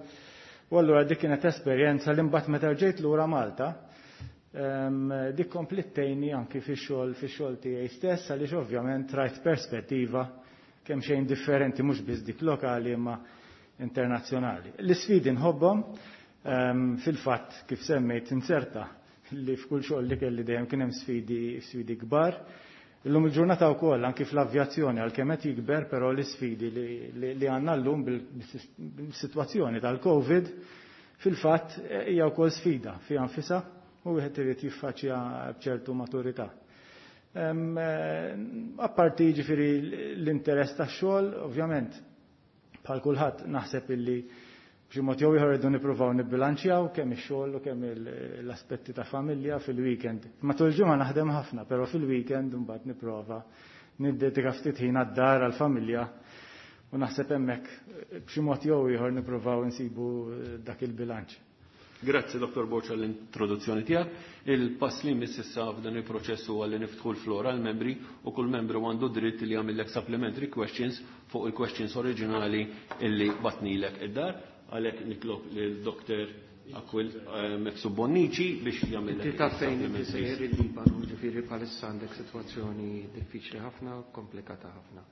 U allura dik kienet esperjenza li mbagħad meta ġejt lura Malta, dik komplittejni anki fix-xogħol fix-xogħol tiegħi stess għaliex ovvjament rajt perspettiva kemm xejn differenti mhux biss dik lokali imma internazzjonali. L-isfidi nħobbhom. Fil-fatt kif semmejt inserta li f'kull xogħol li kelli dejjem kien hemm sfidi sfidi kbar. Illum il-ġurnata wkoll anki fl-avjazzjoni għalkemm qed jikber, però l-isfidi li għandna llum bil-sitwazzjoni tal-Covid fil-fatt hija wkoll sfida fiha nfisha u wieħed irid jiffaċċja b'ċertu maturità. Apparti jiġifieri l-interess tax-xogħol, ovvjament bħal kulħadd naħseb illi b'xi mod jew ieħor irridu nippruvaw nibbilanċjaw kemm ix-xogħol u kemm l-aspetti ta' familja fil-weekend. Matul il-ġimgħa naħdem ħafna, però fil-weekend imbagħad nipprova niddedika ftit ħin għad-dar għall-familja u naħseb hemmhekk b'xi mod jew ieħor nippruvaw insibu dak il-bilanċ. Grazzi Dottor Borg għall-introduzzjoni tiegħek. Il-pass li jmiss issa f'dan il-proċess huwa li niftħu l-flora għall membri u kull membru għandu dritt li jagħmellek supplementary questions fuq il-questions oriġinali illi batnilek id-dar. Għalhekk nitlob lil Doktor Aquil Mifsud Bonnici biex jagħmel. Inti taf fejn inti sejjer il-Libanu, ġifieri bħalissa għandek sitwazzjoni diffiċli ħafna, komplikata ħafna.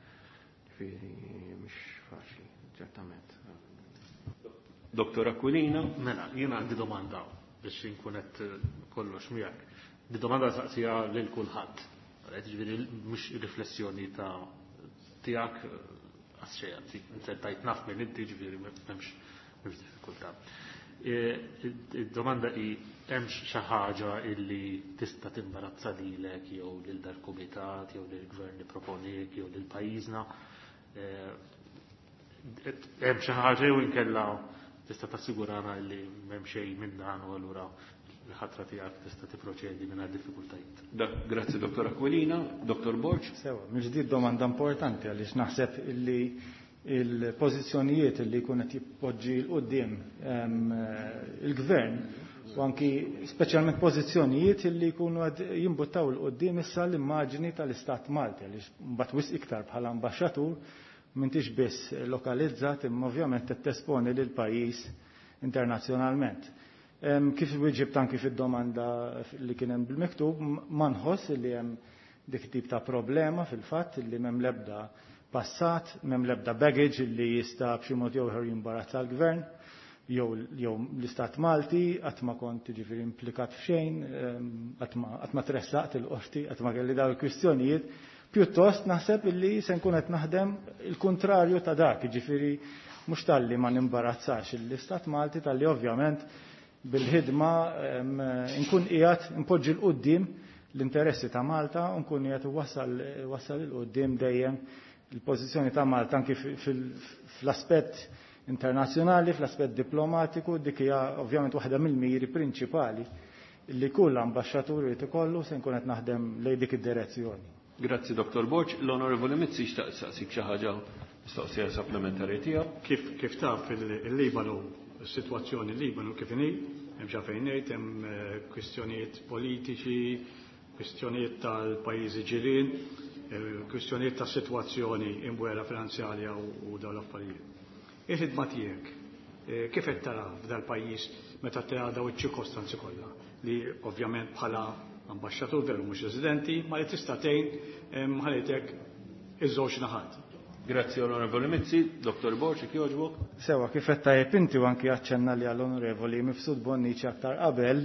Ġifieri mhux faċli, ċertament. Doktor Aquilina. Mela, jiena għandi domanda biex inkun qed kollox miegħek. Di domanda saqsija lil kulħadd. Ġifieri mhux riflessjoni ta' tiegħek għas xejn, anzi, inti tajt naf minn inti, ġifieri m'hemmx m'hemmx diffikultà. Id-domanda hi hemm xi ħaġa illi tista' timbarazza lilek jew lil dal-kumitat jew lill-gvern li proponik jew lil pajjiżna. Hemm xi ħaġa jew inkella tista' tassigurana li m'hemm xejn minn dan u allura l-ħatra tiegħek tista' tipproċedi mingħajr diffikultajiet. Grazzi Dottor Aquilina, Dottor Borg. Sewa, mill-ġdid domanda importanti għaliex naħseb illi il-pożizzjonijiet li jkun qed jippoġġi l quddiem il-gvern u anki speċjalment pożizzjonijiet li jkunu qed jimbuttaw l quddiem issa l-immaġni tal-Istat Malti għaliex mbagħad wisq iktar bħala ambaxxatur m'intix biss lokalizzat imma ovvjament qed tesponi lil pajjiż internazzjonalment. Kif wieġibt anki fid-domanda li kien hemm bil-miktub, ma nħoss li hemm dik tip ta' problema fil-fatt li m'hemm l-ebda passat, m'hemm l-ebda baggage li jista' b'xi mod jew ieħor jimbarazza l-gvern jew jew l-Istat Malti, qatt ma kont jiġifieri implikat f'xejn, qatt ma tressaqt il-qorti, qatt ma kelli dawn il-kwistjonijiet. Pjuttost naħseb illi se nkun qed naħdem il-kuntrarju ta' dak, jiġifieri mhux talli ma nimbarazzax l-Istat Malti, talli ovvjament bil-ħidma nkun qiegħed npoġġi 'l quddiem l-interessi ta' Malta u nkun qiegħed wassal 'il quddiem dejjem il-pożizzjoni ta' Malta anki fl-aspett internazzjonali, fl-aspett diplomatiku, dik hija ovvjament waħda mill-miri prinċipali li kull ambaxxatur irid ikollu se nkun qed naħdem lejn dik id-direzzjoni. Grazzi Dottor Borg. L-Onorevoli Mizzi xtaq saqsik xi ħaġa, mistoqsija supplementari tiegħu. Kif kif taf il-Libanu, is-sitwazzjoni Libanu kif inhi, hemm xi fejn ngħid, hemm kwistjonijiet politiċi, kwistjonijiet tal-pajjiżi ġirien, kwistjonijiet ta' sitwazzjoni imwera finanzjarja u dawn l-affarijiet. Il-ħidma tiegħek kif qed tara f'dal-pajjiż meta tara dawn iċ-ċirkostanzi kollha li ovvjament bħala ambaxxatur veru mhux residenti, ma li tista' tgħin ħallitek iż-żewġ naħat. Grazzi Onorevoli Mizzi, Dottor Borg, jekk jogħġbok. Sewa, kif qed tajjeb inti u anki aċċenna li għall-Onorevoli Mifsud Bonnici aktar qabel,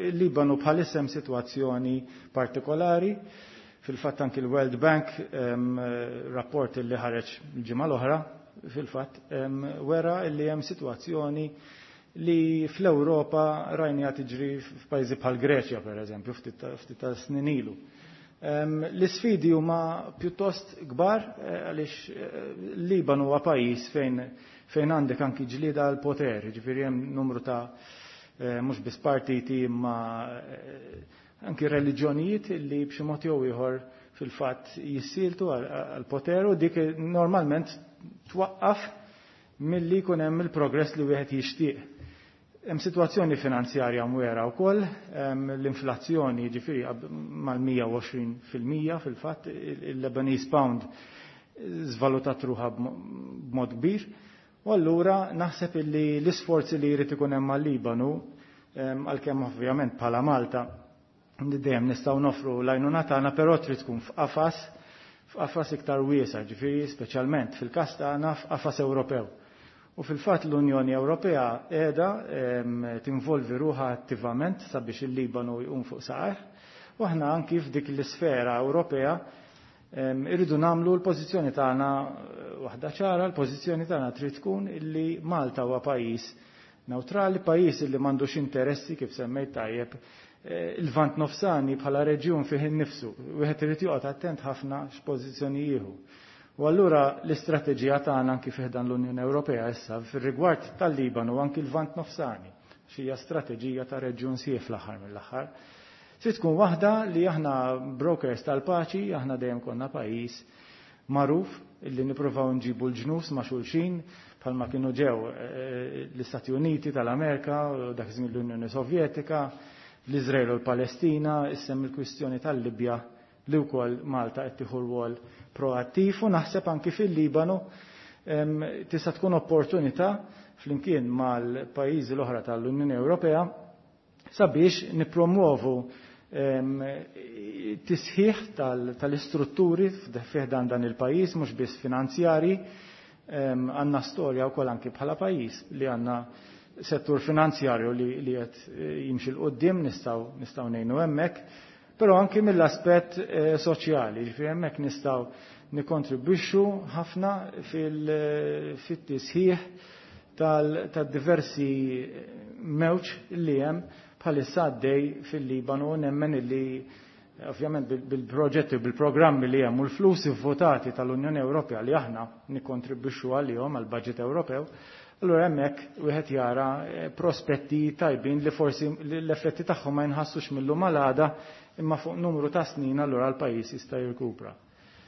il-Libanu bħalissa hemm sitwazzjoni partikolari. Fil-fatt anki l-World Bank, rapport li ħareġ il-ġimgħa l-oħra, fil-fatt wera li hemm sitwazzjoni li fl-Ewropa rajnija tiġri f'pajjiżi bħal Greċja pereżempju ftit ta' snin ilu. L-isfidi huma pjuttost kbar għaliex l-Libanu huwa pajjiż fejn fejn għandek anki ġlieda għal poter, jiġifieri hemm numru ta' mhux biss partiti imma anki reliġjonijiet li b'xi mod jew ieħor fil-fatt jissieltu għal poter u dik normalment twaqqaf milli jkun hemm il-progress li wieħed jixtieq. Hemm sitwazzjoni finanzjarja mwera wkoll, l-inflazzjoni jiġifieri mal-mija u għoxrin fil-mija fil-fatt, il-Lebanese pound żvalutat ruħha b'mod kbir. U allura naħseb illi l-isforzi li jrid ikun hemm għal-Libanu, għalkemm ovvjament bħala Malta dejjem nistgħu nofru l-għajnuna tagħna, però trid tkun f'qafas f'qafas iktar wiesa', ġifieri speċjalment fil-każ tagħna f'qafas Ewropew. U fil-fatt l-Unjoni Ewropea qiegħda tinvolvi ruħha attivament sabiex il-Libanu jqum fuq saqajh, u aħna anki f'dik l-isfera Ewropea irridu nagħmlu l-pożizzjoni tagħna waħda ċara, l-pożizzjoni tagħna trid tkun illi Malta huwa pajjiż neutrali, pajjiż illi m'għandux interessi kif semmejt tajjeb il-Lvant Nofsani bħala reġjun fih innifsu, wieħed irid joqgħod attent ħafna x'pożizzjoni jieħu. U allura l-istrateġija tagħna anki fih dan l-Unjoni Ewropea issa fir-rigward tal-Libanu u anki l-Lvant Nofsani, x'hija strateġija ta' reġjun sieħ fl-aħħar mill-aħħar. Trid tkun waħda li aħna brokers tal-paċi, aħna dejjem konna pajjiż magħruf illi nippruvaw nġibu l-ġnus ma' xulxin bħalma kienu ġew l-Istati Uniti tal-Amerika, dak iż-żmien l-Unjoni Sovjetika, l-Iżrael u l-Palestina, issem il-kwistjoni tal-Libja li wkoll Malta qed tieħu rwol proattiv u naħseb anki fil-Libanu tista' tkun opportunità flimkien mal-pajjiżi l-oħra tal-Unjoni Ewropea sabiex nippromuovu tisħiħ tal-istrutturi fih dan dan il-pajjiż mhux biss finanzjari, għandna storja wkoll anki bħala pajjiż li għandna settur finanzjarju li qed jimxi 'l quddiem nistgħu nistgħu ngħinu hemmhekk, però anki mill-aspett soċjali, ġifieri hemmhekk nistgħu nikkontribwixxu ħafna fit-tisħiħ tad-diversi mewġ li hemm bħalissa għaddej fil-Libanu, nemmen illi ovvjament bil-proġetti u bil-programmi li hemm u l-flus votati tal-Unjoni Ewropea li aħna nikkontribwixxu għalihom għall-budget Ewropew, allura hemmhekk wieħed jara prospetti tajbin li forsi l-effetti tagħhom ma jinħassux mill-lum għal għada, imma fuq numru ta' snin allura l-pajjiż jista' jirkupra.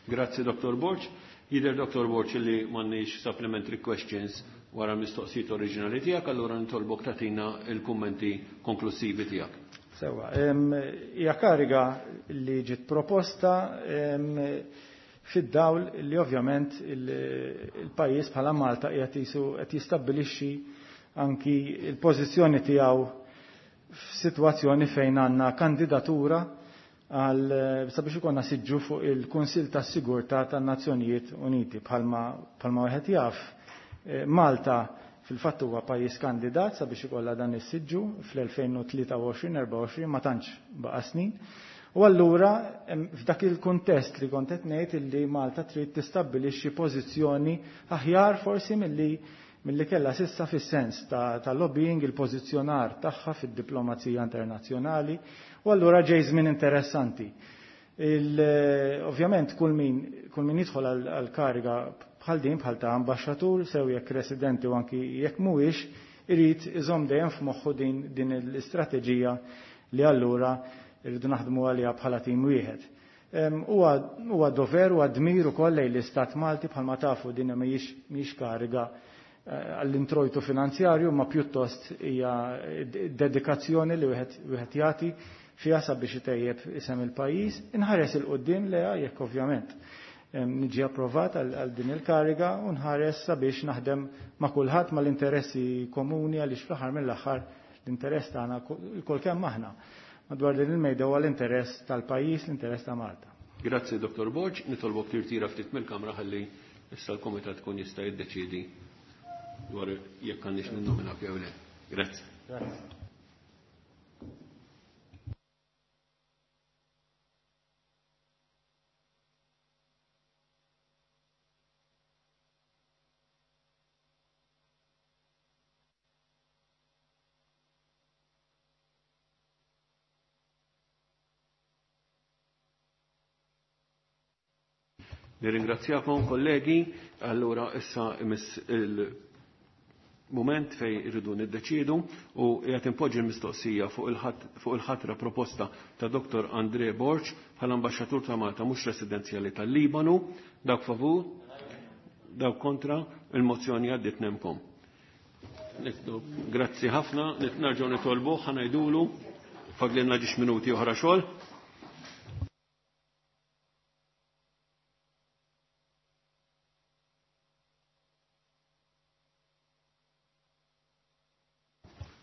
Grazzi Dottor Borg. Jidher Dottor Borg li m'għandniex supplementary questions wara l-mistoqsijiet oriġinali tiegħek, allura nitolbok tagħtina il-kummenti konklusivi tiegħek. Sewa, hija kariga li ġiet proposta fid-dawl li ovvjament il-pajjiż bħala Malta qiegħed jisu qed jistabbilixxi anki l-pożizzjoni tiegħu f'sitwazzjoni fejn għandna kandidatura għal sabiex ikollna siġġu fuq il-Kunsill tas-Sigurtà tan-Nazzjonijiet Uniti. Bħalma bħalma wieħed jaf, Malta fil-fatt huwa pajjiż kandidat sabiex ikollha dan is-siġġu fl-elfejn u tlieta u għoxrin, erbgħa u għoxrin, ma tantx baqa' snin. U allura f'dak il-kuntest li kont qed ngħid illi Malta trid tistabbilixxi pożizzjoni aħjar forsi milli milli kellha s'issa fis-sens ta', ta lobbying, il-pożizzjonar tagħha fid-diplomazija internazzjonali, u allura ġej żmien interessanti. Il, ovvjament kull min, kull min jidħol għal kariga bħal din bħal ta' ambaxxatur, sew jekk residenti u anki jekk mhuwiex, irid iżomm dejjem f'moħħu din, din l-istrateġija li allura irridu naħdmu għaliha bħala tim wieħed. Huwa dover u dmir ukoll lejn l-Istat Malti, bħalma tafu din mhijiex mhijiex kariga għall-introjtu finanzjarju, ma pjuttost hija dedikazzjoni li wieħed wieħed jagħti fiha sabiex itejjeb isem il-pajjiż, inħares il quddiem leha jekk ovvjament niġi approvat għal din il-kariga u nħares sabiex naħdem ma' kulħadd mal-interessi komuni, għaliex fl-aħħar mill-aħħar l-interess tagħna lkoll kemm aħna madwar din il-mejda huwa l-interess tal-pajjiż, l-interess ta' Malta. Grazzi Dottor Borg, nitolbok tirtira ftit mill-kamra ħalli issa l-komitat tkun jista' jiddeċiedi dwar jekk għandix ninnominak jew le. Grazzi. Grazzi. Nirringrazzjakom kollegi, allura issa imiss il-moment fej irridu niddeċiedu u qiegħed impoġġi l-mistoqsija fuq il-ħatra proposta ta' Dottor André Borg bħala ambaxxatur ta' Malta mhux residenzjali tal-Libanu. Dawk favur, dawk kontra, il-mozzjoni għaddiet nemkom. Grazzi ħafna, nerġgħu nitolbu, ħanajdulu, fadlilna ġiex minuti oħra xogħol.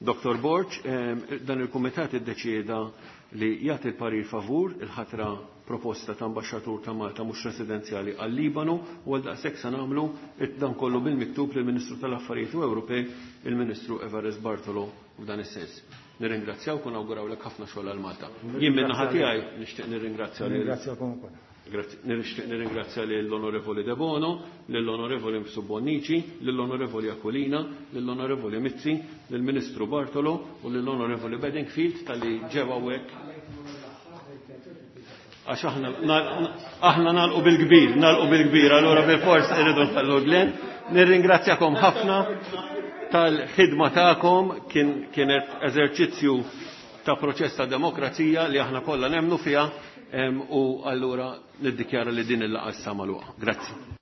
Dottor Borg, dan il-Kumitat iddeċieda li jagħti l-parir favur il-ħatra proposta ta' ambaxxatur ta' Malta mhux residenzjali għal-Libanu u għal daqshekk se nagħmlu dan kollu bil-miktub lill-Ministru tal-Affarijiet Ewropej, il-Ministru Evarist Bartolo f'dan is-sens. Nirringrazzjawk u nawgurawlek ħafna xogħol għal Malta. Jien minn naħa tiegħi nixtieq nirringrazzja lil Nirringrazzjakom ukoll. Grazzi. Nixtieq nirringrazzja lill-Onorevoli De Bono, lill-Onorevoli Mifsud Bonnici, lill-Onorevoli Aquilina, lill-Onorevoli Mizzi, lill-Ministru Bartolo u lill-Onorevoli Bedingfield tal-li ġew hawnhekk. Għax aħna aħna nagħlqu bil-kbir, nagħlqu bil-kbir, allura bil-fors irridu nħallu Glenn. Nirringrazzjakom ħafna tal-ħidma tagħkom, kien kienet eżerċizzju ta' proċess ta' demokrazija li aħna kollha nemmnu fiha. U allura niddikjara li din il-laqgħa issa magħluqa. Grazzi.